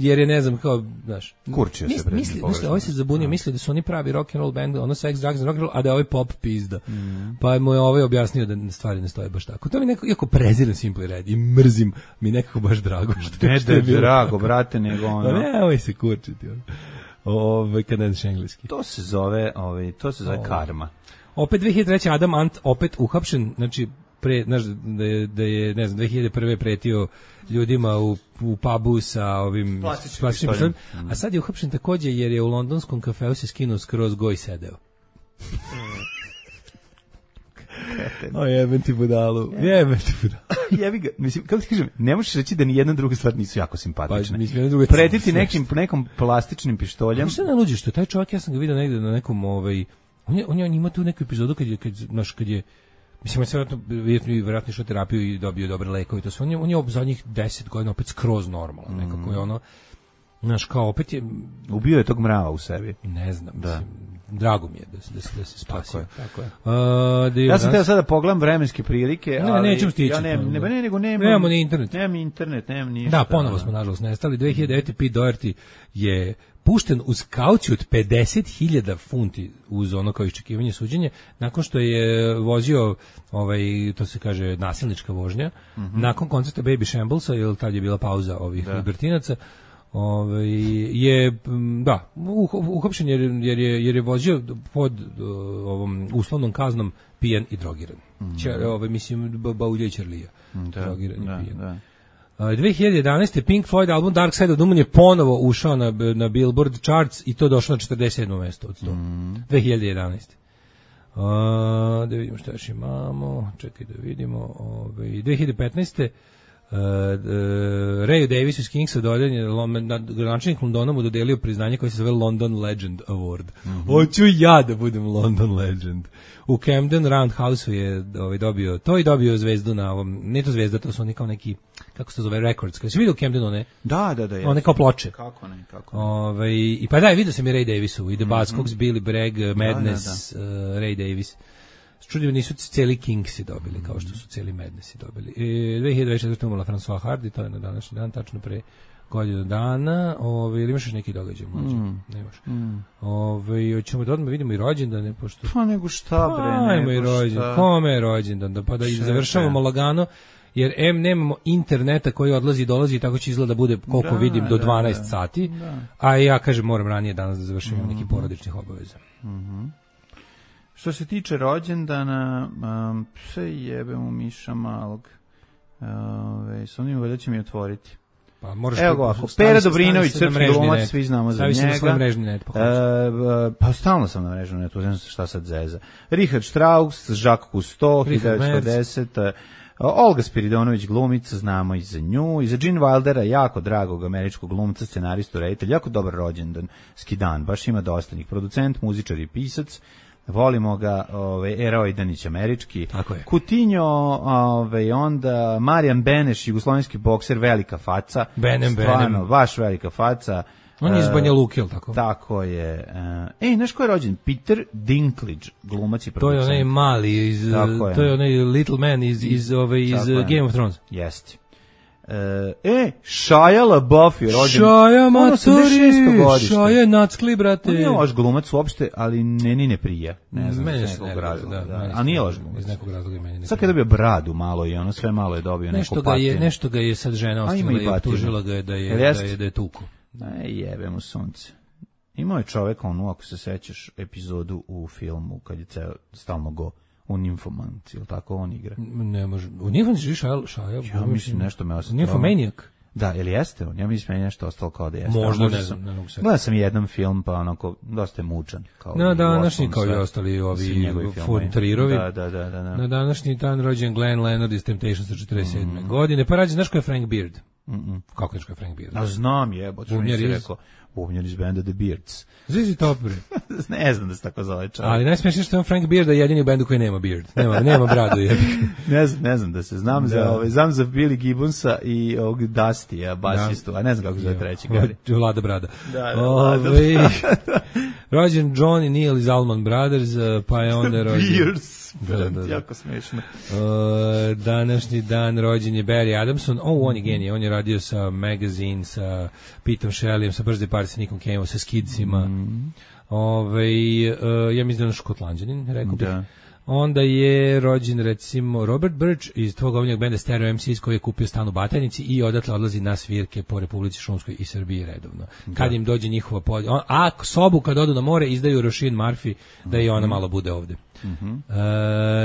jer je, ne znam, kao, znaš. Kurčio mis, se. Misli, misli, ovaj se zabunio, misli da su oni pravi rock and roll band, ono sex, drugs and rock and roll, a da je ovaj pop pizda. Mm. Pa mu je ovaj objasnio da stvari ne stoje baš tako. To mi neko, iako prezirem Simply Red i mrzim, mi nekako baš drago. Što, ne što da je bilo drago, tako. brate, nego ono. Pa ne, ovaj se kurčiti, ono. Ovaj kad ne znaš engleski. To se zove, ovaj, to se zove karma. Opet dve hiljade treće. Adam Ant opet uhapšen, znači pre, znaš, da je, da je ne znam, dve hiljade prve pretio ljudima u, u pubu sa ovim plastičnim pištoljem, a sad je uhapšen takođe jer je u londonskom kafeu se skinuo skroz go i sedeo. O jebem ti budalu, jebem ti budalu. Jebi ga, mislim, kako ti kažem, ne možeš reći da ni jedna druga stvar nisu jako simpatične. Pa, mislim, druga pretiti nekim, nekom plastičnim pištoljem. Šta ne luđiš, što taj čovjek, ja sam ga vidio negde na nekom, ovaj, on je, on je ima tu neku epizodu kad je, kad, znaš, kad je, mislim, on je vjerojatno, vjerojatno išao terapiju i dobio dobre lekove, to sve, on je, on je ob zadnjih deset godina opet skroz normalno, nekako je ono, znaš, kao opet je... Ubio je tog mrava u sebi. Ne znam, da. Mislim, drago mi je da se, da se, da se spasio. Tako je. Tako je. Uh, da ja sam teo sada pogledam vremenske prilike, ne, ali... nećemo stići. Ja ne, ne, ne, nego nemam... Nemamo ni internet. Nemam internet, nemam ništa. Da, ponovo smo, nažalost, nestali. dve hiljade devete. Pete Doherty je pušten uz kauciju od pedeset hiljada funti uz ono kao iščekivanje suđenja, nakon što je vozio, ovaj, to se kaže, nasilnička vožnja, mm-hmm. nakon koncerta Baby Shamblesa, jer tad je bila pauza ovih da. libertinaca, Ove, je da uhapšen jer, jer, je, jer je vozio pod uh, ovom uslovnom kaznom pijan i drogiran. Mm. Čer, ove, mislim Baulja Ćerlija. Da, drogiran da, i pijan. Da. Uh, dve hiljade jedanaeste. Pink Floyd album Dark Side of the Moon je ponovo ušao na, na Billboard charts i to došlo na četrdeset sedmo mesto od sto. Mm. dve hiljade jedanaeste. Uh, da vidimo šta još imamo. Čekaj da vidimo. Ove, dve hiljade petnaeste. Uh, uh, Rayu Davisu iz Kingsa dodeljen je gradonačelnik Londona mu dodelio priznanje koje se zove London Legend Award. Mm-hmm. Hoću ja da budem London Legend. U Camden Roundhouse-u je ovaj, dobio to i dobio zvezdu na ovom, ne to zvezda, to su oni kao neki, kako se to zove, records. Kada si vidio u Camdenu, ne? Da, da, da. Jesu. One kao ploče. Kako ne, kako ne. Ove, i pa da, vidio sam i Ray Davisu, i The Buzzcocks, mm-hmm. Billy Bragg, Madness, da, da, da. Uh, Ray Davis. Čudio nisu cijeli Kingsi dobili, kao što su cijeli Madnessi dobili. E, dve hiljade dvadeset četvrte umrla François Hardy, to je na današnji dan, tačno pre godinu dana. Ove, ili imaš još neki događaj mlađe? Mm. Nemaš. Mm. Ove, hoćemo da odmah vidimo i rođendane, pošto... Pa nego šta, bre, pa, nego i rođendan. Kome je rođendan? Da, pa da Šepe. Završavamo lagano, jer em nemamo interneta koji odlazi i dolazi i tako će izgleda bude koliko da, vidim do dvanaest da, da. sati, da. A ja kažem moram ranije danas da završim mm-hmm. neki porodičnih obaveza. Mhm. Što se tiče rođendana, um, sve jebem u miša malog. Ove, s onim valjda će mi otvoriti. Pa moraš Evo ga ovako, Pera Dobrinović, srpski glumac, svi znamo za njega. Stavi se na svoj mrežni net, pa uh, Pa stalno sam na mrežnom netu, znam šta sad zeza. Richard Strauss, Jacques Cousteau, hiljadu devetsto devedeset. Olga Spiridonović, glumica, znamo i za nju, i za Gene Wildera, jako dragog američkog glumca, scenaristu, reditelj, jako dobar rođendan, skidan, baš ima dosta njih, producent, muzičar i pisac. Volimo ga, ovaj Eroj Danić američki. Kutinjo, ovaj onda Marijan Beneš, jugoslovenski bokser, velika faca. Benem, stvarno, benem. Baš velika faca. On je iz Banja Luke, jel tako? Tako je. Ej, znaš ko je rođen? Peter Dinklage, glumac i producent. To je onaj mali, iz, to je onaj Little Man iz, iz, ove, iz Game of Thrones. Jeste. E, Shia LaBeouf je rođen. Shia Matori, Shia Nackli, brate. On je loš glumac uopšte, ali meni ne prija. Ne znam, iz nekog razloga. A nije loš glumac. Iz nekog razloga i meni ne. Sad kad je dobio bradu malo i ono sve malo je dobio nešto neku patnju. Nešto ga je sad žena ostavila i optužila ga je da je, da je, da je tuku. Ne, jebe mu sunce. Imao je čovek onu, ako se sećaš, epizodu u filmu kad je ceo stalno go u Nymphomaniac, ili tako on igra? Ne može. U Nymphomaniac živi Šaja? Šaja? Ja mislim nešto me ostalo. Nymphomaniac? Da, ili jeste on? Ja mislim je nešto ostalo kao da jeste. Možda, ne znam. Ne gledao sam jedan film, pa onako, dosta je mučan. Kao na današnji, kao i ostali ovi Fontrirovi. Da, da, da, da. Na današnji dan rođen Glenn Leonard iz Temptations četrdeset sedme Mm. godine. Pa rađen, znaš ko je Frank Beard? Mm-mm. Kako je Frank Beard? A znam jebote, što mi si rekao. Bubnjar iz benda The Beards. Zizi top, bre. Ne znam da se tako zove čovjek. Ali najsmešnije što je on Frank Beard, jedini u bendu koji nema beard. Nema, nema bradu. Je. ne, znam, ne znam da se znam da. za ovaj, znam za Billy Gibbonsa i ovog Dustya, basistu, da. A ne znam kako se zove treći. Vlada Brada. Da, da, Vlada Brada. Rođen John i Neil iz Allman Brothers, pa je onda rođen... Beards. Da, da, da. Jako smešno. Uh, današnji dan rođen je Barry Adamson. Oh, on je genije. On je radio sa Magazine, sa Petom Shelleyem, sa Birthday Party, sa Nickom Caveom, sa Skidsima. Mm. Ove, uh, ja mislim da je on Škotlanđanin, rekao bih. Da. Onda je rođen, recimo, Robert Birch iz tvog omiljenog benda Stereo em ces koji je kupio stan u Batajnici i odatle odlazi na svirke po Republici Šumskoj i Srbiji redovno. Da. Kad im dođe njihova polja. On, a sobu kad odu na more izdaju Roisin Murphy da i ona malo bude ovde. Mhm. Uh,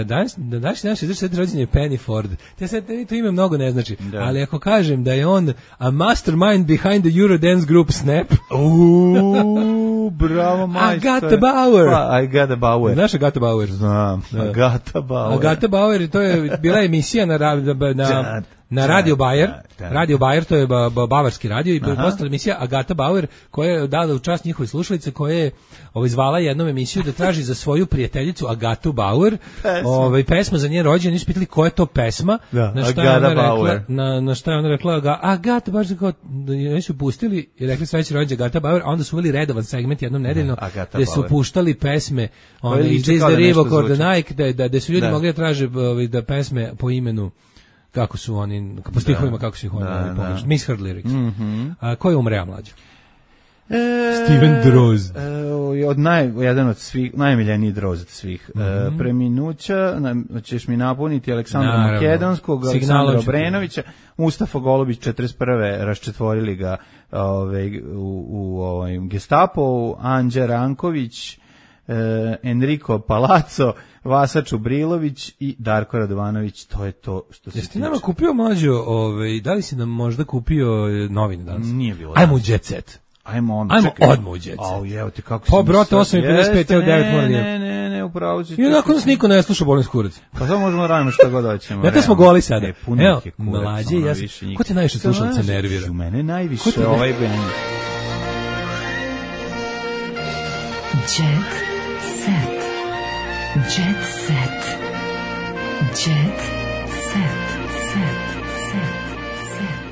danas danas naš šezdeset rođendan je Penny Ford. Te sad to ime mnogo ne znači, da. Ali ako kažem da je on a mastermind behind the Eurodance group Snap. Uuu, bravo majstor. Agatha Bauer. Pa, Agatha Bauer. Znaš Agatha Bauer? Znam. Agatha Bauer. Agatha Bauer, to je bila emisija na na, na na Radio Bayer, Radio Bayer, to je ba, ba, bavarski radio i postala emisija Agatha Bauer koja je dala u čast njihove slušalice koja je ovaj, zvala jednom emisiju da traži za svoju prijateljicu Agathu Bauer ovaj, pesma za njen rođendan. Nisu pitali koja je to pesma, da, na, šta je ona rekla, na, na šta je ona rekla Aga, Agatha, baš da kao, da su pustili i rekli sveći rođendan Agatha Bauer, a onda su uveli redovan segment jednom nedeljno gde su puštali pesme one, iz This the Reebok or the Nike, da, da, da su ljudi da. mogli da traže da pesme po imenu kako su oni, po stihovima, kako su ih oni da, pogrešili. Misheard lyrics. Mm-hmm. A, ko je umreo mlađe? E, Steven Drozd. E, od naj, jedan od svih, najmiljeniji Drozd svih. Mm-hmm. E, preminuća, na, ćeš mi napuniti Aleksandra Naravno. Makedonskog, Aleksandra Obrenovića, Mustafa Golubić četrdeset prve raščetvorili ga ove, u, u ovaj, Gestapo, Anđa Ranković, e, Enrico Palazzo, Vasa Čubrilović i Darko Radovanović, to je to što se tiče. Jesi ti nama kupio mlađo, ovaj, da li si nam možda kupio novine danas? Nije bilo. Ajmo u Jet Set. Ajmo onda, Ajmo čekaj. odmah u Jet Set. Au, evo ti kako Pa, si mi brate, sad- osam i pedeset pet, evo Jeste, devet moram da Ne, ne, ne, upravo si. I onako nas niko ne sluša, bolim skurac. Pa samo možemo radimo šta god hoćemo. Ja te smo realno. goli sada. E, puno Evo, ih je kurac, mlađe, ono, ja sam- više njih. ko te najviše slušalaca Znaš, nervira? U mene Ko najviše te ne- ovaj band. Jet set. Jet set. Jet set. Set. Set.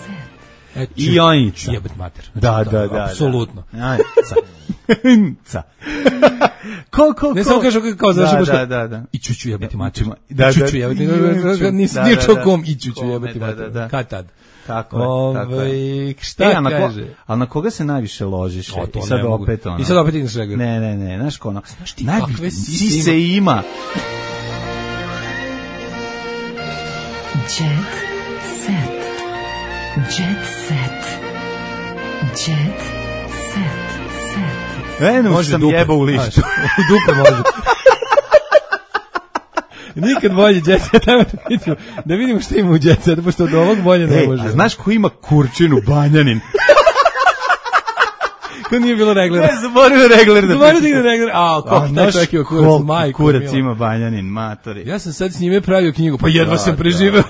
Set. E, I Jonica. Jebet mater. Da, Znači, da, to, da. apsolutno. Da. Ca. Ko, ko, ko? Ne samo kažu kao da, završi da, da, da. I čuću jebati mater. Da, I čuću da, jebati. i ćuću. Nisi Da, nije da, čuo da. kom i čuću Kome, jebati da, mater. da, da. Kad tad? Tako je, tako je. Ove, šta E, a na ko- kaže? ali na koga se najviše ložiš? O, to I sad ne mogu. opet ono. I sad opet ideš regar. Ne, ne, ne, znaš ko ono. Znaš ti Najvi- kakve sise sise ima. Jet set. Jet set. Jet set. Set. Eno Može sam dupe. jebao u lištu. Znaš, u dupe može. Nikad bolje Jet Set, ajmo da vidimo, da vidimo šta ima u Jet Set, pošto od ovog bolje ne Ej, može. a znaš ko ima kurčinu Banjanin? Ko nije bilo reglera? Ne, zaboravio regler da Zaboravio da pitam. ide regler. A, kako taj čovjek ima kurac, koliko majko kurac mila. ima Banjanin, matori. Ja sam sad s njime pravio knjigu, pa jedva Da, sam da. preživeo.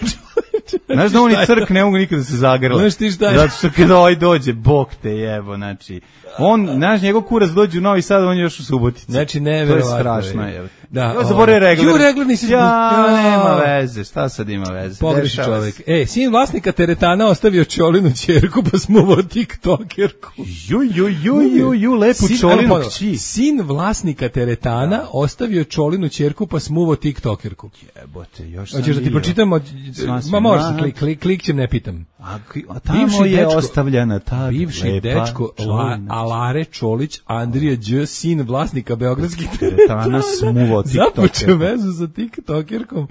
Znaš da oni crk ne mogu nikada da se zagrle. Znaš ti šta je? Zato što kada ovaj dođe, bog te jebo, znači. On, znaš, njegov kurac dođe u Novi Sad, on je još u Subotici. Znači, To je neverovatno. strašno, jebo. Da, Ja ovaj. zaboravio regler. Ju, regler nisi... Ja, Ja. nema veze, šta sad ima veze? Pogreši Dešava čovjek. se. E, sin vlasnika teretana ostavio Čolinu ćerku, pa smuvao tiktokerku. Ju, ju, ju, ju, ju, lepu Sin- Čolinu ajmo ponovo. kći. Sin vlasnika teretana ostavio Čolinu ćerku, pa smuvao tiktokerku. Jebote, još sam Hoćeš da ti vidio. pročitam? od- Sva si Ma možeš, mlad. klik, klik, klikćem, ne pitam. A, ki- a tamo Bivši je dečko- ostavljena ta Bivši lepa dečko La, Čolina. Alare Čolić, Andrija Đ, sin vlasnika beogradskih Teretana smuvao započeo tiktokerku. vezu sa tiktokerkom,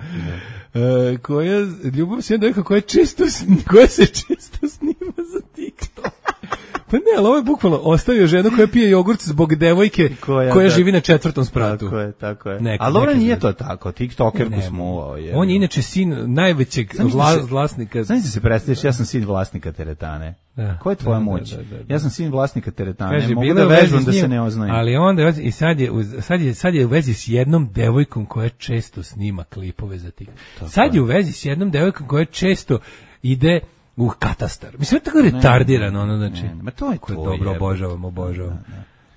e, koja, ljubav s jednom devojkom koja, često, sn- koja se često snima za TikTok. Pa ne, ali ovo je bukvalno ostavio ženu koja pije jogurt zbog devojke koja, Koja, da. živi na četvrtom spratu. Tako je, tako je. Neka- Ali dobro neka nije ljudi. to tako, tiktokerku Ne, smuvao je. On je inače sin najvećeg Zamisli vla, se- vlasnika. Znaš da se predstaviš, ja sam sin vlasnika teretane. Da, Koja je tvoja da, da, moć? da, da, da. Ja sam sin vlasnika teretane, Kaže, mogu bila da je u vezi vežbam s da njim, se ne oznojim. Ali onda je- i sad je uz- sad je sad je u vezi s jednom devojkom koja često snima klipove za TikTok. Sad je u vezi s jednom devojkom koja često ide u katastar. Mislim, je tako retardirano, ono, znači. ne, ma to je Kako to, dobro, jebote. obožavam, obožavam.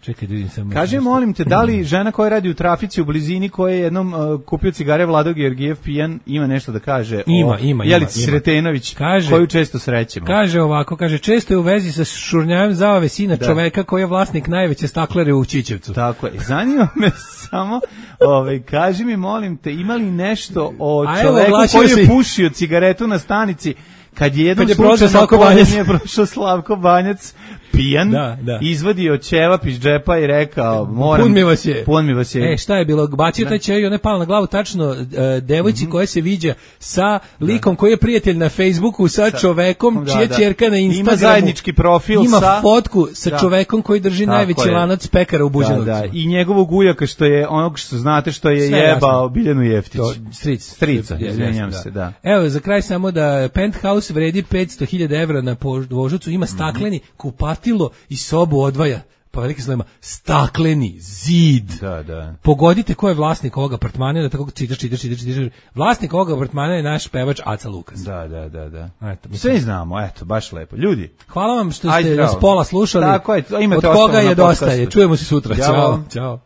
Čekaj, da vidim samo. Kaži, nešto. molim te, da li žena koja radi u trafici u blizini, koja je jednom uh, kupio cigare Vlado Georgijev pijan, ima nešto da kaže Ima, o ima, Jelici ima. Sretenović, Kaže- koju često srećemo? Kaže ovako, kaže, često je u vezi sa šurnjajem zavave sina čoveka koji je vlasnik najveće staklare u Ćićevcu. Tako je. Zanima me samo, ovaj, kaži mi, molim te, ima li nešto o A evo, čoveku oglasio koji je se- pušio cigaretu na stanici, kad je jednom Kad je prošao slučajno Slavko pored Banjac. nje prošao Slavko Banjac, pijan, Da, da. izvadio ćevap iz džepa i rekao, moram... Pun mi vas je. Pun mi vas je. E, šta je bilo? Bacio taj ćer i ona je pala na glavu tačno e, devojci Mhm. koja se viđa sa likom koji je prijatelj na Facebooku sa, čovekom Da, čija da. ćerka na Ima Instagramu zajednički profil ima sa- fotku sa Da. čovekom koji drži Tako najveći je. lanac pekara u Da, Buđanovcu. da, i njegovog ujaka što je, onog što znate što je Sve jebao jasno. Biljanu Jeftić. To, stric. Strica, Jeste, izvinjam da. se, da. Evo, za kraj samo da Penthouse vredi petsto hiljada evra na Voždovcu, Mhm. ima stakleni kupatilo i sobu odvaja, pa velike slovima, stakleni zid. Da, da. Pogodite ko je vlasnik ovog apartmana, da tako čitaš, čitaš, čitaš, čitaš. Vlasnik ovog apartmana je naš pevač Aca Lukas. Da, da, da, da. Eto, mislim. Sve znamo, eto, baš lepo. Ljudi, Hvala vam što Ajde, ste zdravo. nas pola slušali. Tako je, imate Od koga ostalo na je dosta podcastu. je. Čujemo se sutra. Ćao. Ćao. Ćao.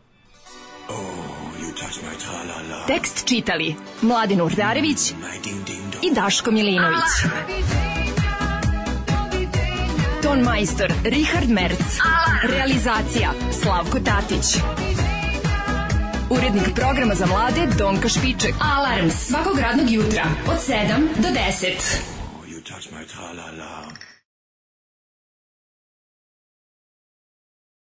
Tekst čitali Mladin Urdarević i Daško Milinović. Ton majstor Richard Merc. Realizacija Slavko Tatić. Urednik programa za mlade Donka Špiček. Alarms svakog radnog jutra od sedam do deset. You touch my tra-la-la.